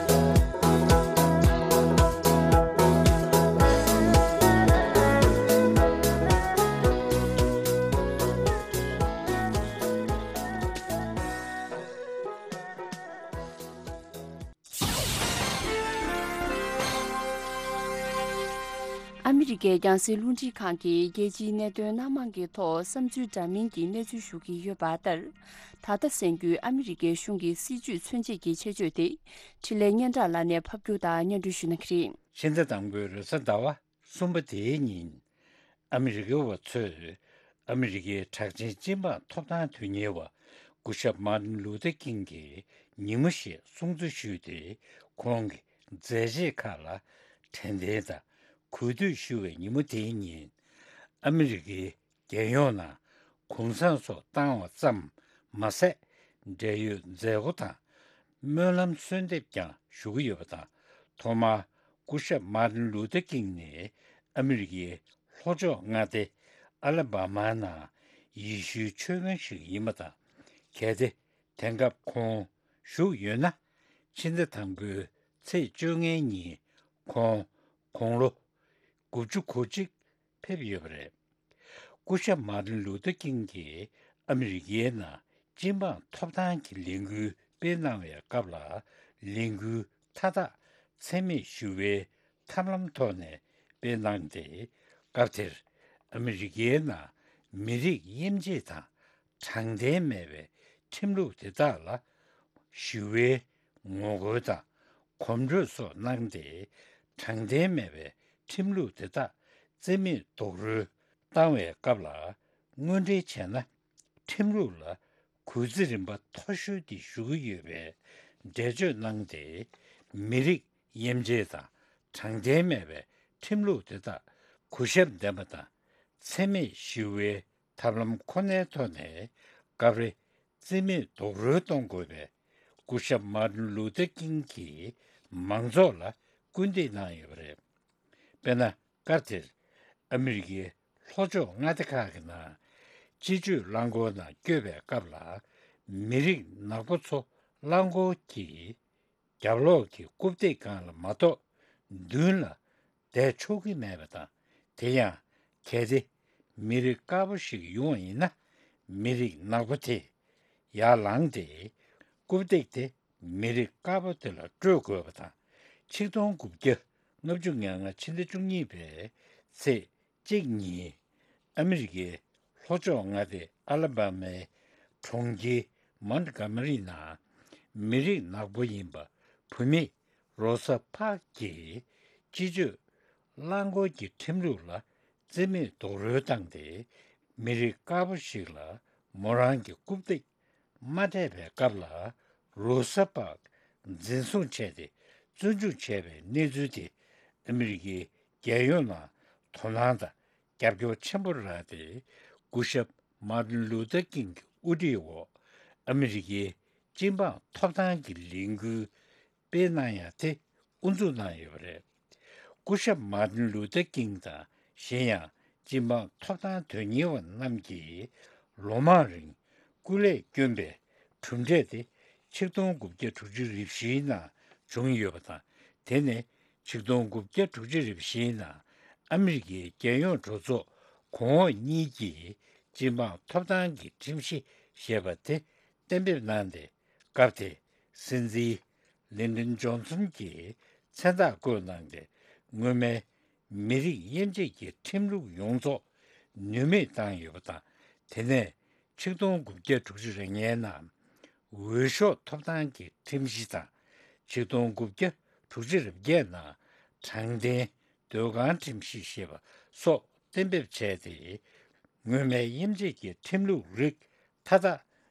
ཨ་མི་རི་ཀའི་རྒྱང་སྲིང་རླུང་འཕྲིན་ཁང་གིས་རྒྱལ་སྤྱིའི་གནད་དོན་སྣ་མང་གི་ཐོག་བསམ་ཚུལ་འདྲ་མིན་གྱི་གནས་ཚུལ་ཞུ་གི་ཡོད་པ་ལྟར། ད་ལྟ་གསན་རྒྱུའི་ཨ་མི་རི་ཀའི་གཞུང་གི་སྲིད་ཇུས་མཚོན་བྱེད་ཀྱི་ཆེད་བརྗོད་དེ། འཕྲིན་ལས་སྙན་གྲགས་ལགས་ནས་ཕབ་སྒྱུར་དང་སྙན་སྒྲོན་ཞུ་གནང་གི་རེད། ཕྱི་ཟླ་དང་པོའི་རེས་གཟའ་ཟླ་བ་གསུམ་པ་དེའི་ཉིན། ཨ་མི་རི་ཀའི་བ་ཚོས་ཨ་མི་རི་ཀའི་གྲགས་ཅན་སྤྱི་འབངས་ཐོབ་ཐང་དོན་གཉེར་བ་སྐུ་ཞབས་མར་ཏིན་ལུ་ཐར་ཀིང་གི་ཉིན་མོ་ཞེས་སྲུང་བརྩི་ཞུས་ཏེ། ཁོང་གི་མཛད་རྗེས་ཁག་ལ་དྲན་རྟེན་དང་གུས་འདུད་ཞུ་བའི་ཉིན་མོ་དེའི་ཉིན། ཨ་མི་རི་ཀའི་རྒྱལ་ཡོངས་ནང་གུང་སེང་སོགས་བཏང་བ་ཙམ་མ་ཟད། འབྲེལ་ཡོད་མཛད་སྒོ་དང་སྨོན་ལམ་གསོལ་འདེབས་ཀྱང་ཞུ་གི་ཡོད་པ་དང་། ཐོག་མར་སྐུ་ཞབས་མར་ཏིན་ལུ་ཐར་ཀིང་ནི་ཨ་མི་རི་ཀའི་ལྷོ་ཕྱོགས་མངའ་སྡེ་ཨ་ལ་བྷ་མ་ནང་ཡེ་ཤུའི་ཆོས་དཔོན་ཞིག་ཡིན་པ་དང་། གལ་ཏེ་དེང་སྐབས་ཁོང་བཞུགས་ཡོད་ན། ཕྱི་ཟླ་དང་པོའི་ཚེས་བཅོ་ལྔའི་ཉིན་ཁོང་དགུང་ལོ་དགུ་བཅུ་གོ་གཅིག་ཕེབས་ཡོད་པ་རེད། སྐུ་ཞབས་མར་ཏིན་ལུ་ཐར་ཀིང་གིས་ཨ་མི་རི་ཀའི་ནང་སྤྱི་འབངས་ཐོབ་ཐང་གི་ལས་འགུལ་སྤེལ་གནང་བའི་སྐབས་ལ། ལས་འགུལ་མཐའ་དག་འཚེ་མེད་ཞི་བའི་ཐབས་ལམ་ཐོག་ནས་སྤེལ་གནང་སྟེ། སྐབས་དེར་ཨ་མི་རི་ཀའི་ནང་མི་རིགས་དབྱེ་འབྱེད་དང་དྲང་བདེན་མེད་པའི་ཁྲིམས་ལུགས་དེ་དག་ལ་ཞི་བའི་ངོ་རྒོལ་དང་གོམ་བགྲོད་སོགས་གནང་སྟེ། དྲང་བདེན་མེད་པའི་ཁྲིམས་ལུགས་དེ་དག་རྩིས་མེད་རྡོག་རོལ་བཏང་བའི་སྐབས་ལ། དངོས་འབྲེལ་བྱས་ན། ཁྲིམས་ལུགས་ལ་གུས་བརྩི་རིམ་པ་མཐོ་ཤོས་དེ་ཞུ་གི་ཡོད་པའི་འགྲེལ་བརྗོད་གནང་སྟེ། མི་རིགས་དབྱེ་འབྱེད་དང་དྲང་བདེན་མེད་པའི་ཁྲིམས་ལུགས་དེ་དག་གུས་ཞབས་ལྡན་པ་དང་། འཚེ་མེད་ཞི་བའི་ཐབས་ལམ་ཁོ་ནའི་ཐོག་ནས་སྐབས་རེ་རྩིས་མེད་རྡོག་རོལ་གཏོང་དགོས་པའི་སྐུ་ཞབས་མར་ཏིན་ལུ་ཐར་ཀིང་གིས་མང་ཚོགས་ལ་སྐུལ་འདེད་གནང་ཡོད་པ་རེད། དཔེར་ན། སྐབས་དེར་ཨ་མི་རི་ཀའི་ལྷོ་ཕྱོགས་མངའ་སྡེ་ཁག་གི་ནང་སྤྱི་སྤྱོད་རླངས་འཁོར་ནང་བསྐྱོད་པའི་སྐབས་ལ། མི་རིགས་ནག་པོ་ཚོ་རླངས་འཁོར་གྱི་རྒྱབ་ལོགས་ཀྱི་རྐུབ་སྟེགས་སྒང་ལ་མ་གཏོགས་མདུན་ལ་བསྡད་ཆོག་གི་མེད་པ་དང་། དེ་ཡང་གལ་ཏེ་མི་རིགས་དཀར་པོ་ཞིག་ཡོང་བ་ཡིན་ན། མི་རིགས་ནག་པོ་དེས་ཡར་ལངས་ཏེ་རྐུབ་སྟེགས་དེ་མི་རིགས་དཀར་པོ་དེ་ལ་སྤྲོད་དགོས་པ་དང་། ཆིག་སྟོང་དགུ་བརྒྱ་ལྔ་བཅུ་ང་ལྔ་ཕྱི་ཟླ་བཅུ་གཉིས་པའི་ཚེས་གཅིག་ཉིན། ཨ་མི་རི་ཀའི་ལྷོ་ཕྱོགས་མངའ་སྡེ་ཨ་ལ་བྷ་མའི་གྲོང་ཁྱེར་མོན་གྷོ་མ་རི་ནང་མི་རིགས་ནག་པོ་ཡིན་པ་བུད་མེད་རོ་ས་པཱརྐ་གིས་སྤྱི་སྤྱོད་རླངས་འཁོར་གྱི་ཁྲིམས་ལུགས་ལ་རྩིས་མེད་རྡོག་རོལ་བཏང་སྟེ། མི་རིགས་དཀར་པོ་ཞིག་ལ་མོ་རང་གི་རྐུབ་སྟེགས་མ་སྤྲད་པའི་སྐབས་ལ། རོ་ས་པཱརྐ་འཛིན་བཟུང་བྱས་ཏེ་བཙོན་འཇུག་བྱས་པའི་གནས་ཚུལ་དེ་ཨ་མི་རི་ཀའི་རྒྱལ་ཡོངས་ནང་དོ་སྣང་དང་རྒྱབ་སྐྱོར་ཆེན་པོ་རག་སྟེ། སྐུ་ཞབས་མར་ཏིན་ལུ་ཐར་ཀིང་གི་དབུ་ཁྲིད་འོག་ཨ་མི་རི་ཀའི་ སྤྱི་འབངས་ཐོབ་ཐང་གི་ལས་འགུལ་སྤེལ་གནང་ཡ་དེ་དབུ་འཛུགས་གནང་ཡོད་པ་རེད། སྐུ་ཞབས་མཱ་ཏིན་ལུ་ཐར་ཀིང་དང་གཞན་ཡང་སྤྱི་འབངས་ཐོབ་ཐང་དོན་གཉེར་བ་རྣམས་ཀྱིས་ལོ་མང་རིང་སྐུ་ལས་བསྐྱོན་པའི་གྲུབ་འབྲས་དེ་ཆིག་སྟོང་དགུ་བརྒྱ་དྲུག་ཅུ་རེ་བཞིའི་ནང་བྱུང་ཡོད་པ་དང་། དེ་ནི་ཆིག་སྟོང་དགུ་བརྒྱ་དྲུག་ཅུ་རེ་བཞིའི་ནང་ཨ་མི་རི་ཀའི་རྒྱལ་ཡོངས་གྲོས་ཚོགས་གོང་འོག་གཉིས་ཀྱིས་སྤྱི་འབངས་ཐོབ་ཐང་གི་ཁྲིམས་གཞི་ཞེས་པ་དེ་གཏན་འབེབས་གནང་སྟེ། སྐབས་དེའི་སྲིད་འཛིན་ལིན་ཏོན་ཇོན་སོན་གྱིས་མཚན་རྟགས་བཀོད་གནང་སྟེ། སྔོན་མའི་མི་རིགས་དབྱེ་འབྱེད་ཀྱི་ཁྲིམས་ལུགས་ཡོངས་རྫོགས་ནུས་མེད་བཏང་ཡོད་པ་དང་། དེ་ནས་ཆིག་སྟོང་དགུ་བརྒྱ་དྲུག་ཅུ་རེ་ལྔའི་ནང་འོས་ཤོག་ཐོབ་ཐང་གི་ཁྲིམས་གཞི་དང་། ཆིག་སྟོང་དགུ་བརྒྱ་དྲུག་ཅུ་རེ་བརྒྱད་ནང་དྲང་བདེན་སྡོད་ཁང་ཁྲིམས་གཞི་ཞེས་པ་སོགས་གཏན་འབེབས་བྱས་ཏེ། སྔོན་མའི་དབྱེ་འབྱེད་ཀྱི་ཁྲིམས་ལུགས་རིགས་མཐའ་དག་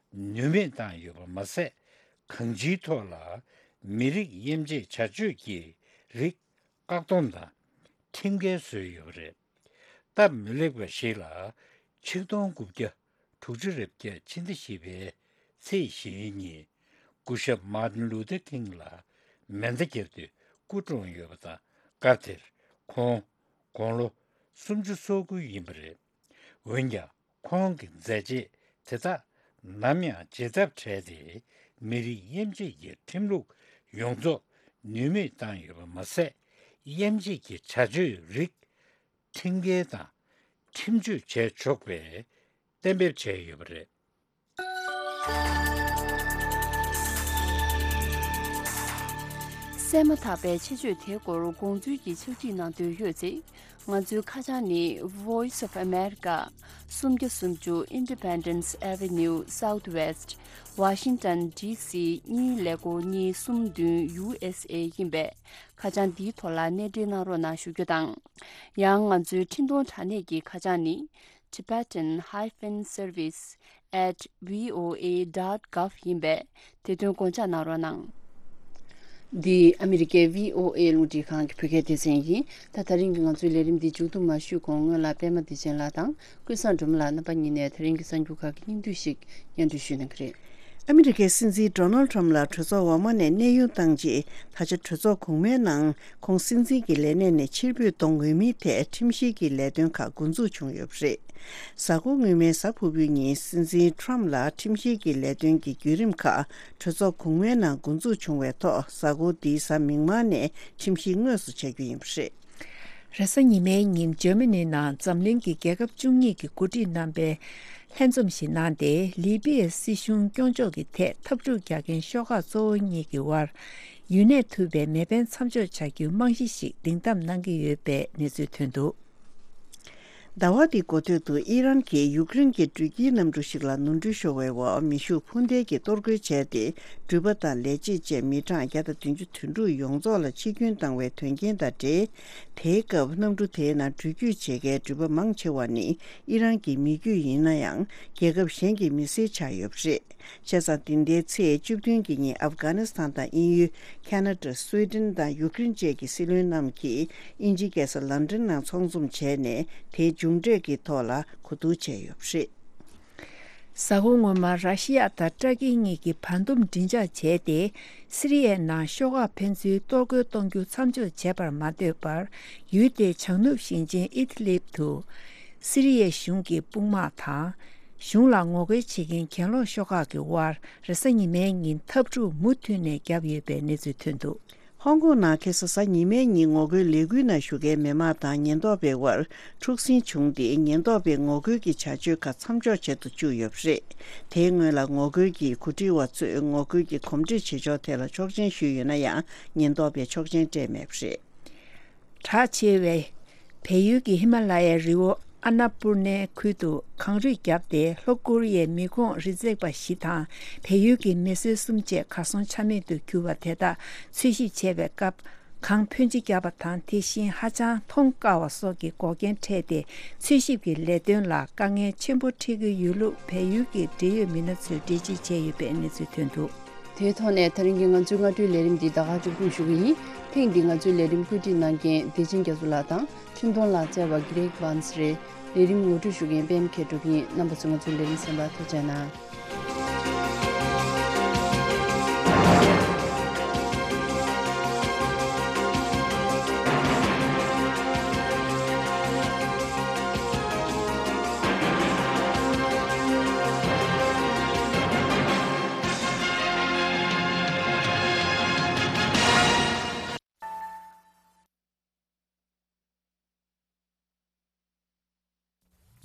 ནུས་མེད་བཏང་ཡོད་པ་མ་ཟད། གང་ཅིའི་ཐོག་ལ་མི་རིགས་དབྱེ་འབྱེད་བྱ་སྤྱོད་ཀྱི་རིགས་བཀག་སྡོམ་དང་ཁྲིམས་འགལ་བཟོས་ཡོད་པ་རེད། སྟབས་མི་ལེགས་པ་ཞིག་ལ། ཆིག་སྟོང་དགུ་བརྒྱ་དྲུག་ཅུ་རེ་བརྒྱད་ཕྱི་ཟླ་བཞི་པའི་ཚེས་བཞིའི་ཉིན། སྐུ་ཞབས་མཱ་ཏིན་ལུ་ཐར་ཀིང་ལ་མེ་མདའ་བརྒྱབ་སྟེ་སྐུ་གྲོངས་ཡོད་པ་དང་། སྐབས་དེར་ཁོང་དགུང་ལོ་སུམ་ཅུ་སོ་དགུ་ཡིན་པ་རེད། འོན་ཀྱང་། ཁོང་གི་མཛད་རྗེས་དེ་དག་ནམ་ཡང་བརྗེད་ཐབས་བྲལ་ཏེ། མི་རིགས་དབྱེ་འབྱེད་ཀྱི་ཁྲིམས་ལུགས་ཡོངས་རྫོགས་ནུས་མེད་བཏང་ཡོད་པ་མ་ཟད། དབྱེ་འབྱེད་ཀྱི་བྱ་སྤྱོད་རིགས་ཁྲིམས་འགལ་དང་ཁྲིམས་གཅོད་བྱས་ཆོག་པའི་གཏན་འབེབས་བྱས་ཡོད་པ་རེད། གསན་མ་ཐག་པའི་ཆེད་བརྗོད་དེའི་སྐོར་དགོངས་ཚུལ་གྱི་ཕྱག་བྲིས་གནང་འདོད་ཡོད་ཚེ། ང་ཚོའི་ཁ་བྱང་ནི། Voice of America། སུམ་བརྒྱ་སུམ་ཅུ། Independence Avenue Southwest། Washington D C གཉིས་ཀླད་ཀོར་གཉིས་གསུམ་བདུན། U S A ཡིན་པས། ཁ་བྱང་འདིའི་ཐོག་ལ་གནས་འབྲེལ་གནང་རོགས་གནང་ཞུ་རྒྱུ་དང་། ཡང་ང་ཚོའི་འཕྲིན་གཏོང་དྲ་གནས་ཀྱི་ཁ་བྱང་ནི། Tibetan hyphen service at V O A dot gov ཡིན་པས། དེ་དོན་དགོངས་འཇགས་གནང་རོགས་གནང་། འདི་ཨ་མི་རི་ཀའི་V O A རླུང་འཕྲིན་ཁང་གི་བོད་སྐད་སྡེ་ཚན་ཡིན། ད། ད་རིང་གི་ང་ཚོའི་ལས་རིམ་འདི་མཇུག་བསྡུ་མ་ཞུས་གོང་སྔོན་ལ་པད་མ་བདེ་ཆེན་ལགས་དང་ཀུན་བཟང་སྒྲོལ་མ་ལགས་རྣམ་པ་གཉིས་ནས་ད་རིང་གི་གསར་འགྱུར་ཁག་གི་སྙིང་བསྡུས་ཤིག་སྙན་སྒྲོན་ཞུས་གནང་གི་རེད། ཨ་མི་རི་ཀའི་སྲིད་འཛིན་ཌོ་ནལ་ཊམ་ལགས་གྲོས་ཚོགས་འོག་མ་ནས་གནས་དབྱུང་བཏང་རྗེས། ད་ཆ་གྲོས་ཚོགས་གོང་མའི་ནང་ཁོང་སྲིད་འཛིན་གྱི་ལས་གནས་ནས་ཕྱིར་འབུད་གཏོང་འོས་མིའི་ཐད་ཁྲིམས་བཤེར་གྱི་ལས་དོན་ཁག་འགོ་འཛུགས་བྱུང་ཡོད་པ་རེད། གཟའ་འཁོར་སྔོན་མའི་གཟའ་ཕུར་བུའི་ཉིན་སྲིད་འཛིན་ཊམ་ལགས་ཁྲིམས་བཤེར་གྱི་ལས་དོན་གྱི་བརྒྱུད་རིམ་ཁག་གྲོས་ཚོགས་གོང་མའི་ནང་འགོ་འཛུགས་བྱུང་བའི་ཐོག་གཟའ་འཁོར་འདིའི་གཟའ་མིག་དམར་ནས་ཁྲིམས་བཤེར་དངོས་སུ་བྱ་རྒྱུ་ཡིན་པ་རེད། རེས་གཟའ་ཉི་མའི་ཉིན་འཇར་མ་ནི་ནང་འཛམ་གླིང་གི་རྒྱལ་ཁབ་བཅུ་གཉིས་ཀྱི་འགོ་ཁྲིད་རྣམ་པས་ལྷན་འཛོམས་ཤིག་གནང་སྟེ། ལི་པི་ཡའི་སྲིད་གཞུང་སྐྱོང་ཕྱོགས་ཀྱི་ཐད་འཐབ་འཁྲུག་རྒྱག་མཁན་ཤོག་ཁག་གཙོ་བོ་གཉིས་ཀྱི་དབར་ཡུན་གནས་ཐུབ་པའི་མེ་འཕེན་མཚམས་འཇོག་བྱ་རྒྱུའི་རྨང་གཞི་ཞིག་སྒྲིང་གཏམ་གནང་གི་ཡོད་པའི་གནས་ཚུལ་ཐོན་འདུག། ཟླ་བ་འདིའི་འགོ་སྟོད་དུ་ཨི་རན་གྱིས་ཡུཀ་རེན་གྱི་འགྲུལ་སྐྱེལ་གནམ་གྲུ་ཞིག་ལ་ནོར་འཁྲུལ་ཤོར་བའི་འོག་མེ་ཤུགས་འཕུར་མདེལ་གྱིས་གཏོར་རྒོལ་བྱས་ཏེ། འགྲུལ་པ་དང་ལས་བྱེད་བཅས་མི་གྲངས་བརྒྱ་དང་བདུན་ཅུ་དོན་དྲུག་ཡོངས་རྫོགས་ལ་འཆི་སྐྱོན་བཏང་བའི་དོན་རྐྱེན་དང་འབྲེལ། དེའི་སྐབས་གནམ་གྲུ་དེའི་ནང་འགྲུལ་སྐྱོད་བྱེད་མཁན་འགྲུལ་པ་མང་ཆེ་བ་ནི་ཨི་རན་གྱི་མི་རྒྱུད་ཡིན་ན་ཡང་། རྒྱལ་ཁབ་གཞན་གྱི་མི་སེར་ཆགས་ཡོད་པ་རེད། བྱས་ཙང་། འདི་ཟླའི་ཚེས་བཅུ་བདུན་གྱི་ཉིན་ཨབ་གྷ་ནི་སི་ཐན་དང་དབྱིན་ཡུལ། ཁ་ན་ཌ། སུའེ་ཏན་དང་ཡུཀ་རེན་བཅས་ཀྱི་སྲིད་བློན་རྣམས་ཀྱིས་དབྱིན་ཇིའི་རྒྱལ་ས་ལན་ཀྲན་ནང་ཚོགས་འཛོམས་བྱས་ནས། དེའི་མཇུག་འབྲས་ཀྱི་ཐོག་ལ་གོ་བསྡུར་བྱས་ཡོད་པ་རེད། གཟའ་འཁོར་སྔོན་མ། ར་ཤི་ཡ་དང་ཏྲ་ཀིའི་གཉིས་ཀྱིས་བར་འདུམ་མགྲིན་ཚབ་བྱས་ཏེ། སི་རི་ཡའི་ནང་ཤོག་ཁག་ཕན་ཚུན་གཏོར་རྒོལ་གཏོང་རྒྱུ་མཚམས་འཇོག་བྱས་པར་མ་ལྟོས་པར། ཡུལ་དེའི་བྱང་ནུབ་ཞིང་ཆེན་ཨི་དི་ལིབ་ཏུ། སི་རི་ཡའི་གཞུང་གི་དཔུང་དམག་དང་། གཞུང་ལ་ངོ་རྒོལ་བྱེད་མཁན་གྱེན་ལོག་ཤོག་ཁག་གི་དབར། རེས་གཟའ་ཉི་མའི་ཉིན་འཐབ་འཁྲུག་མུ་མཐུད་ནས་བརྒྱབ་ཡོད་པའི་གནས་ཚུལ་ཐོན་འདུག། ཧོང་ཀོང་ནང་ཁ་སང་གཟའ་ཉི་མའི་ཉིན་ངོ་རྒོལ་ལས་འགུལ་ནང་ཞུགས་མཁན་མི་མང་དང་ཉེན་རྟོག་པའི་དབར་འཁྲུག་ཟིང་བྱུང་སྟེ། ཉེན་རྟོག་པས་ངོ་རྒོལ་གྱི་བྱ་སྤྱོད་ཁག་མཚམས་འཇོག་བྱེད་དུ་བཅུག་ཡོད་པ་རེད། དེའི་སྔོན་ལ་ངོ་རྒོལ་གྱི་གོ་སྒྲིག་པ་ཚོས་ངོ་རྒོལ་གྱི་གོམས་འདྲིས་བྱེད་ཕྱོགས་ཐད་ལ་ཆོག་མཆན་ཞུས་ཡོད་ན་ཡང་། ཉེན་རྟོག་པས་ཆོག་མཆན་སྤྲད་མེད་པ་རེད། གྲགས་ཆེ་བའི་བལ་ཡུལ་གྱི་ཧི་མ་ལ་ཡའི་རི་བོ་ཨ་ན་པུར་ནའི་ཁུལ་དུ་གངས་རུད་བརྒྱབ་སྟེ། ལྷོ་ཀོ་རི་ཡའི་མི་ཁོངས་རི་འཛེག་པ་བཞི་དང་བལ་ཡུལ་གྱི་མི་སེར་གསུམ་བཅས་གར་སོང་ཆ་མེད་དུ་གྱུར་བ་དེ་དག་འཚོལ་ཞིབ་བྱེད་པའི་སྐབས། གངས་འཕོན་ཆེ་བརྒྱབ་པ་དང་། དེ་བཞིན་ཧ་ཅང་མཐོང་དཀའ་བ་སོགས་ཀྱི་འགོག་རྐྱེན་འཕྲད་དེ། འཚོལ་ཞིབ་ཀྱི་ལས་དོན་ལ་དཀའ་ངལ་ཆེན་པོ་འཕྲད་ཀྱི་ཡོད་ལུགས་བལ་ཡུལ་གྱི་འབྲེལ་ཡོད་མི་སྣ་ཚོས་འགྲེལ་བརྗོད་བྱས་ཡོད་པའི་གནས་ཚུལ་ཐོན་འདུག། དེའི་ཐོག་ནས་ད་རིང་གི་ང་ཚོའི་སྔ་དྲོའི་ལས་རིམ་འདི་ད་ག་མཇུག་སྡོམ་ཞུ་གི་ཡིན། ཐེངས་འདིའི་ང་ཚོའི་ལས་རིམ་བཀོད་སྒྲིག་གནང་མཁན་བདེ་ཆེན་རྒྱ་མཚོ་ལགས་དང་། འཕྲིན་གཏོང་ལག་རྩལ་བ་གྷི་རེག་ཝཱན་སི་རེད། ལས་རིམ་ངོ་སྤྲོད་ཞུ་མཁན་པད་མ་མཁས་གྲུབ་ཡིན། རྣམ་པ་ཚོས་ང་ཚོའི་ལས་རིམ་གསན་པར་ཐུགས་རྗེ་གནང་།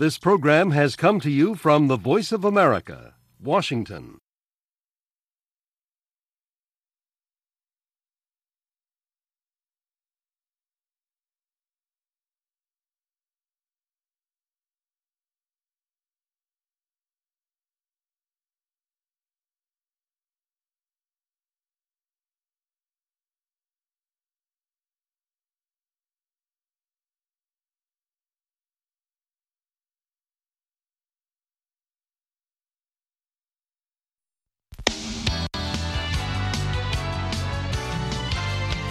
This program has come to you from the Voice of America, Washington.